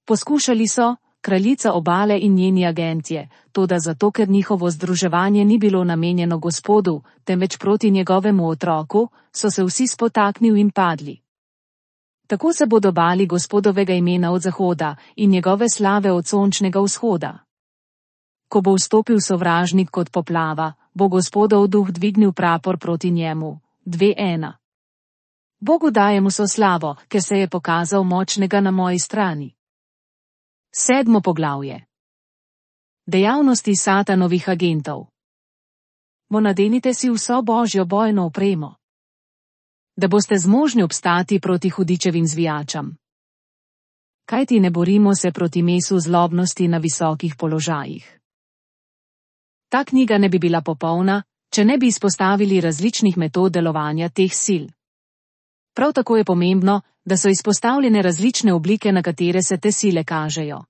Poskušali so, kraljica obale in njeni agentje, toda zato, ker njihovo združevanje ni bilo namenjeno Gospodu, temveč proti njegovemu otroku, so se vsi spotaknili in padli. Tako se bodo bali Gospodovega imena od zahoda in njegove slave od sončnega vzhoda. Ko bo vstopil sovražnik kot poplava, bo Gospodov duh dvignil prapor proti njemu. 2:1. Bogu dajem vso slavo, ker se je pokazal močnega na moji strani. 7. poglavje. Dejavnosti Satanovih agentov. Nadenite si vso Božjo bojno opremo, da boste zmožni obstati proti hudičevim zvijačam. Kajti ne borimo se proti mesu zlobnosti na visokih položajih. Ta knjiga ne bi bila popolna, če ne bi izpostavili različnih metod delovanja teh sil. Prav tako je pomembno, da so izpostavljene različne oblike, na katere se te sile kažejo.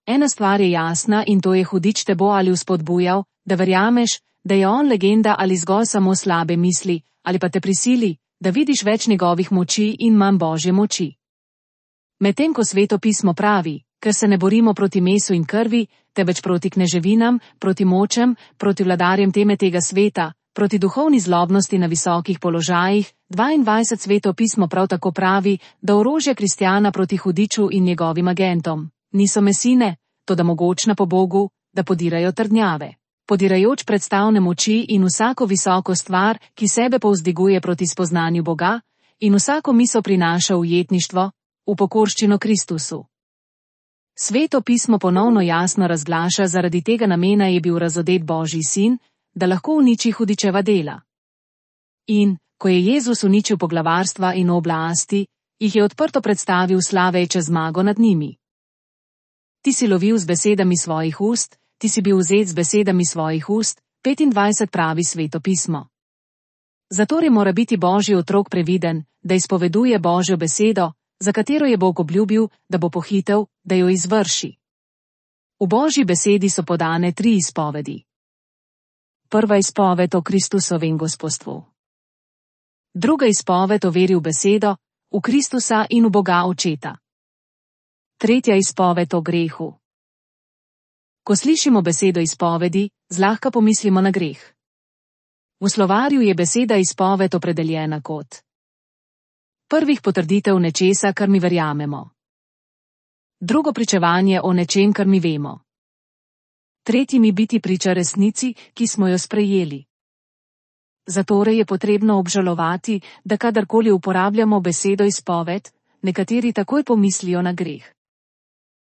Ena stvar je jasna in to je: hudič te bo ali vzpodbujal, da verjameš, da je on legenda ali zgolj samo slabe misli, ali pa te prisili, da vidiš več njegovih moči in manj Božje moči. Medtem ko Sveto pismo pravi, ker se ne borimo proti mesu in krvi, temveč proti kneževinam, proti močem, proti vladarjem tega sveta, proti duhovni zlobnosti na visokih položajih, 22. Sveto pismo prav tako pravi, da orožje kristjana proti hudiču in njegovim agentom niso mesine, toda mogočna po Bogu, da podirajo trdnjave, podirajoč predstavne moči in vsako visoko stvar, ki sebe povzdiguje proti spoznanju Boga, in vsako misel prinaša ujetništvo, v pokorščino Kristusu. Sveto pismo ponovno jasno razglaša: zaradi tega namena je bil razodet Božji sin, da lahko uniči hudičeva dela. In, ko je Jezus uničil poglavarstva in oblasti, jih je odprto predstavil slaveče zmago nad njimi. Ti si lovil z besedami svojih ust, ti si bil vzet z besedami svojih ust, 25 pravi Sveto pismo. Zatorej mora biti Božji otrok previden, da izpoveduje Božjo besedo, za katero je Bog obljubil, da bo pohitel, da jo izvrši. V Božji besedi so podane 3 izpovedi. Prva izpoved o Kristusovem gospodstvu. Druga izpoved o veri v besedo, v Kristusa in v Boga Očeta. Tretja izpoved o grehu. Ko slišimo besedo izpovedi, zlahka pomislimo na greh. V slovarju je beseda izpoved opredeljena kot prvih potrditev nečesa, kar mi verjamemo. Drugo pričevanje o nečem, kar mi vemo. Tretji mi biti priča resnici, ki smo jo sprejeli. Zatorej je potrebno obžalovati, da kadarkoli uporabljamo besedo izpoved, nekateri takoj pomislijo na greh.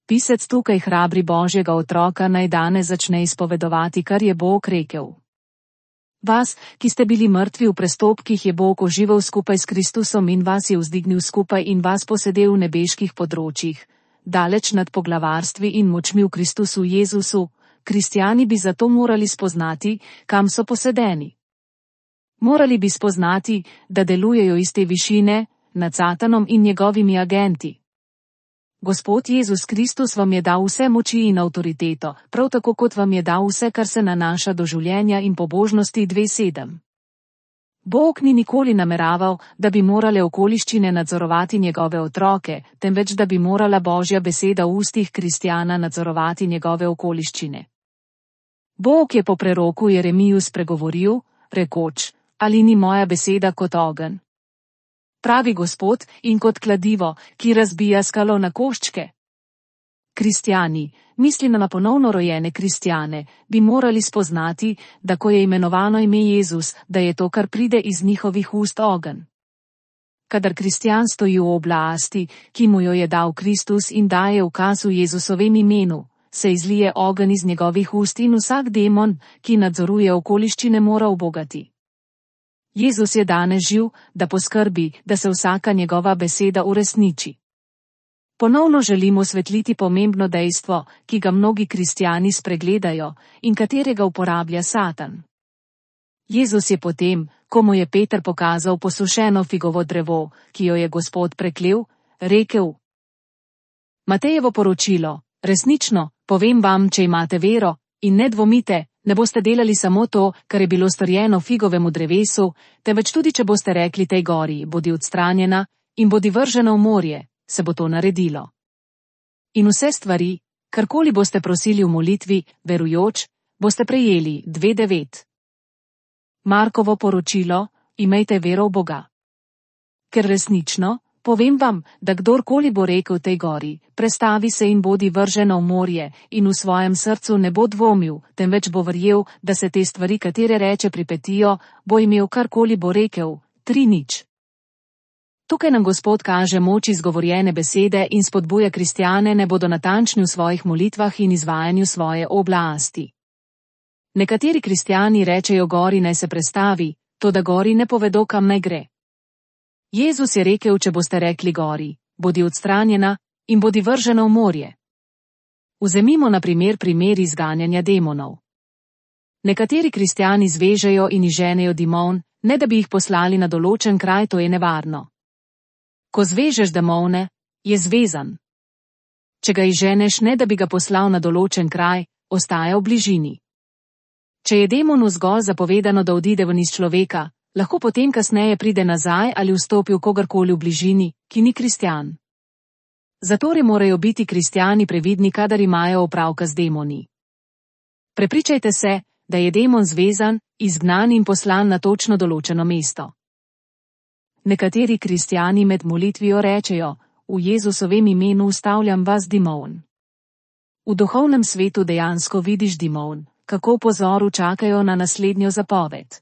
Pisec tukaj hrabri Božjega otroka, naj danes začne izpovedovati, kar je Bog rekel. Vas, ki ste bili mrtvi v prestopkih, je Bog oživel skupaj s Kristusom in vas je vzdignil skupaj in vas posedel v nebeških področjih, daleč nad poglavarstvi in močmi v Kristusu Jezusu. Kristjani bi zato morali spoznati, kam so posedeni. Morali bi spoznati, da delujejo iz te višine, nad Satanom in njegovimi agenti. Gospod Jezus Kristus vam je dal vse moči in avtoriteto, prav tako kot vam je dal vse, kar se nanaša do življenja in pobožnosti. 2:7. Bog ni nikoli nameraval, da bi morale okoliščine nadzorovati njegove otroke, temveč da bi morala Božja beseda v ustih kristjana nadzorovati njegove okoliščine. Bog je po preroku Jeremiju spregovoril, rekoč: Ali ni moja beseda kot ogenj? Pravi Gospod, in kot kladivo, ki razbija skalo na koščke. Kristjani, mislim na ponovno rojene kristjane, bi morali spoznati, da ko je imenovano ime Jezus, da je to, kar pride iz njihovih ust, ogenj. Kadar kristjan stoji v oblasti, ki mu jo je dal Kristus in daje ukaz v Jezusovem imenu, se izlije ogenj iz njegovih ust in vsak demon, ki nadzoruje okoliščine, mora ubogati. Jezus je danes živ, da poskrbi, da se vsaka njegova beseda uresniči. Ponovno želim osvetliti pomembno dejstvo, ki ga mnogi kristjani spregledajo in katerega uporablja Satan. Jezus je potem, ko mu je Peter pokazal posušeno figovo drevo, ki jo je Gospod preklel, rekel: Matejevo poročilo, resnično, povem vam, če imate vero in ne dvomite, ne boste delali samo to, kar je bilo storjeno figovemu drevesu, temveč tudi, če boste rekli tej gori, bodi odstranjena in bodi vržena v morje, se bo to naredilo. In vse stvari, karkoli boste prosili v molitvi, verujoč, boste prejeli. 2:9. Markovo poročilo: Imejte vero v Boga. Ker resnično, povem vam, da kdorkoli bo rekel tej gori, prestavi se in bodi vržena v morje, in v svojem srcu ne bo dvomil, temveč bo verjel, da se te stvari, katere reče, pripetijo, bo imel, karkoli bo rekel. 3:0. Tukaj nam Gospod kaže moč izgovorjene besede in spodbuja kristjane, ne bodo natančni v svojih molitvah in izvajanju svoje oblasti. Nekateri kristjani rečejo gori naj se prestavi, toda gori ne povedo, kam naj gre. Jezus je rekel, če boste rekli gori, bodi odstranjena in bodi vržena v morje. Vzemimo na primer izganjanja demonov. Nekateri kristjani zvežejo in izženejo demon, ne da bi jih poslali na določen kraj, to je nevarno. Ko zvežeš demone, je zvezan. Če ga izženeš, ne da bi ga poslal na določen kraj, ostaja v bližini. Če je demonu zgolj zapovedano, da odide ven iz človeka, lahko potem kasneje pride nazaj ali vstopi v kogarkoli v bližini, ki ni kristjan. Zatorej morajo biti kristjani previdni, kadar imajo opravka z demoni. Prepričajte se, da je demon zvezan, izgnan in poslan na točno določeno mesto. Nekateri kristjani med molitvijo rečejo: V Jezusovem imenu ustavljam vas, demon. V duhovnem svetu dejansko vidiš demon, kako v pozoru čakajo na naslednjo zapoved.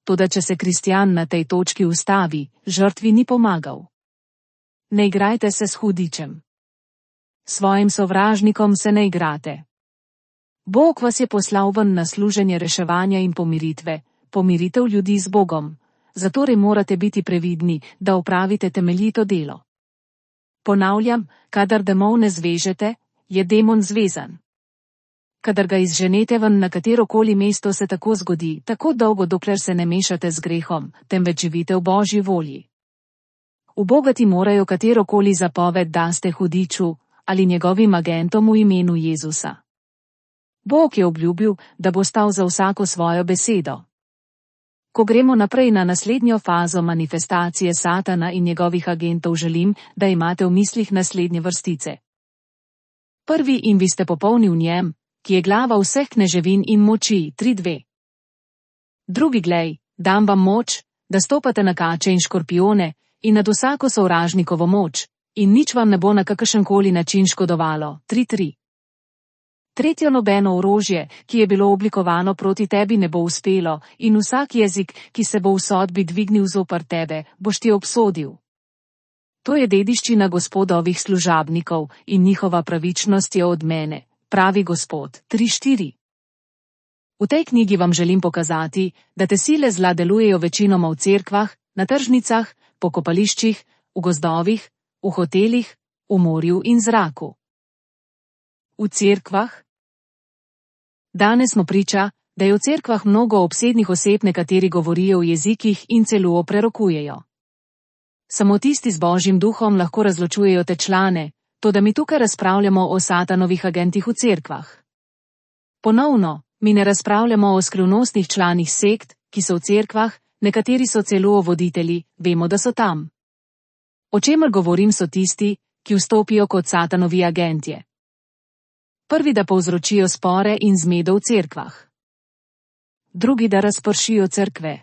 Toda če se kristjan na tej točki ustavi, žrtvi ni pomagal. Ne igrajte se s hudičem. Svojim sovražnikom se ne igrate. Bog vas je poslal ven na služenje reševanja in pomiritve, pomiritev ljudi z Bogom. Zatorej morate biti previdni, da opravite temeljito delo. Ponavljam, kadar demone zvežete, je demon zvezan. Kadar ga izženete ven na katerokoli mesto, se tako zgodi, tako dolgo, dokler se ne mešate z grehom, temveč živite v Božji volji. Ubogati morajo katerokoli zapoved daste hudiču ali njegovim agentom v imenu Jezusa. Bog je obljubil, da bo stal za vsako svojo besedo. Ko gremo naprej na naslednjo fazo manifestacije Satana in njegovih agentov, želim, da imate v mislih naslednje vrstice. Prvi: in vi ste popolni v njem, ki je glava vseh kneževin in moči. 3:2. Drugi: glej, dam vam moč, da stopate na kače in škorpijone in nad vsako sovražnikovo moč, in nič vam ne bo na kakršenkoli način škodovalo. 3:3. Tretjo: nobeno orožje, ki je bilo oblikovano proti tebi, ne bo uspelo, in vsak jezik, ki se bo v sodbi dvignil zoper tebe, boš ti obsodil. To je dediščina Gospodovih služabnikov in njihova pravičnost je od mene, pravi Gospod. 3:4. V tej knjigi vam želim pokazati, da te sile zla delujejo večinoma v cerkvah, na tržnicah, pokopališčih, v gozdovih, v hotelih, v morju in zraku. V cerkvah? Danes smo priča, da je v cerkvah mnogo obsednih oseb, nekateri govorijo v jezikih in celo prerokujejo. Samo tisti z Božjim duhom lahko razločujejo te člane, toda mi tukaj razpravljamo o Satanovih agentih v cerkvah. Ponovno, mi ne razpravljamo o skrivnostnih članih sekt, ki so v cerkvah, Nekateri so celo voditelji, vemo, da so tam. O čemer govorim, so tisti, ki vstopijo kot satanovi agentje. Prvi, da povzročijo spore in zmedo v cerkvah. Drugi, da razpršijo cerkve.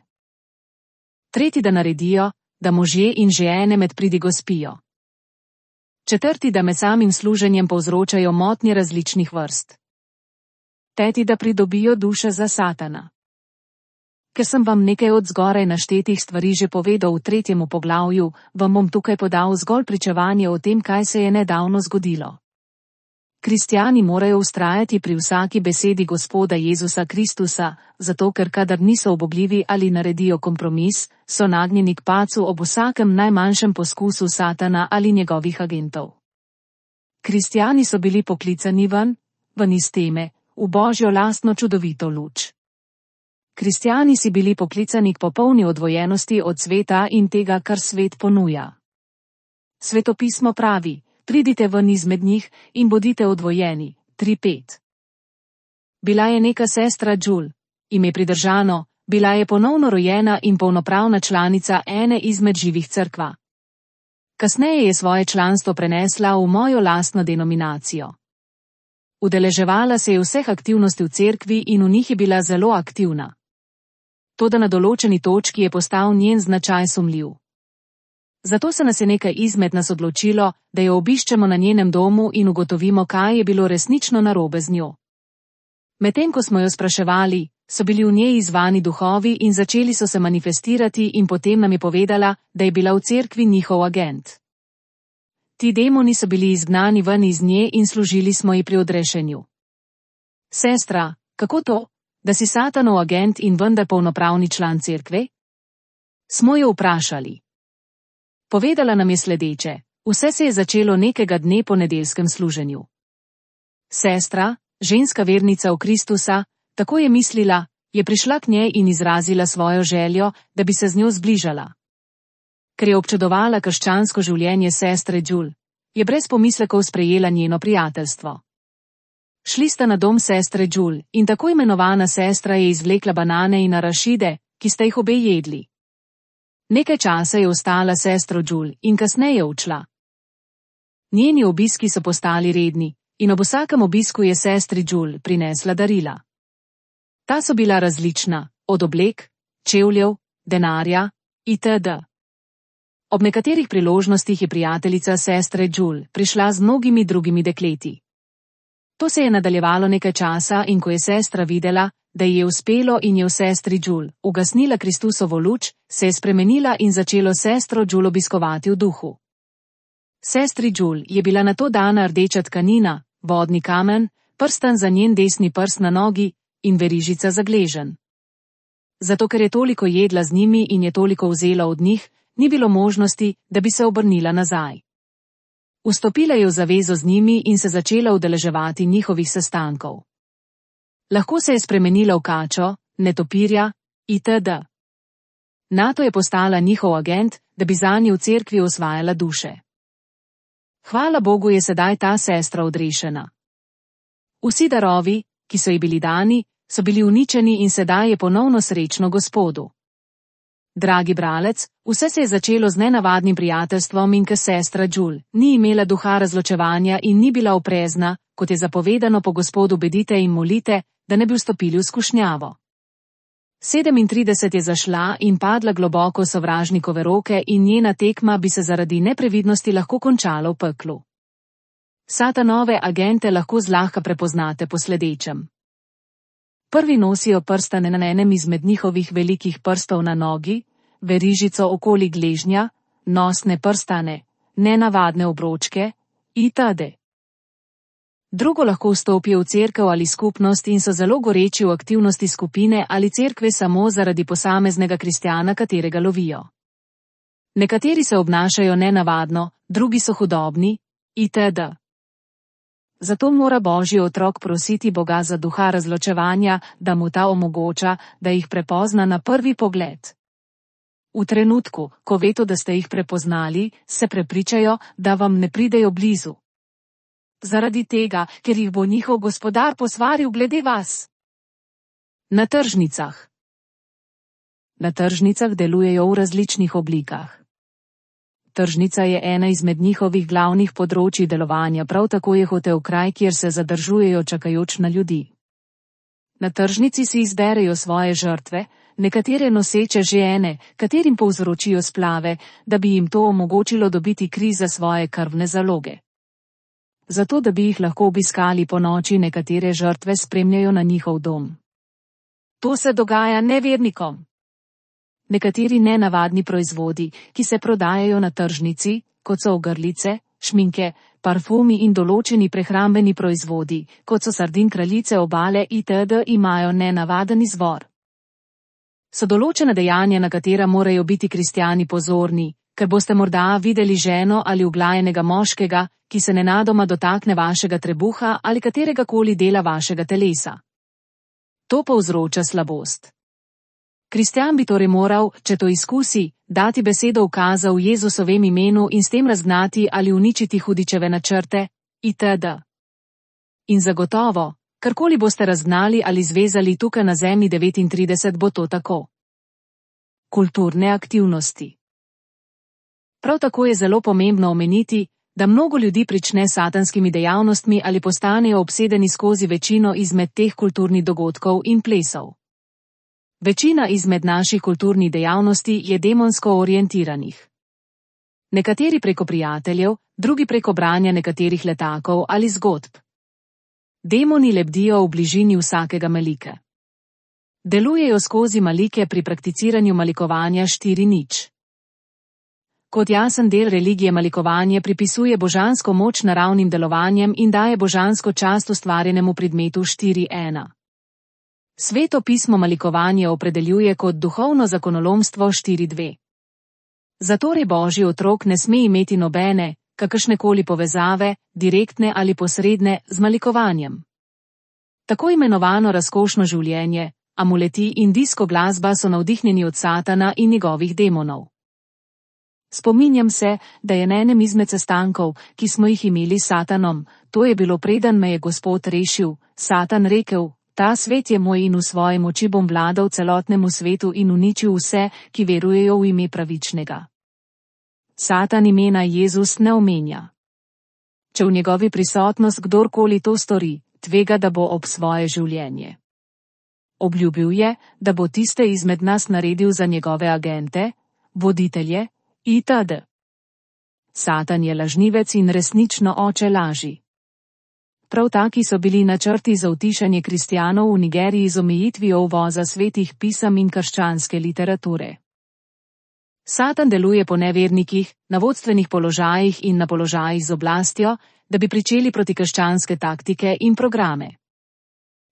Tretji, da naredijo, da možje in žene med pridigo spijo. Četrti, da med samim služenjem povzročajo motnje različnih vrst. Peti, da pridobijo duše za Satana. Ker sem vam nekaj od zgoraj naštetih stvari že povedal v 3. poglavju, vam bom tukaj podal zgolj pričevanje o tem, kaj se je nedavno zgodilo. Kristjani morajo vztrajati pri vsaki besedi Gospoda Jezusa Kristusa, zato ker kadar niso ubogljivi ali naredijo kompromis, so nagnjeni k padcu ob vsakem najmanjšem poskusu Satana ali njegovih agentov. Kristjani so bili poklicani ven iz teme, v Božjo lastno čudovito luč. Kristjani si bili poklicani k popolni odvojenosti od sveta in tega, kar svet ponuja. Svetopismo pravi: pridite ven izmed njih in bodite odvojeni. 3:5. Bila je neka sestra Jul, ime pridržano, bila je ponovno rojena in polnopravna članica ene izmed živih cerkva. Kasneje je svoje članstvo prenesla v mojo lastno denominacijo. Udeleževala se je vseh aktivnosti v cerkvi in v njih je bila zelo aktivna. Toda na določeni točki je postal njen značaj sumljiv. Zato se nas je nekaj izmed nas odločilo, da jo obiščemo na njenem domu in ugotovimo, kaj je bilo resnično narobe z njo. Medtem ko smo jo spraševali, so bili v njej izzvani duhovi in začeli so se manifestirati in potem nam je povedala, da je bila v cerkvi njihov agent. Ti demoni so bili izgnani ven iz nje in služili smo ji pri odrešenju. Sestra, kako to, da si Satanov agent in vendar polnopravni član cerkve? Smo jo vprašali. Povedala nam je sledeče: vse se je začelo nekega dne po nedeljskem služenju. Sestra, ženska vernica v Kristusa, tako je mislila, je prišla k njej in izrazila svojo željo, da bi se z njo zbližala. Ker je občudovala krščansko življenje sestre Jul, je brez pomislekov sprejela njeno prijateljstvo. Šli sta na dom sestre Jul in tako imenovana sestra je izvlekla banane in arašide, ki sta jih obe jedli. Nekaj časa je ostala sestro Jul in kasneje odšla. Njeni obiski so postali redni in ob vsakem obisku je sestri Jul prinesla darila. Ta so bila različna, od oblek, čevljev, denarja itd. Ob nekaterih priložnostih je prijateljica sestre Jul prišla z mnogimi drugimi dekleti. To se je nadaljevalo nekaj časa in ko je sestra videla, da ji je uspelo in je v sestri Jul ugasnila Kristusovo luč, se je spremenila in začelo sestro Jul obiskovati v duhu. Sestri Jul je bila nato dana rdeča tkanina, vodni kamen, prstan za njen desni prst na nogi in verižica za gleženj. Zato ker je toliko jedla z njimi in je toliko vzela od njih, ni bilo možnosti, da bi se obrnila nazaj. Vstopila je v zavezo z njimi in se začela udeleževati njihovih sestankov. Lahko se je spremenila v kačo, netopirja itd. Nato je postala njihov agent, da bi zanje v cerkvi osvajala duše. Hvala Bogu je sedaj ta sestra odrešena. Vsi darovi, ki so ji bili dani, so bili uničeni in sedaj je ponovno srečno Gospodu. Dragi bralec, vse se je začelo z nenavadnim prijateljstvom in ker sestra Jul ni imela duha razločevanja in ni bila oprezna, kot je zapovedano po Gospodu bedite in molite, da ne bi vstopili v skušnjavo. 37 je zašla in padla globoko v sovražnikove roke in njena tekma bi se zaradi neprevidnosti lahko končala v peklu. Satanove agente lahko zlahka prepoznate po sledečem. Prvi nosijo prstane na enem izmed njihovih velikih prstov na nogi, verižico okoli gležnja, nosne prstane, nenavadne obročke itd. Drugo lahko vstopijo v cerkev ali skupnost in so zelo goreči v aktivnosti skupine ali cerkve samo zaradi posameznega kristjana, katerega lovijo. Nekateri se obnašajo nenavadno, drugi so hudobni itd. Zato mora Božji otrok prositi Boga za duha razločevanja, da mu ta omogoča, da jih prepozna na prvi pogled. V trenutku, ko vedo, da ste jih prepoznali, se prepričajo, da vam ne pridejo blizu. Zaradi tega, ker jih bo njihov gospodar posvaril glede vas. Na tržnicah. Na tržnicah delujejo v različnih oblikah. Tržnica je ena izmed njihovih glavnih področij delovanja, prav tako je hotel kraj, kjer se zadržujejo čakajoč na ljudi. Na tržnici si izberejo svoje žrtve, nekatere noseče žene, katerim povzročijo splave, da bi jim to omogočilo dobiti kri za svoje krvne zaloge. Zato, da bi jih lahko obiskali ponoči, nekatere žrtve spremljajo na njihov dom. To se dogaja nevernikom. Nekateri nenavadni proizvodi, ki se prodajajo na tržnici, kot so ogrlice, šminke, parfumi in določeni prehrambeni proizvodi, kot so sardin, kraljice obale itd., imajo nenavaden izvor. So določena dejanja, na katera morajo biti kristjani pozorni, ker boste morda videli ženo ali uglajenega moškega, ki se nenadoma dotakne vašega trebuha ali kateregakoli dela vašega telesa. To povzroča slabost. Kristjan bi torej moral, če to izkusi, dati besedo ukaza v Jezusovem imenu in s tem razgnati ali uničiti hudičeve načrte, itd. In zagotovo, karkoli boste razgnali ali zvezali tukaj na zemlji 39, bo to tako. Kulturne aktivnosti. Prav tako je zelo pomembno omeniti, da mnogo ljudi prične s satanskimi dejavnostmi ali postanejo obsedeni skozi večino izmed teh kulturnih dogodkov in plesov. Večina izmed naših kulturnih dejavnosti je demonsko orientiranih. Nekateri preko prijateljev, drugi preko branja nekaterih letakov ali zgodb. Demoni lebdijo v bližini vsakega malika. Delujejo skozi malike pri prakticiranju malikovanja 4:0. Kot jasen del religije malikovanje pripisuje božansko moč naravnim delovanjem in daje božansko čast ustvarjenemu predmetu 4:1. Sveto pismo malikovanje opredeljuje kot duhovno zakonolomstvo 4:2. Zatorej Božji otrok ne sme imeti nobene, kakršnekoli povezave, direktne ali posredne, z malikovanjem. Tako imenovano razkošno življenje, amuleti in disko glasba so navdihnjeni od Satana in njegovih demonov. Spominjam se, da je na enem izmed sestankov, ki smo jih imeli s Satanom, to je bilo preden me je Gospod rešil, Satan rekel: Ta svet je moj in v svoji moči bom vladal celotnemu svetu in uničil vse, ki verujejo v ime pravičnega. Satan imena Jezus ne omenja. Če v njegovi prisotnost kdorkoli to stori, tvega, da bo ob svoje življenje. Obljubil je, da bo tiste izmed nas naredil za njegove agente, voditelje, itd. Satan je lažnivec in resnično oče laži. Prav taki so bili načrti za utišanje kristjanov v Nigeriji z omejitvijo uvoza svetih pisem in krščanske literature. Satan deluje po nevernikih, na vodstvenih položajih in na položajih z oblastjo, da bi pričeli protikrščanske taktike in programe.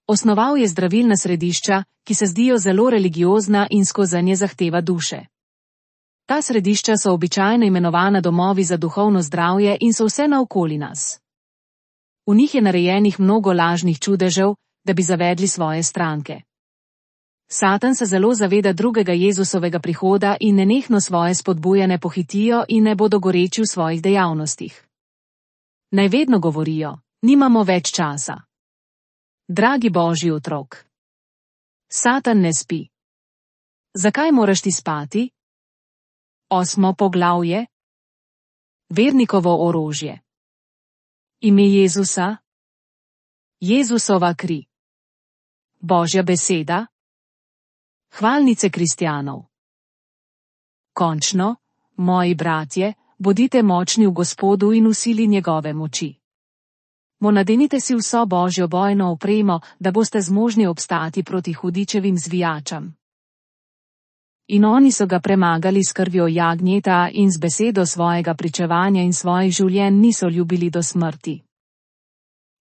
Osnoval je zdravilna središča, ki se zdijo zelo religiozna in skozi nje zahteva duše. Ta središča so običajno imenovana domovi za duhovno zdravje in so vse naokoli nas. V njih je narejenih mnogo lažnih čudežev, da bi zavedli svoje stranke. Satan se zelo zaveda drugega Jezusovega prihoda in nenehno svoje spodbujane pohitijo in ne bodo goreči v svojih dejavnostih. Naj vedno govorijo: nimamo več časa. Dragi Božji otrok. Satan ne spi. Zakaj moraš ti spati? 8. poglavje. Vernikovo orožje. Ime Jezusa. Jezusova kri. Božja beseda. Hvalnice kristjanov. Končno, moji bratje, bodite močni v Gospodu in v sili njegove moči. Nadenite si vso Božjo bojno opremo, da boste zmožni obstati proti hudičevim zvijačam. In oni so ga premagali s krvjo jagnjeta in z besedo svojega pričevanja in svojih življenj niso ljubili do smrti.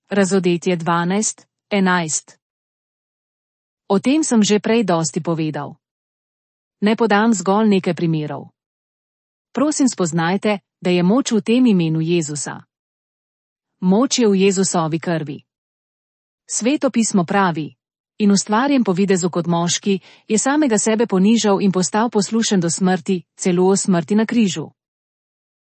Razodetje 12:11. O tem sem že prej dosti povedal. Ne podam zgolj nekaj primerov. Prosim, spoznajte, da je moč v tem imenu Jezusa. Moč je v Jezusovi krvi. Sveto pismo pravi: in ustvarjen po videzu kot moški, je samega sebe ponižal in postal poslušen do smrti, celo o smrti na križu.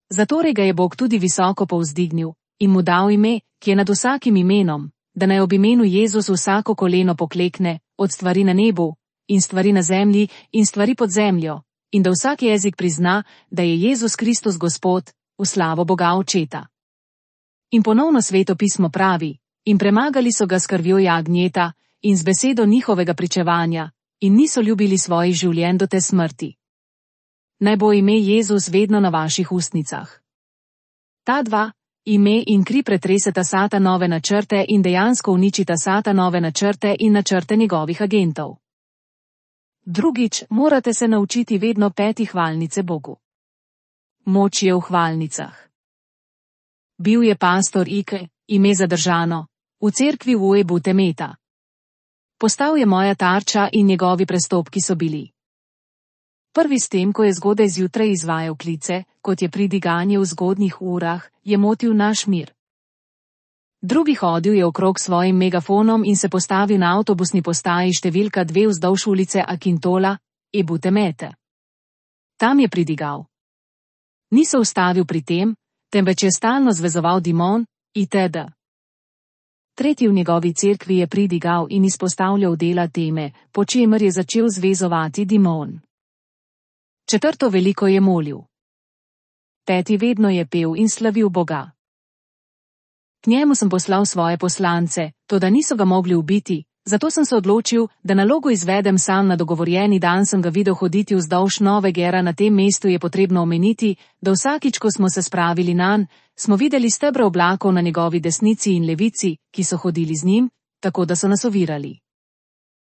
Zatorej ga je Bog tudi visoko povzdignil in mu dal ime, ki je nad vsakim imenom, da naj ob imenu Jezus vsako koleno poklekne, od stvari na nebu, in stvari na zemlji, in stvari pod zemljo, in da vsak jezik prizna, da je Jezus Kristus Gospod, v slavo Boga Očeta. In ponovno Sveto pismo pravi, in premagali so ga s krvjo jagnjeta in z besedo njihovega pričevanja, in niso ljubili svojih življenj do te smrti. Naj bo ime Jezus vedno na vaših ustnicah. Ta dva, ime in kri pretreseta Satanove načrte in dejansko uničita Satanove načrte in načrte njegovih agentov. Drugič, morate se naučiti vedno peti hvalnice Bogu. Moč je v hvalnicah. Bil je pastor Ike, ime zadržano, v cerkvi v Uebu Temeta. Postal je moja tarča in njegovi prestopki so bili. Prvi s tem, ko je zgodaj zjutraj izvajal klice, kot je pridiganje v zgodnjih urah, je motil naš mir. Drugi hodil je okrog svojim megafonom in se postavil na avtobusni postaji številka 2 vzdolž ulice Akintola, Ebu Temete. Tam je pridigal. Ni se ustavil pri tem, temveč je stalno zvezoval dimon, itd. Tretji v njegovi cerkvi je pridigal in izpostavljal dela teme, po čemer je začel zvezovati dimon. Četrto veliko je molil. Peti vedno je pel in slavil Boga. K njemu sem poslal svoje poslance, toda niso ga mogli ubiti, zato sem se odločil, da nalogo izvedem sam. Na dogovorjeni dan sem ga videl hoditi vzdolž Nove Gera. Na tem mestu je potrebno omeniti, da vsakič, ko smo se spravili nanj, smo videli stebre oblakov na njegovi desnici in levici, ki so hodili z njim, tako da so nas ovirali.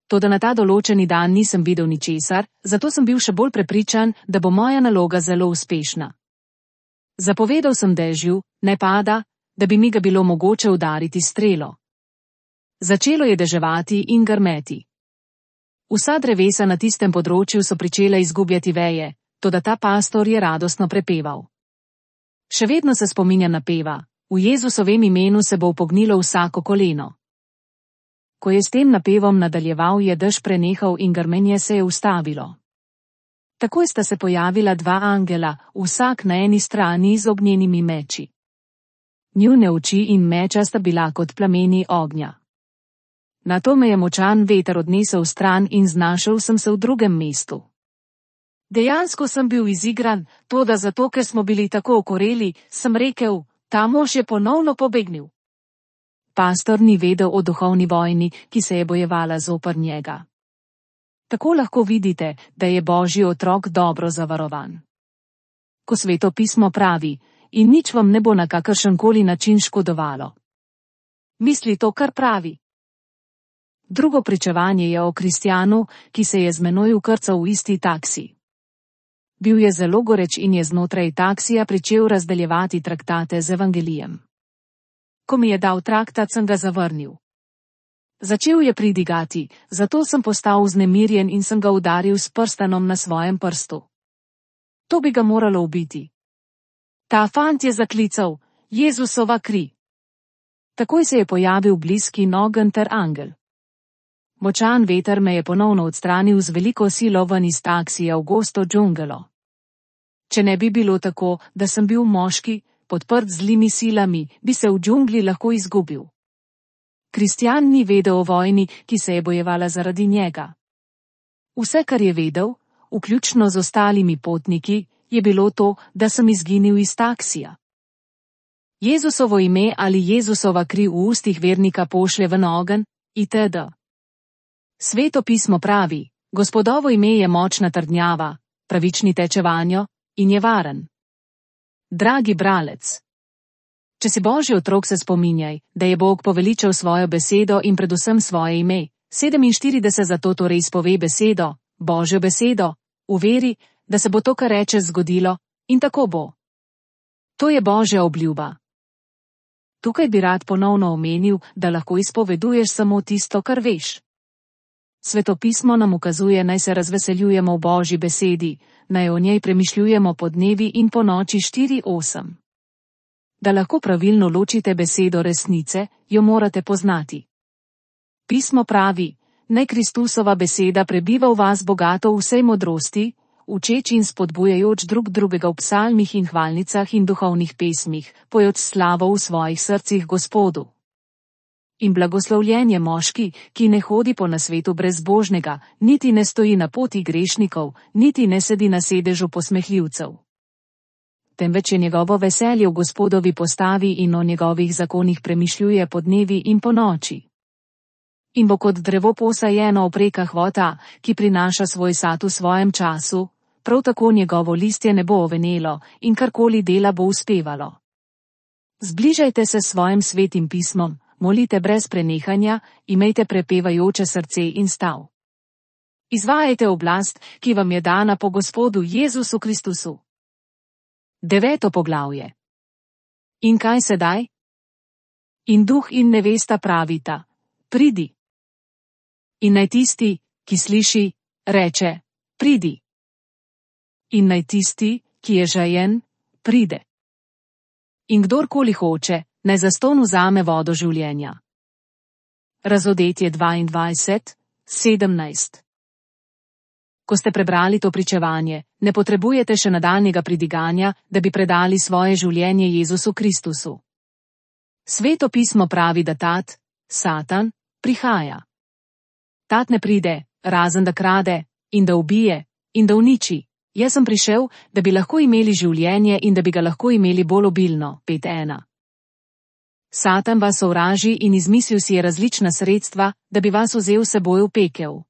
Toda na ta določeni dan nisem videl ničesar, zato sem bil še bolj prepričan, da bo moja naloga zelo uspešna. Zapovedal sem dežju, ne pada, da bi mi ga bilo mogoče udariti strelo. Začelo je deževati in grmeti. Vsa drevesa na tistem področju so pričela izgubljati veje, toda ta pastor je radostno prepeval. Še vedno se spominja napeva, v Jezusovem imenu se bo upognilo vsako koleno. Ko je s tem napevom nadaljeval, je dež prenehal in grmenje se je ustavilo. Takoj sta se pojavila dva angela, vsak na eni strani z ognjenimi meči. Njune oči in meča sta bila kot plameni ognja. Nato me je močan veter odnesel stran in znašel sem se v drugem mestu. Dejansko sem bil izigran, toda zato, ker smo bili tako okoreli, sem rekel, ta mož je ponovno pobegnil. Pastor ni vedel o duhovni vojni, ki se je bojevala zoper njega. Tako lahko vidite, da je Božji otrok dobro zavarovan. Ko Sveto pismo pravi, in nič vam ne bo na kakršenkoli način škodovalo. Misli to, kar pravi. Drugo pričevanje je o kristjanu, ki se je z menoj vkrcal v isti taksi. Bil je zelo goreč in je znotraj taksija pričel razdeljevati traktate z evangelijem. Ko mi je dal traktat, sem ga zavrnil. Začel je pridigati, zato sem postal vznemirjen in sem ga udaril s prstanom na svojem prstu. To bi ga moralo ubiti. Ta fant je zaklical, Jezusova kri. Takoj se je pojavil bliski ogenj ter angel. Močan veter me je ponovno odstranil z veliko silo ven iz taksija v gosto džungelo. Če ne bi bilo tako, da sem bil moški, podprt z zlimi silami, bi se v džungli lahko izgubil. Kristjan ni vedel o vojni, ki se je bojevala zaradi njega. Vse, kar je vedel, vključno z ostalimi potniki, je bilo to, da sem izginil iz taksija. Jezusovo ime ali Jezusova kri v ustih vernika pošlje ven ogenj, itd. Sveto pismo pravi, Gospodovo ime je močna trdnjava, pravični teče vanjo in je varen. Dragi bralec, če si Božji otrok, se spominjaj, da je Bog poveličal svojo besedo in predvsem svoje ime. 47 zato torej izpove besedo, Božjo besedo, v veri, da se bo to, kar rečeš, zgodilo, in tako bo. To je Božja obljuba. Tukaj bi rad ponovno omenil, da lahko izpoveduješ samo tisto, kar veš. Sveto pismo nam ukazuje, naj se razveseljujemo v Božji besedi, naj o njej premišljujemo po dnevi in po noči 4:8. Da lahko pravilno ločite besedo resnice, jo morate poznati. Pismo pravi, naj Kristusova beseda prebiva v vas bogato v vsej modrosti, učeč in spodbujajoč drug drugega v psalmih in hvalnicah in duhovnih pesmih, pojoč slavo v svojih srcih Gospodu. In blagoslovljen je moški, ki ne hodi po nasvetu brezbožnega, niti ne stoji na poti grešnikov, niti ne sedi na sedežu posmehljivcev. Temveč je njegovo veselje v Gospodovi postavi in o njegovih zakonih premišljuje po dnevi in po noči. In bo kot drevo posajeno v prekah vota, ki prinaša svoj sad v svojem času, prav tako njegovo listje ne bo ovenelo in karkoli dela bo uspevalo. Zbližajte se s svojim svetim pismom, molite brez prenehanja, imejte prepevajoče srce in stav. Izvajajte oblast, ki vam je dana po Gospodu Jezusu Kristusu. 9. poglavje. In kaj sedaj? In duh in nevesta pravita: pridi. In naj tisti, ki sliši, reče: pridi. In naj tisti, ki je žejen, pride. In kdorkoli hoče, naj zastonj vzame vodo življenja. Razodetje 22:17. Ko ste prebrali to pričevanje, ne potrebujete še nadaljnjega pridiganja, da bi predali svoje življenje Jezusu Kristusu. Sveto pismo pravi, da tat, Satan, prihaja. Tat ne pride, razen da krade, in da ubije, in da uniči. Jaz sem prišel, da bi lahko imeli življenje in da bi ga lahko imeli bolj obilno. 5:1. Satan vas sovraži in izmislil si je različna sredstva, da bi vas vzel s seboj v pekel.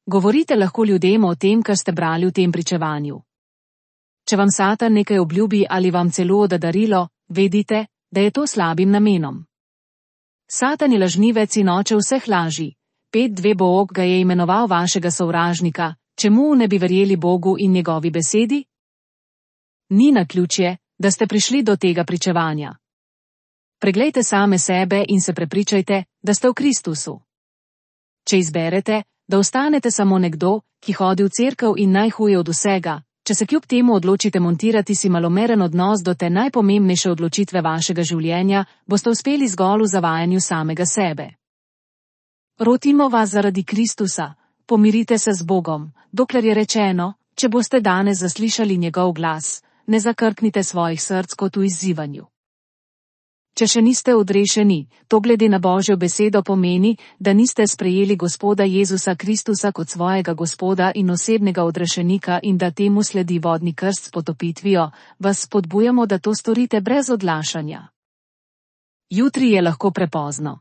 Govorite lahko ljudem o tem, kar ste brali v tem pričevanju. Če vam Satan nekaj obljubi ali vam celo da darilo, vedite, da je to slabim namenom. Satan je lažnivec in oče vseh laži. 5:2 Bog ga je imenoval vašega sovražnika, čemu ne bi verjeli Bogu in njegovi besedi? Ni naključje, da ste prišli do tega pričevanja. Preglejte same sebe in se prepričajte, da ste v Kristusu. Če izberete, da ostanete samo nekdo, ki hodi v cerkev in najhuje od vsega, če se kljub temu odločite montirati si malomeren odnos do te najpomembnejše odločitve vašega življenja, boste uspeli zgolj v zavajanju samega sebe. Rotimo vas zaradi Kristusa, pomirite se z Bogom, dokler je rečeno, če boste danes zaslišali njegov glas, ne zakrknite svojih src kot v izzivanju. Če še niste odrešeni, to glede na Božjo besedo pomeni, da niste sprejeli Gospoda Jezusa Kristusa kot svojega Gospoda in osebnega odrešenika in da temu sledi vodni krst s potopitvijo, vas spodbujamo, da to storite brez odlašanja. Jutri je lahko prepozno.